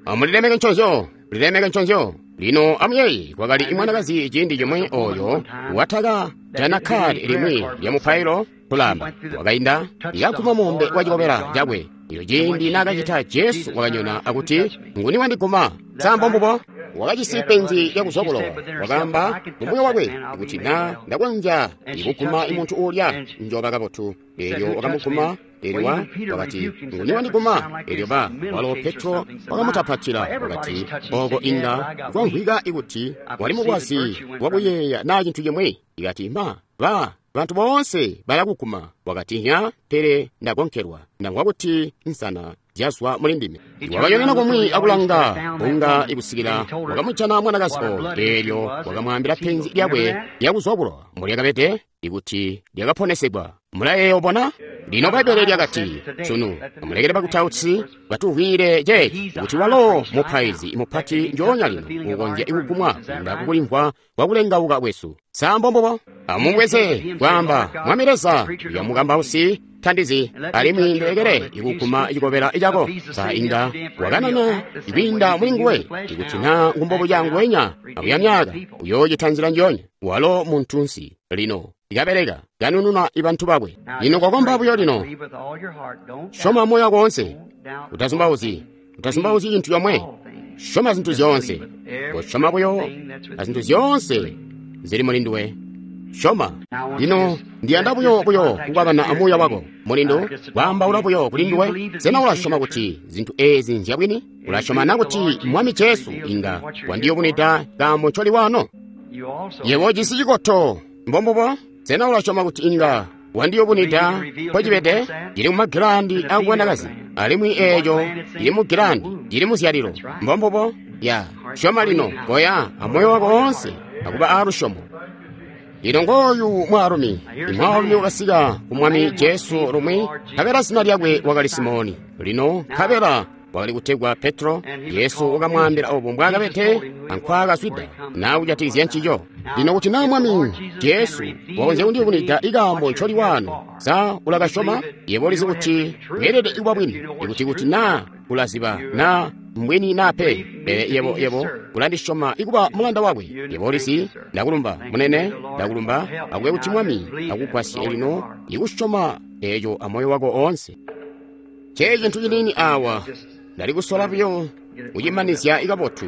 Speaker 1: Amulilemeke nconzyo, lilemeke nconzyo. Lino amuyeeye kwakali imwanakazi ciindi cimwe oyo wataka jana kadi limwi lya mupailo kulamba wakainda yakuma muumbe wa cikobela cakwe. Iyo ciindi naakacita Jesu wakanyona akuti, nguni wandiguma? Sa mbombubo? Wakajisi penzi lyakuzwa bulowa. Wakaamba mumuyo wakwe kuti na ndakonzya ikuguma imuntu uulya njoba kabotu. Eelyo wakamuguma. Eelyo wa wakati, nguni wandiguma? Eelyo ba walo Petro wakamutapatila wakati, oko inga kwamvwika ikuti wali mukwazi wakuyeeya na cintu cimwi. Ikati ma ba bantu boonse balakuguma. Wakati nya, pele ndagonkelwa, ndamvwa kuti nsana zyazwa muli ndime. Wakanyonena kumwi akulanga bunga ikusikila wakamujana mwanakazi oyo. Eelyo wakamwaambila penzi lyakwe lyakuzwa bulowa mbulyakabede ikuti lyakaponesegwa. Mulayeeya obona? Lino Bbaibbele lyakati, sunu, amulekele bakutausi batuvwiile ceeci, kuti walo mupaizi mupati njoonya lino ukonzya kugumwa kwiinda kukulimvwa kwa kulengauka kwesu. Sa mbombubo? Amubweze kwaamba, Mwami Leza, uya mukambausi tandizi, alimwi ndilekele ikuguma cikobela cako. Sa inga wakanana kwiinda muli nguwe, ikuti na ngumbobo canguwenya akuya myaka, uyoocita nzila njoonya. Walo muntunsi lino ikabeleka kanununa ibantu bakwe. Lino kwakomba buyo lino, syoma moyo wako woonse, utazumbauzyi, utazumbauzyi cintu comwe, syoma zintu zyoonse, kosyoma buyo azintu zyoonse zili muli nduwe. Syoma. Lino ndiyanda buyo buyo kukwabana amuuya wako mulindu, kwaambaula buyo kuli nduwe. Sena ulasyoma kuti zintu eezi nzyabwini? Ulasyoma na kuti Mwami Jesu inga wandiyubunwida kaambo ncoli wano? Yebo ujisi cikoto, mbombubo? Sena ulasyoma kuti inga wandiyubunwida mpocibede? Cili mumagilandi akubwanakazi, alimwi eeco cili mugilandi, cili muzyalilo. Mbombubo? Ya, syoma lino, koya amoyo wako woonse akuba aalusyomo. Lino ngooyu mwaalumi, imwaalumi wakasika ku Mwami Jesu lumwi, nkabela zina lyakwe wakali Simoni. Lino nkabela wakali kutegwa Petro. Yesu wakamwaambila obo mbwaakabede ankwaakazwida naa kujatikizya ncico. Lino kuti naa Mwami Jesu wakonzya kundiyubunwida ikaambo ncoli wano, sa ulakasyoma? Yebo ulizi kuti weelede kuba bwini, ikuti kuti naa ulaziba naa mbwini naa pe, pele yebo yebo ulandisyoma ikuba mulanda wakwe. Yebo ulizi, ndakulumba munene, ndakulumba akube kuti Mwami akugwasye lino ikusyoma eeco amoyo wako oonse. Cee cintu ciniini awa ndali kusola buyo kucimanizya ikabotu.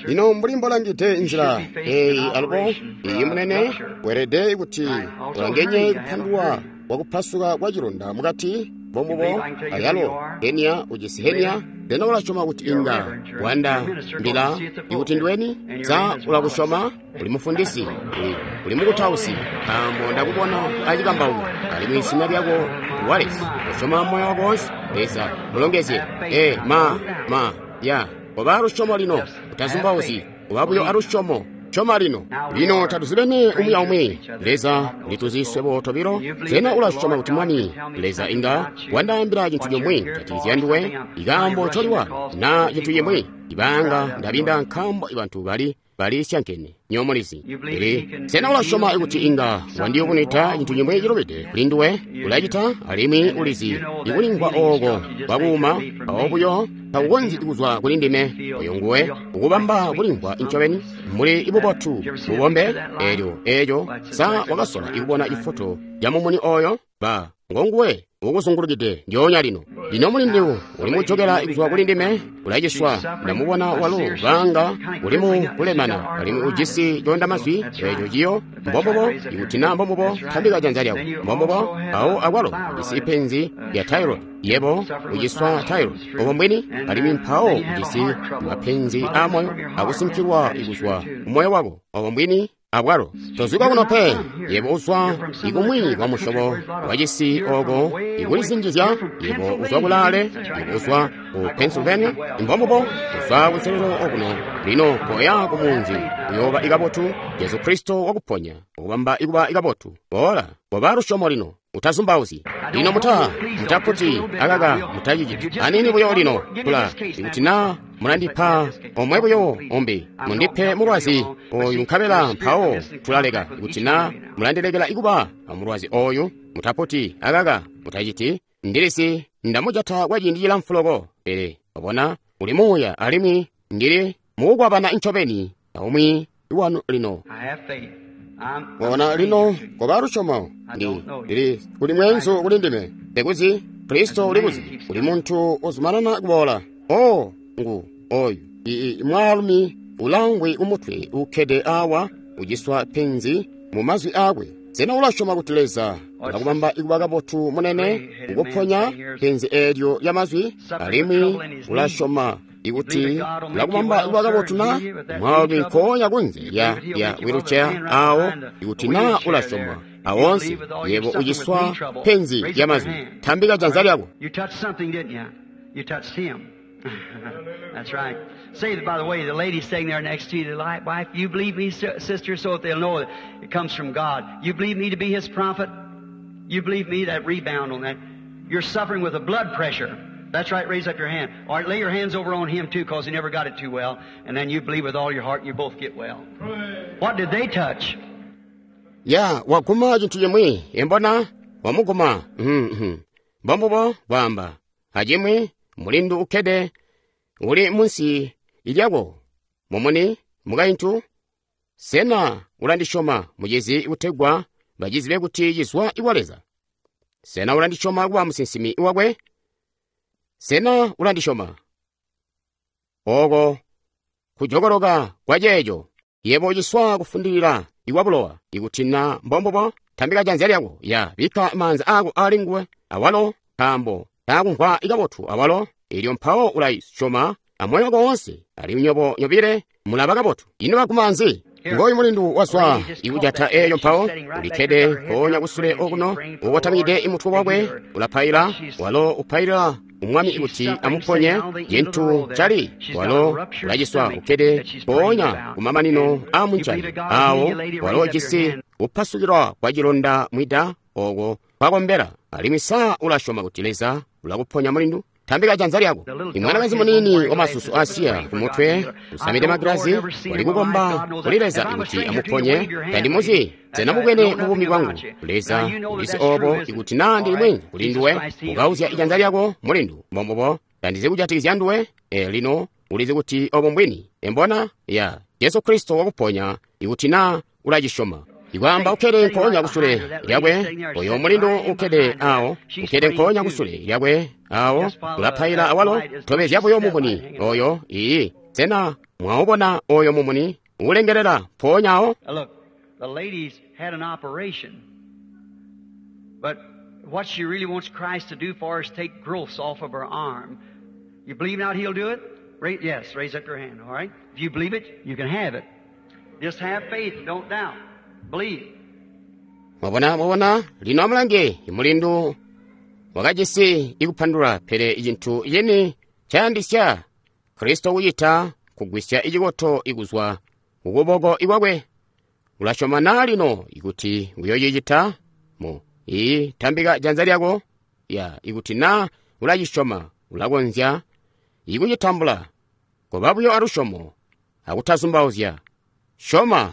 Speaker 1: Lino mbuli mbolangide nzila eeyi alubo iyi munene, weelede kuti ulangenye kupandulwa kwakupasuka kwa cilonda mukati. Mbombubo ayalo henia ujisi henia. Sena ulasyoma kuti inga wandambila ikuti ndiweni? Sa ulakusyoma? Uli mufundisi, uli, uli mukutausi, nkaambo ndakubona acikambauko, alimwi zina lyako Wallace. Usyoma moyo wako woonse. Leza mulongezye. E ma ma ya koba alusyomo lino, utazumbauzyi, koba buyo alusyomo. Syoma lino. Lino tatuzibene umwi aumwi. Leza ulituzi swebo tobilo. Sena ulasyoma kuti Mwami Leza inga wandaambila cintu cimwi kujatikizya nduwe, ikaambo ncoliwa na cintu cimwi? Ibanga ndabinda nkaambo ibantu bali bali syankene nyomulizi. Pele sena ulasyoma kuti inga wandiyubunwida cintu cimwi cilubide kuli nduwe? Ulacita, alimwi ulizi ikulimvwa ooko kwakuuma mpawo buyo takukonzyi kuzwa kuli ndime. Oyo nguwe ukubamba kulimvwa ncobeni mbuli ibubotu bubombe. Eelyo eeco sa wakasola ikubona ifoto ya mumuni oyo? Ba ngonguwe ukuzungulukide ndyoonya lino. Lino mulindu uli mujokela kuzwa kuli ndime, ulaciswa. Ndamubona walo banga uli mu kulemana, alimwi ujisi coondamazwi eeco ciyo. Mbombubo. Ikuti naa mbombubo, tambika janza lyako. Mbombubo. Awo akwalo ujisi ipenzi lya thyroid. Yebo uciswa thyroid, obo mbwini, alimwi mpawo ujisi mapenzi aamoyo akusinkilwa kuzwa kumoyo wako, obo mbwini. Abwalo tozwika kuno pe. Yebo uzwa ikumwi kwa musyobo wacisi oko ikulizinjizya. Yebo uzwa kulaale. Yebo uzwa ku Pennsylvania. Mbombubo, uzwa kunselelo okuno. Lino koya kumunzi, uyooba ikabotu. Jesu Kristo wakuponya, ukubamba ikuba ikabotu. Boola, koba lusyomo lino, utazumbauzyi. Lino muta mutaputi akaka mutaciciti anini buyo lino. Tula ikuti naa mulandipa omwe buyo umbi, mundipe mulwazi oyu nkabela mpawo tulaleka. Ikuti naa mulandilekela ikuba amulwazi oyu, mutaputi akaka mutaciti. Ndilisi ndamujata kwa ciindi cilamfu loko, pele wabona uli muuya, alimwi ndili mukukwabana ncobeni aumwi wanu lino. Wabona lino koba lusyomo. Ndi ndili kuli mweenzu kuli ndime, ndikuzi Kristo ulikuzi, uli muntu uzumanana kuboola. O ngu oyu ii mwaalumi ulangwi kumutwe ukkede awa, uciswa penzi mu mazwi aakwe. Sena ulasyoma kuti Leza ulakubamba ikuba kabotu munene, ukuponya penzi eelyo lya mazwi? Alimwi ulasyoma ikuti ulakubamba ikuba kabotu na? Mwaalumi nkoonya kunze lya lya wheelchair awo, ikuti naa ulasyoma awonse, yebo uciswa penzi lya mazwi, tambika janza lyako.
Speaker 2: You touched something, didn't you? You touched him. That's right. Say, by the way, the lady sitting there next to you, the light wife, you believe me, sister, so that they'll know it comes from God. You believe me to be His prophet? You believe me? That rebound on that. You're suffering with a blood pressure. That's right, raise up your hand. All right, lay your hands over on him too, because he never got it too well. And then you believe with all your heart and you both get well. What did they touch?
Speaker 1: Ya waguma chintu chimwe embona wamuguma mhm mbombubo bwamba achimwe mulindu ukkede uli munsi ilyako mumuni mukaintu sena ulandisyoma muchizi kutegwa bachizibe kuti chizwa iwa Leza sena ulandisyoma kuba musinsimi wakwe sena ulandisyoma oko kujokoloka kwa ceeco yebo uciswa kufundilira iwa bulowa ikuti na mbombubo tambika janza lyako ya bikka maanza ako ali nguwe awalo nkaambo takumvwa ikabotu awalo ilyo mpawo ulayisyoma amoyo wako wonse ali nyobo nyobile mulaba kabotu ino bakumanzi ngoyu mulindu wazwa ikujata eyo mpawo ulikkede mpoonya kusule okuno ukotamikide imutwe wakwe ulapaila walo upailira umwami ikuti amuponye cintu cali walo ulaciswa ukkede mpoonya kumamanino a munjani awo walo ujisi kupasukilwa kwa cilonda mwida oko kwakombera alimwi sa ulasyoma kuti Leza ulakuponya mulindu tambika janza lyako imwanakazi munini wa masusu asiya kumutwe usamide magilazi wali kukomba kuli Leza ikuti amuponye tandimuzi senamubwene mubumi bwangu Leza ulisi obo ikuti na ndi mwenzi kuli nduwe ukauzya ijanza lyako mulindu mbombobo tandizi kujatikizya nduwe e lino ulizi kuti obo mbwini embona ya Yesu Kristo wakuponya ikuti na ulacisyoma ikwamba ukkede nkoonya kusule lyakwe oyo mulindu ukkede awo ukkede nkoonya kusule lyakwe awo ulapaila awalo tobezya buyo mumuni oyo iyi sena mwaubona oyo mumuni ulengelela mpoonya awo
Speaker 2: Look, the lady's had an operation, but what she really wants Christ to do for her is take growths off of her arm. You believe now He'll do it? Ra- yes, raise up your hand, all right? If you believe it, you can have it. Just have faith, don't doubt. Believe.
Speaker 1: mwabona mwabona lino amulange mulindu wakajisi ikupandula pele icintu yeni cayandisya Kristo kucita kugwisya icikoto ikuzwa kukuboko ikwakwe ulasyoma na lino ikuti uyocicita mu iyi tambika janza lyako ya ikuti na ulacisyoma ulakonzya ikucitambula koba buyo alusyomo akutazumbauzya syoma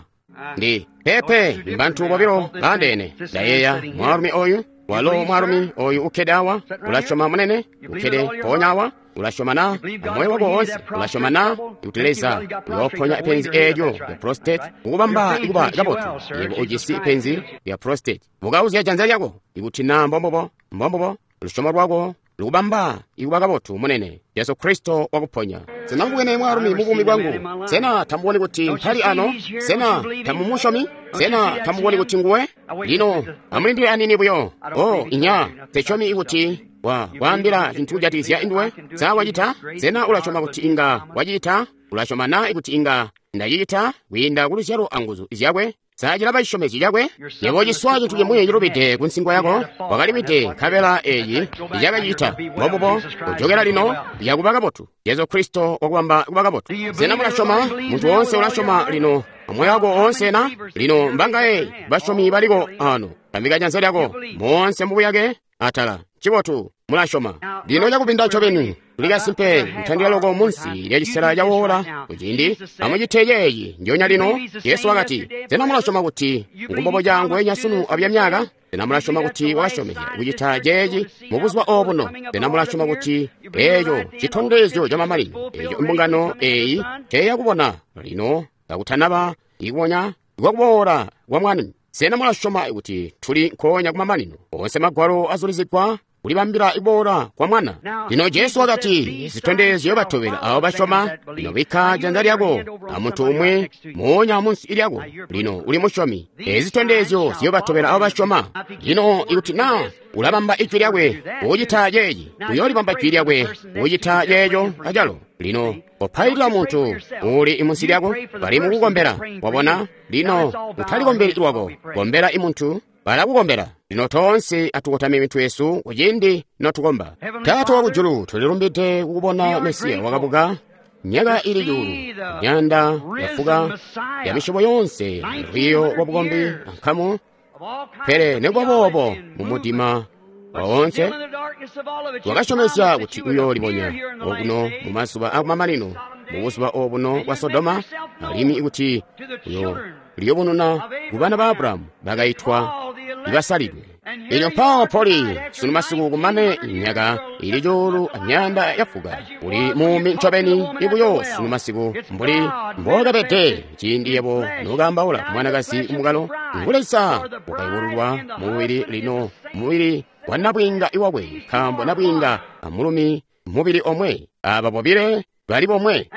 Speaker 1: ndi pepe mbantu bobilo baandeene ndayeeya mwaalumi oyu walo mwaalumi oyu ukkede awa ulasyoma munene ukkede mpoonya awa ulasyoma na amoyo wako wonse ulasyoma na ikuti Leza uyooponya penzi eelyo lya prostate ukubamba ikuba kabotu yebo ujisi penzi lya prostate bukauzya janza lyako ikuti na mbombobo mbombobo lusyomo lwako lukubamba ikuba kabotu munene Yesu Kristo wakuponya sena mwaalumi mubumi bwangu sena tamuboni kuti mpali ano sena tamumusyomi sena tamuboni kuti nguwe lino amulindile anini buyo o inya tesyomi ikuti wa waambila cintu kujatikizya induwe sa wacita sena ulasyoma kuti inga wacita ulasyoma na ikuti inga ndacicita kwiinda kuluzyalo anguzu zyakwe sacilaba cisyomezyo cakwe yebo ciswa cintu cimwi cilubide ku nsingo yako wakaliwide nkabela eyi icakacita mbombubo kujokera lino yakuba kabotu Yesu Kristo wakubamba kuba kabotu sena mulasyoma munthu wonse ulasyoma lino amoyo wako onse na lino mbangaye basyomi baliko ano tambika janza lyako monse mbubuyake atala cibotu mulasyoma lino cakupinda ncobeni tuli kasimpe nthandira loko munsi lya cisela ca wola kuciindi amucite ceeci njonya lino Yesu wakati sena mulasyoma kuti ngumbobo cangwe nyasunu abya myaka sena mulasyoma kuti wakasyomezya kucita ceeci mubuzuba obuno sena mulasyoma kuti eeco citondezyo ca mamanino eeco imbungano eeyi teyakubona lino kakutanaba ikubonya kwakuboola kwa Mwami sena mulasyoma kuti tuli nkoonya kumamanino onse magwalo azulizigwa kulibambila iboola kwa Mwana lino Jesu wakati zitondezyo batobela abo basyoma lino bikka janza lyako amuntu umwe moonya munsi lyako lino uli musyomi ezi zitondezyo ziyobatobela abo basyoma lino ikuti na ulabamba ijwi lyakwe ucita ceeci uyoolibamba jwi lyakwe ucita ceeco acalo lino kopailila muntu uli imunsi lyako bali mukukombera wabona lino utalikombeli lwako kombera imuntu Bala kukombela. Lino toonse atukotame mitwe yesu kuciindi notukomba. Taata wakujulu, tulilumbide kukubona Mesiya wakabuka myaka ili cuulu, myanda yafuka ya misyobo yonse, lwiiyo lwa bukombi ankamu, pele nikuba boobo mu mudima woonse wakasyomezya kuti uyoolibonya okuno mu mazuba akumamanino, mu buzuba obuno bwa Sodoma, alimwi kuti uyooliyubununa ku bana ba Aburahamu bakaitwa ibasalidwe. Elyo mpawo poli sunu masiku kumane myaka ili cuulu amyanda yafuka, uli muumi ncobeni ibuyo sunu masiku mbuli mbokabede ciindi yebo nokaambaula ku mwanakazi kumukalo. Ngu Leza wakayubululwa mubili lino, mubili wa nabwiinga iwakwe, nkaambo nabwiinga amulumi mubili omwe, aba bobile bali bomwe.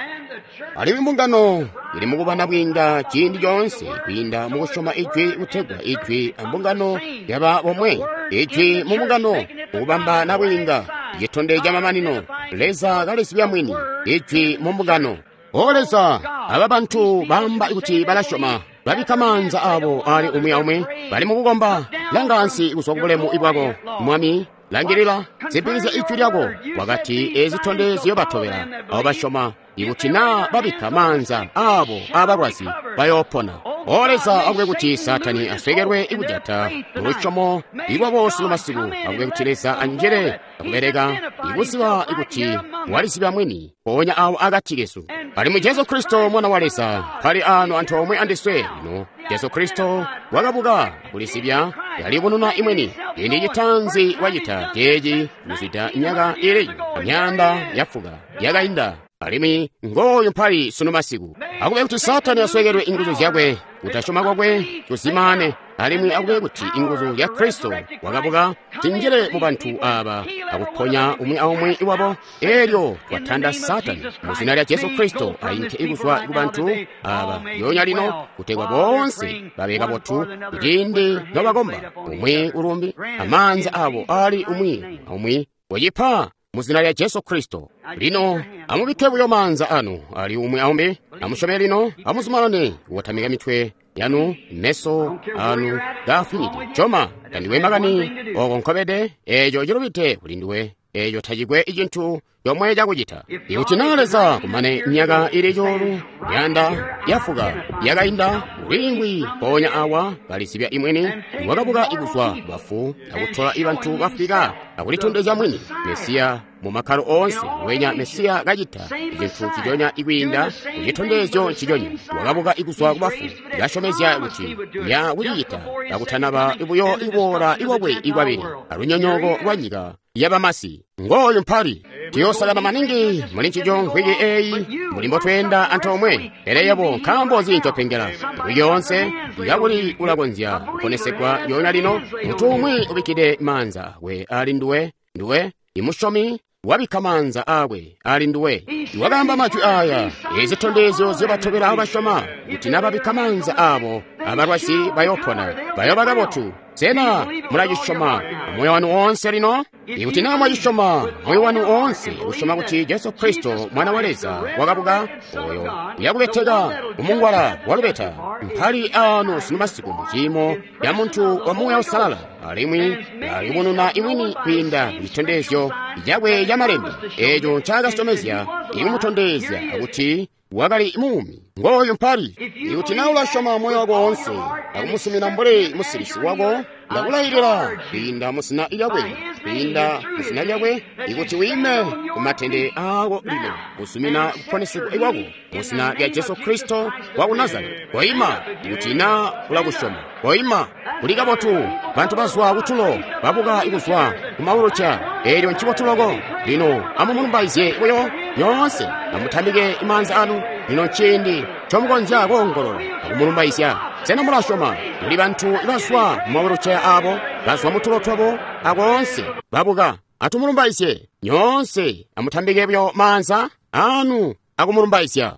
Speaker 1: Alimwi mbungano ili mukuba nabwiinga ciindi coonse kwiinda mukusyoma Ijwi, kutegwa Ijwi ambungano yaba bomwe. Ijwi mu mbungano mukubamba nabwiinga, citondezyo camamanino, Leza kalizibya mwini, Ijwi mu mbungano. O Leza, aba bantu baamba kuti balasyoma, babikka maanza abo ali umwi aumwi, bali mukukomba. Langa ansi kuzwa ku bulemu bwako, Mwami. Langilila, zipikizya Ijwi lyako. Wakati ezi zitondezyo batobela abo basyoma, ikuti naa babikka maanza abo abalwazi bayoopona. O Leza, akube kuti Saatani aswekelwe ikujata mulusyomo lwabo sunu masiku. Akube kuti Leza anjele akubeleka ikuziba ikuti walizibya mwini mpoonya awo akati kesu. Alimwi Jesu Kristo Mwana wa Leza pali ano antoomwe andiswe lino. Jesu Kristo wakabuka kulizibya, yaliyubununa imweni. Ciindi citaanzi wacita ceeci kuzwida myaka ili myanda yafuka yakainda, alimwi ngooyu mpali sunu masiku. Akube kuti Saatani aswekelwe inguzu zyakwe, kutasyoma kwakwe kuzimane, alimwi akube kuti inguzu zya Kristo wakabuka zinjile mu bantu aba akuponya umwi aumwi wabo. Elyo twatanda Saatani mu zina lya Jesu Kristo ainke ikuzwa ku bantu aba yonya lino, kutegwa boonse babe kabotu kuciindi nobakomba umwi ulumbi amaanza abo ali umwi aumwi. Kucipa mu zina lya Jesu Kristo. Lino amubikke buyo maanza anu ali umwi aumbi, amusyome lino, amuzumanane kukotamika mitwe yanu, meso anu gaafwinide. Syoma, tandiwe makani oko nkobede, eco cilubide kuli nduwe, eco tacikwe cintu comwe cakucita. Ikuti naa Leza kumane myaka ili cuulu myanda yafuka yakainda, uliingwi mpoonya awa kalizibya imwini, wakabuka ikuzwa bafu akutola ibantu bafwika akulitondezya mwini Mesiya mu makkalo oonse. Wenya Mesiya kacita cintu ciconya ikwiinda kucitondezyo ciconya, wakabuka ikuzwa ku bafu, kasyomezya kuti ya kucicita kakutanaba ibuyo iboola iwakwe ikwabili alunyonyooko lwa nyika yabamasi. Ngooyu mpali. Tuyoosakana maningi muli ncico nkwiki eeyi mbuli mbotweenda antoomwe. Pele yebo nkaambo nzi ncopengela nkwiki yoonse? Kakuli ulakonzya kuponesegwa yoona lino. Muntu umwi ubikkide maanza akwe ali nduwe, nduwe imusyomi wabikka maanza akwe ali nduwe. Wakaamba majwi aya, ezi zitondezyo zyobatobela abo basyoma, kuti nababikka maanza abo abalwazi bayoopona, bayoba kabotu. Sena mulacisyoma moyo wanu woonse lino? Ikuti naa mwacisyoma moyo wanu woonse, kusyoma kuti Jesu Kristo Mwana wa Leza wakabuka, oyo uyakubeteka umungwala walubeta mpali ano sunu masiku mu ciimo ca muntu wa Muuya Uusalala, alimwi aliyubununa imwini kwiinda ku citondezyo cakwe ca malembe eco ncaakasyomezya ikumutondezya kuti wakali muumi. Ngooyu mpali. Ikuti naa ulasyoma moyo wako woonse akumusumina mbuli musilisi wako, ndakulailila kwiinda mu zina lyakwe, kwiinda mu zina lyakwe, ikuti wiime ku matende aako lino kusumina kuponesegwa kwako mu zina lya Jesu Kristo wa ku Nazareti. Koima ikuti naa ulakusyoma. Koima. Kuli kabotu. Bantu bazwa kutulo babuka ikuzwa ku mauluca. Elyo ncibotu loko. Lino amumulumbaizye buyo nyoonse, amutambike maanza anu. Lino nciindi ncomukonzya koongolola akumulumbaizya. Sena mulasyoma? Kuli bantu ibazwa mu mauluca abo, bazwa mutulo twabo akoonse babuka. Atumulumbaizye nyoonse, amutambike buyo maanza anu akumulumbaizya.